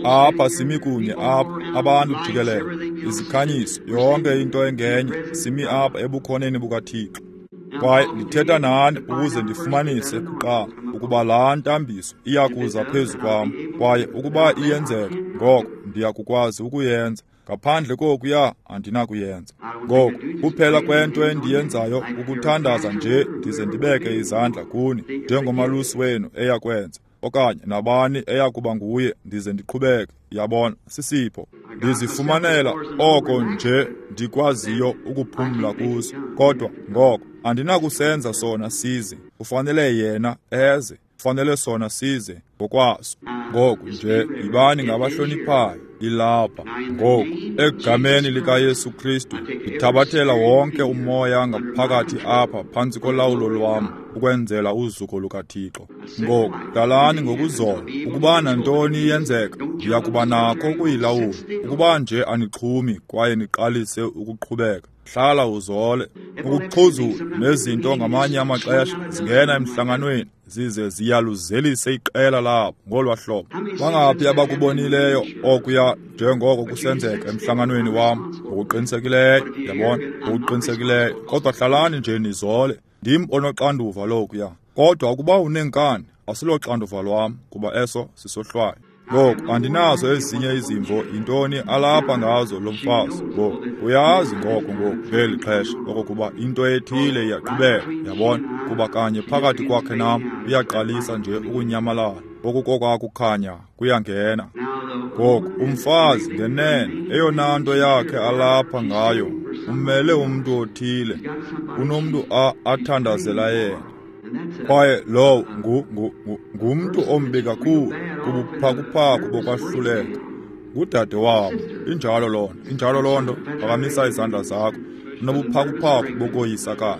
Apha simi kunye apha, abantu jikelele, izikhanyiso, yonke into engenye, simi apha ebukhoneni bukaThixo. Kwaye ndithetha nani ukuze ndifumanise kuqala ukuba laa ntambiso iyakuza phezu kwam, kwaye ukuba iyenzeka, ngoko ndiyakukwazi ukuyenza. Ngaphandle kokuya andinakuyenza. Ngoku kuphela kwento endiyenzayo ukuthandaza nje ndize ndibeke izandla kuni njengomalusi wenu eyakwenza, okanye nabani eyakuba nguye, ndize ndiqhubeke. Yabona, sisipho. Ndizifumanela oko nje ndikwaziyo ukuphumla kuso. Kodwa ngoko andinakusenza sona size. Kufanele yena eze, kufanele sona size ngokwaso. Ngoku nje yibani ngabahloniphayo. Ilapha ngoku egameni likaYesu Kristu ndithabathela wonke umoya ngaphakathi apha phantsi kolawulo lwam ukwenzela uzuko lukaThixo. Ngoku hlalani ngokuzola. Ukuba nantoni iyenzeka, ndiyakuba nakho ukuyilawula. Ukuba nje anixhumi kwaye niqalise ukuqhubeka, hlala uzole. Ukuxhuzula nezinto ngamanye amaxesha zingena emhlanganweni zize ziyaluzelise iqela labo ngolwa hlobo. Bangaphi abakubonileyo okuya njengoko kusenzeka emhlanganweni wam? Ngokuqinisekileyo, yabona, ngokuqinisekileyo. Kodwa hlalani nje nizole. Ndim onoxanduva lokuya. Kodwa ukuba uneenkani, asiloxanduva lwam, kuba eso sisohlwayo. Ngoku andinazo ezinye izimvo yintoni alapha ngazo lo mfazi. Ngoku uyazi ngoko ngoku ngeli xesha okokuba into ethile iyaqhubeka, yabona, kuba kanye phakathi kwakhe nam uyaqalisa nje ukunyamalala. Okukokwakukhanya kuyangena. Ngoku umfazi ngenene eyona nto yakhe alapha ngayo umele umntu othile, unomntu athandazela yena. Kwaye lowo ngumntu ombi kakhulu kubuphakuphaku bokwahluleka. Ngudade wabo. Injalo loo nto, injalo loo nto. Phakamisa izandla zakho. Unobuphakuphaku bokoyisakala.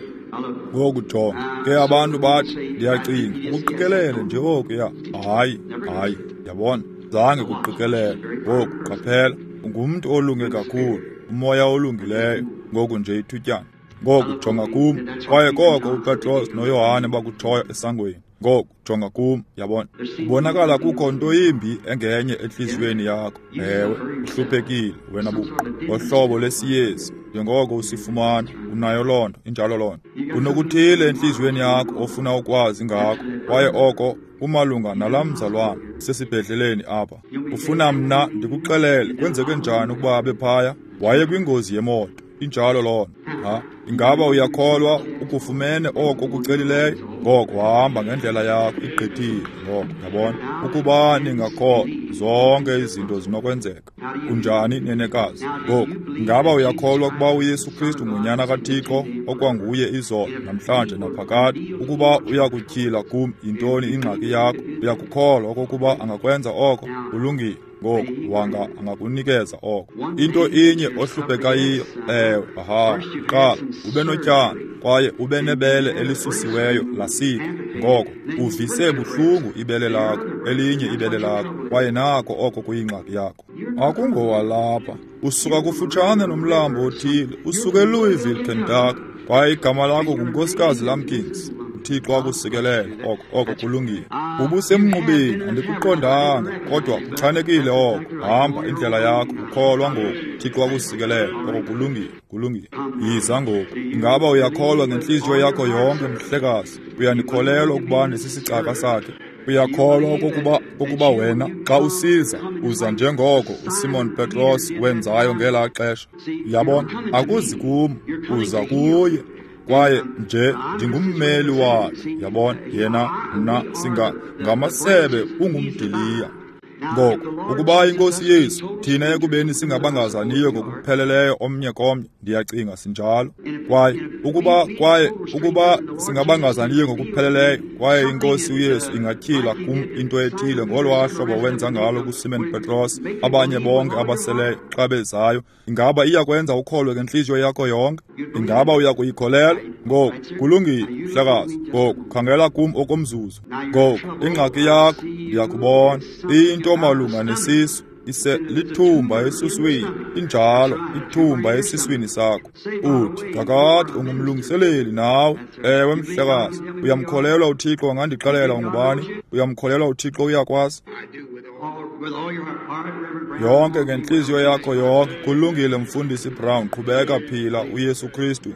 Ngoku jonga, ke abantu bathi, ndiyacinga, ukuqikelele nje okuya. Hayi, hayi, yabona, zange kuqikelele. Ngoku qaphela, ungumntu olunge kakhulu, umoya olungileyo, ngoku nje ithutyana. Ngoku jonga kum, kwaye koko uPetros noYohane bakutshoyo esangweni. Ngoku jonga kum, yabona. Kubonakala kukho nto yimbi engenye entliziyweni yakho. Ewe, uhluphekile wena buqu ngohlobo lesiyezi, njengoko usifumana, unayo loo nto, injalo loo nto. Kunokuthile entliziyweni yakho ofuna ukwazi ngako, kwaye oko kumalunga nalaa mzalwana sesibhedleleni apha. Ufuna mna ndikuxelele kwenzeke njani ukuba abe phaya? Waye kwingozi yemoto. Injalo loo nto. Ha, ingaba uyakholwa ukufumene oko kucelileyo? Ngoko hamba ngendlela yakho, igqithile. Ngoko yabona, ukuba ningakholwa, zonke izinto zinokwenzeka. Kunjani, nenekazi? Ngoku ingaba uyakholwa ukuba uYesu Kristu ngunyana kaThixo, okwanguye izolo, namhlanje naphakade? Ukuba uyakutyhila kum yintoni ingxaki yakho, uyakukholwa okokuba angakwenza oko? Kulungile. Ngoku wanga angakunikeza oko. Into inye ohlupheka yiyo, ewe, aha, qala ube notyana kwaye ube nebele elisusiweyo lasika. Ngoko uvise buhlungu ibele lakho, elinye ibele lakho, kwaye nako oko kuyingxaki yakho. Akungowalapha, usuka kufutshane nomlambo othile, usuka eLouisville, Kentucky, kwaye igama lakho nguNkosikazi Lampkins. uThixo akusikelele. Oko oko kulungile. Ubusemnqubeni, andikuqondanga, kodwa kuchanekile oko. Hamba indlela yakho, ukholwa ngoku. Thixo akusikelele. Oko kulungile, kulungile. Yiza ngoku. Ingaba uyakholwa ngentliziyo yakho yonke, mhlekazi? Uyandikholelwa ukuba ndisisicaka sakhe? Uyakholwa okokuba ukuba wena xa usiza uza njengoko uSimon Petros wenzayo ngelaa xesha? Uyabona, akuzi kum, uza kuye. Kwaye nje ndingummeli wakhe, yabona, yena mna singa ngamasebe ungumdiliya. Ngoko ukuba iNkosi Yesu, thina ekubeni singabangazaniyo ngokupheleleyo omnye komnye, ndiyacinga sinjalo. Kwaye ukuba kwaye ukuba singabangazaniyo ngokupheleleyo, kwaye iNkosi uYesu ingatyhila kum into ethile ngolwaa hlobo wenza ngalo kuSimon Petros, abanye bonke abaseleyo xa bezayo, ingaba iyakwenza ukholwe ngentliziyo yakho yonke? Ingaba uyakuyikholelwa? Ngoku kulungile, mhlekazi. Ngoku khangela kum okomzuzu. Ngoku ingxaki yakho ndiyakubona, into malunga nesisu, ise lithumba esuswini, injalo, ithumba esiswini sakho. Uthi kakade ungumlungiseleli nawe. Ewe, mhlekazi. Uyamkholelwa uThixo angandixelela ungubani? Uyamkholelwa uThixo uyakwazi? Yonke ngentliziyo yakho yonke. Kulungile, Mfundisi Brown, qhubeka phila uYesu Kristu.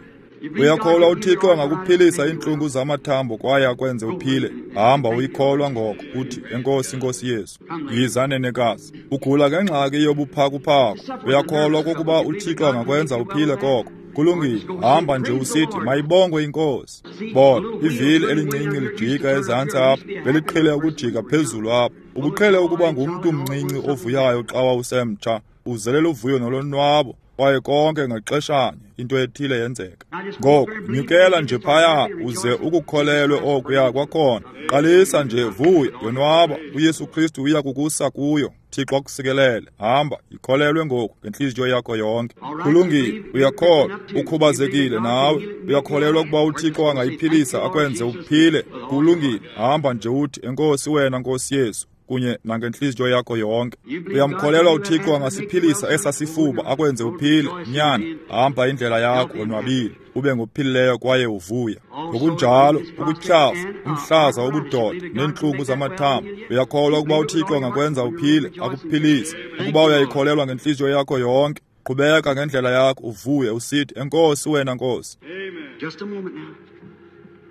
Uyakholwa uThixo angakuphilisa iintlungu zamathambo kwaye akwenze uphile? Hamba uyikholwa ngoko, uthi enkosi Nkosi Yesu. Yiza nenekazi. Ugula ngengxaki yobuphakuphaku. Uyakholwa okokuba uThixo angakwenza uphile koko? Kulungile, hamba nje usithi mayibongwe iNkosi. Bona, ivili elincinci lijika ezantsi apha, beliqhele ukujika phezulu apha. Ubuqhele ukuba ngumntu mncinci ovuyayo xa wawusemtsha, uzelela uvuyo nolonwabo, kwaye konke ngaxeshanye into ethile yenzeka. Ngoko nyukela nje phaya uze ukukholelwe okuya kwakhona. Qalisa nje, vuya, yonwaba, uYesu Kristu uya kukusa kuyo. Thixo akusikelele. Hamba, ikholelwe ngoku ngentliziyo yakho yonke. Kulungile, uyakholwa, ukhubazekile nawe. Uyakholelwa ukuba uThixo angayiphilisa akwenze uphile? Kulungile, hamba nje uthi enkosi wena Nkosi Yesu, kunye nangentliziyo yakho yonke. Uyamkholelwa uThixo angasiphilisa esasifuba akwenze uphile? Nyana, hamba indlela yakho wonwabile, ube ngophilileyo kwaye uvuya. Ngokunjalo ukutyhafa, umhlaza wobudoda neentlungu zamathambo, uyakholwa ukuba uThixo angakwenza uphile, akuphilise? Ukuba uyayikholelwa ngentliziyo yakho yonke, qhubeka ngendlela yakho uvuye usithi enkosi wena Nkosi.
Just a moment now.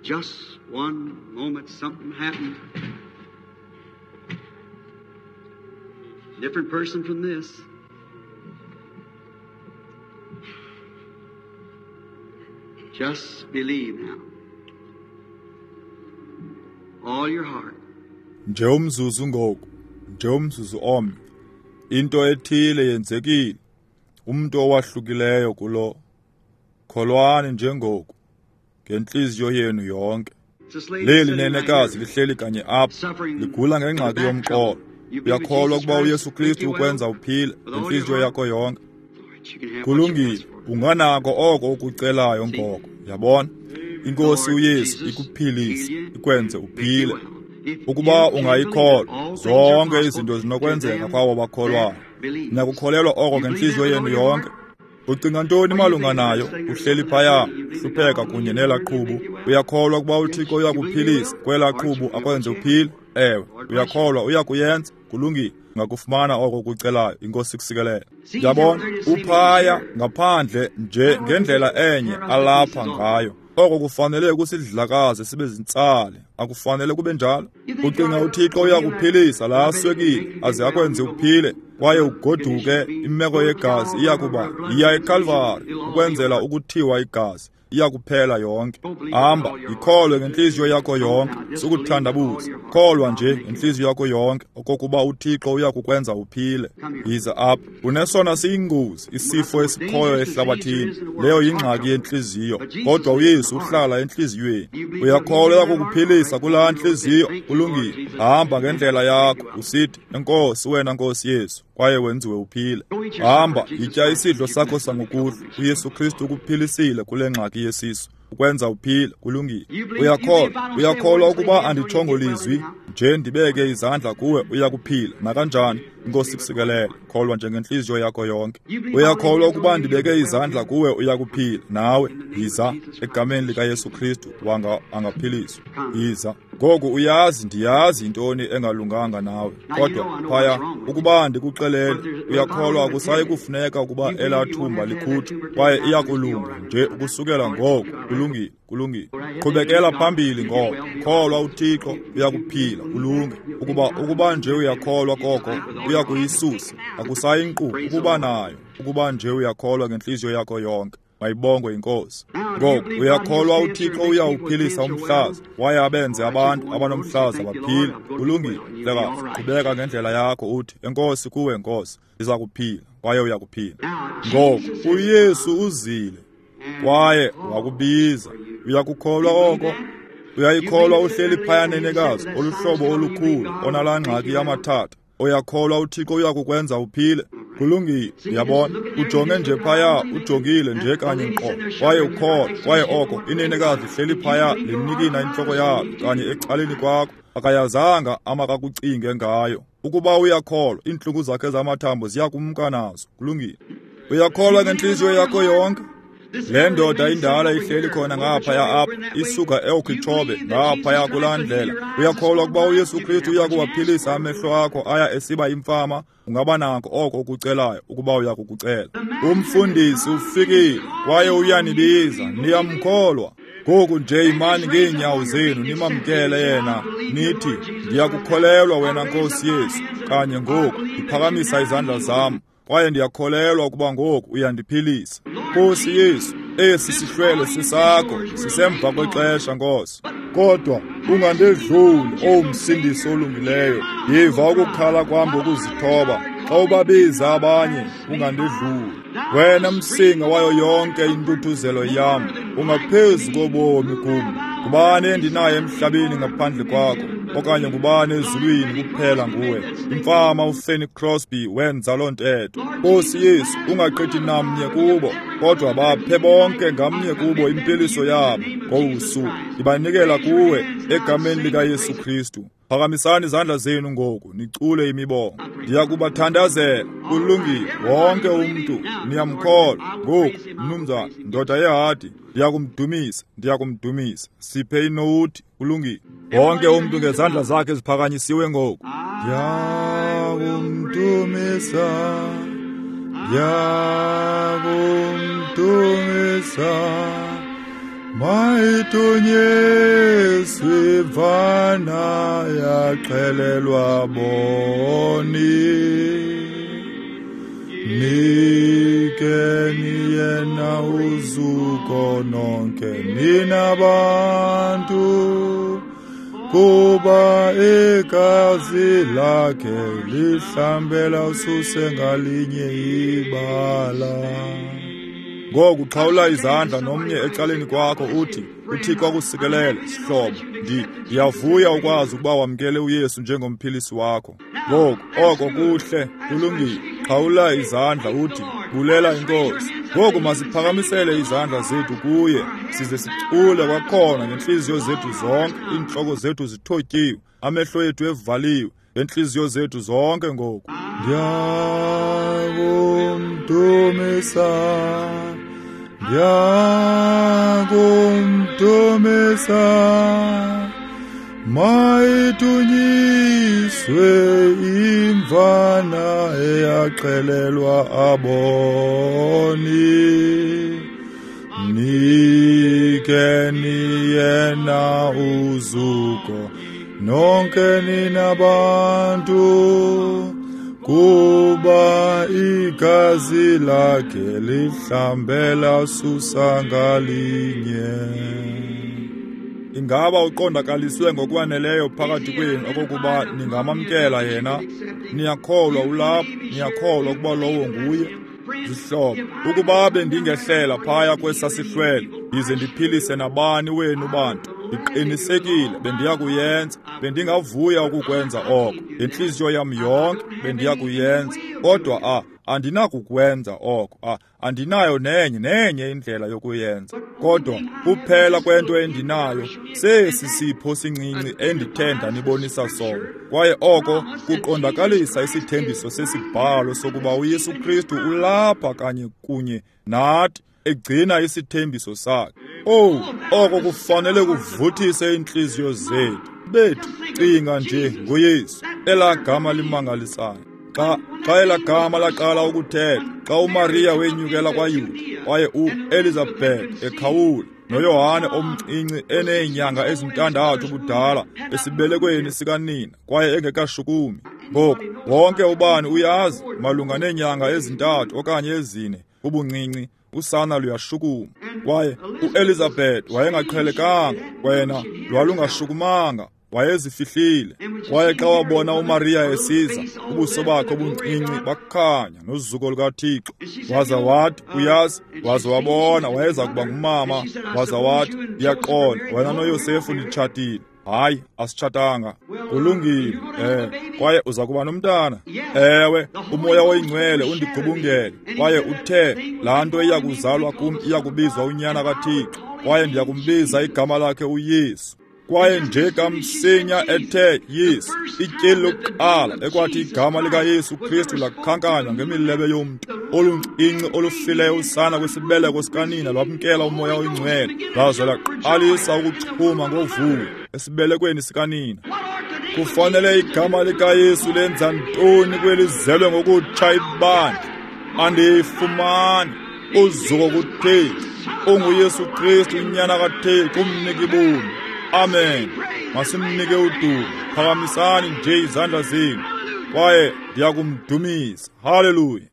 Just one moment, something happened. Different person from this. Just believe now. All your heart.
Nje umzuzu ngoku, nje umzuzu omnye. Into ethile yenzekile. Umntu owahlukileyo kulo. Kholwani njengoku ngentliziyo yenu yonke. Leli nenekazi lihleli kanye apha, ligula ngengxaki yomqolo. Uyakholwa ukuba uYesu Kristu ukwenza uphile ngentliziyo yakho yonke? Kulungile, unganako oko ukucelayo ngoko. Yabona? iNkosi uYesu ikuphilise, ikwenze uphile. Ukuba ungayikholwa, zonke izinto zinokwenzeka kwabo bakholwayo. Niyakukholelwa oko ngentliziyo yenu yonke? Ucinga ntoni malunga nayo? Uhleli phaya, hlupheka kunye nelaa qhubu. Uyakholwa ukuba uThixo uyakuphilisa kwelaa qhubu akwenze uphile? Ewe, uyakholwa uyakuyenza. Kulungile, ungakufumana oko ukucelayo. INkosi ikusikelele. Yabona, uphaya ngaphandle nje ngendlela enye alapha ngayo. Oko kufanele kusidlakaze sibe zintsale, akufanele kube njalo. Ucinga uThixo uyakuphilisa laa swekile aze akwenze uphile kwaye ugoduke, imeko yegazi iyakuba yiya eKalvari ukwenzela ukuthiwa igazi iyakuphela yonke. Hamba, yikholwe ngentliziyo yakho yonke, sukuthandabuza. Kholwa nje ngentliziyo yakho yonke okokuba uThixo uyakukwenza uphile. Yiza apha. Unesona siyingozi isifo esikhoyo ehlabathini, leyo yingxaki yentliziyo, kodwa uYesu uhlala entliziyweni. Uyakholwa uyakukuphilisa kulaa ntliziyo? Kulungile. Hamba ngendlela yakho usithi, Enkosi wena Nkosi Yesu, kwaye wenziwe uphile. Hamba, yitya isidlo sakho sangokuhlwa. uYesu Kristu ukuphilisile kule ngxaki yesisu, ukwenza uphile. Kulungile. Uyakholwa, uyakholwa ukuba anditshongo lizwi nje ndibeke izandla kuwe uyakuphila nakanjani? INkosi ikusikelele. Kholwa nje ngentliziyo yakho yonke. Uyakholwa ukuba ndibeke izandla kuwe uyakuphila nawe? Yiza egameni likaYesu Kristu, wanga angaphiliswa. Yiza ngoku. Uyazi, ndiyazi intoni engalunganga nawe, kodwa phaya ukuba ndikuxelele, uyakholwa akusayi kufuneka ukuba elaa thumba likhutshwe, kwaye iyakulunga nje ukusukela ngoku. Kulungile, kulungile. Qhubekela phambili ngoko. Kholwa uThixo uyakuphila, ulunge. Ukuba ukuba nje uyakholwa koko, uyakuyisusa. Akusayi nkqu ukuba nayo, ukuba nje uyakholwa ngentliziyo yakho yonke. Mayibongwe iNkosi. Ngoku uyakholwa uThixo uyawuphilisa umhlaza, waye abenze abantu abanomhlaza baphile. Kulungile, mhlekazi. Qhubeka ngendlela yakho uthi, Enkosi kuwe Nkosi, ndiza kuphila, kwaye uyakuphila. Ngoku uYesu uzile kwaye wakubiza. Uyakukholwa oko? Uyayikholwa uhleli phaya nenekazi oluhlobo olukhulu onalaa ngxaki yamathatha? Uyakholwa uThixo uyakukwenza uphile? Kulungile. Uyabona, ujonge nje phaya, ujongile nje kanye nkqo, kwaye ukholwa, kwaye oko inenekazi lihleli phaya linikina intloko yalo kanye ecaleni kwakho, akayazanga amakakucinge ngayo. Ukuba uyakholwa, iintlungu zakhe zamathambo ziyakumka nazo. Kulungile. Uyakholwa ngentliziyo yakho yonke? Le ndoda indala ihleli khona ngaphaya apha, isuka eOkhichobe ngaphaya kulaa ndlela. Uyakholwa ukuba uYesu Kristu uyakuwaphilisa amehlo akho aya esiba imfama? Ungaba nako oko ukucelayo ukuba uyakukucela. Umfundisi ufikile kwaye uyanibiza, niyamkholwa. Ngoku nje imani ngeenyawo zenu nimamkele yena, nithi, ndiyakukholelwa wena Nkosi Yesu. Kanye ngoku ndiphakamisa izandla zam, kwaye ndiyakholelwa ukuba ngoku uyandiphilisa. Nkosi Yesu, esi sihlwele sisakho, sisemva kwexesha Nkosi. Kodwa ungandedluli, O Msindisi olungileyo. Yiva ukukhala kwam ngokuzithoba. Xa ubabiza abanye, ungandedluli. Wena msinga wayo yonke intuthuzelo yam, ungaphezu kobomi kum. Ngubani endinaye emhlabeni ngaphandle kwakho? Okanye ngubani ezulwini kuphela nguwe? Imfama uFanny Crosby wenza loo ntetho. Nkosi Yesu, ungaqithi namnye kubo, kodwa baphe bonke ngamnye kubo impiliso yabo ngolu suku. Ndibanikela kuwe egameni likaYesu Kristu. Phakamisani izandla zenu ngoku, nicule imibongo. Ndiyakubathandazela. Kulungile, wonke umntu niyamkholwa. Ngoku, mnumzana, ndoda yehadi, ndiyakumdumisa, ndiyakumdumisa. Siphe inowuthi. Kulungile. Wonke umntu ngezandla zakhe ziphakanyisiwe ngoku. Ndiyakumdumisa, ndiyakumdumisa. Mayitunyiswe imvana yaxhelelwa boni. Nikeni yena uzuko nonke nina bantu, kuba igazi lakhe lihlambela ususe ngalinye ibala. Ngoku xhawula izandla nomnye ecaleni kwakho uthi, uThixo akusikelele sihlobo. Ndi ndiyavuya ukwazi ukuba wamkele uYesu njengomphilisi wakho. Ngoku oko kuhle, kulungile. Xhawula izandla uthi, bulela iNkosi. Ngoku masiphakamisele izandla zethu kuye, size sicule kwakhona ngentliziyo zethu zonke, iintloko zethu zithotyiwe, amehlo ethu evaliwe, ngentliziyo zethu zonke ngoku. Ndiyakumdumisa, ndiyakumdumisa, mayidunyiswe imvana eyaxhelelwa aboni. Nikeni yena uzuko nonke nina bantu, kuba igazi lakhe lihlambela susa ngalinye. Ingaba uqondakaliswe ngokwaneleyo phakathi kwenu okokuba ningamamkela yena? Niyakholwa ulapho, niyakholwa ukuba lowo nguye? Zihlobo, ukuba bendingehlela phaya kwesasihlwele ndize ndiphilise nabani wenu bantu, ndiqinisekile bendiyakuyenza, bendingavuya ukukwenza oko ngentliziyo yam yonke, bendiyakuyenza. Kodwa a andinakukwenza oko, a andinayo nenye nenye indlela yokuyenza. Kodwa kuphela kwento endinayo sesi sipho sincinci endithe ndanibonisa sona, kwaye oko kuqondakalisa isithembiso sesibhalo sokuba uYesu Kristu ulapha kanye kunye nathi, egcina isithembiso sakhe. Owu, oko kufanele kuvuthise iintliziyo zethu. Bethu, cinga nje ngoYesu, elaa gama limangalisayo. Xa xa elaa gama laqala ukuthetha, xa uMariya wenyukela kwaYuda, kwaye uElizabeth ekhawula, noYohane omncinci eneenyanga ezintandathu ubudala esibelekweni sikanina, kwaye engekashukumi. Ngoku wonke ubani uyazi malunga neenyanga ezintathu okanye ezine ubuncinci, usana luyashukuma. Kwaye uElizabeth wayengaqhelekanga, wena lwalungashukumanga, wayezifihlile. Kwaye xa wabona uMariya esiza, ubuso bakhe obuncinci bakhanya nozuko lukaThixo. Waza wathi, uyazi, waza wabona wayeza kuba ngumama. Waza wathi, ndiyaqonda, wena noYosefu nitshatile. Hayi, asitshatanga. Kulungile, eh, kwaye uza kuba nomntana. Ewe, uMoya oyiNgcwele undigubungele, kwaye uthe laa nto iya kuzalwa kum iya kubizwa uNyana kaThixo, kwaye ndiya kumbiza igama lakhe uYesu. Kwaye nje kamsinya ethe Yesu, ityeli lokuqala ekwathi igama likaYesu Kristu lakhankanywa ngemilebe yomntu oluncinci olufileyo usana kwisibeleko sikanina lwamkela uMoya oyiNgcwele, laze laqalisa ukuchuma ngovuyo esibelekweni sikanina. Kufanele igama likaYesu lenza ntoni kwelizelwe ngokutsha ibandla? Andiyifumani. Uzuko kuThixo, unguYesu Kristu uNyana kaThixo, umniki bomi. Amen. Masimnike udumo. Phakamisani nje izandla zenu, kwaye ndiyakumdumisa. Haleluya.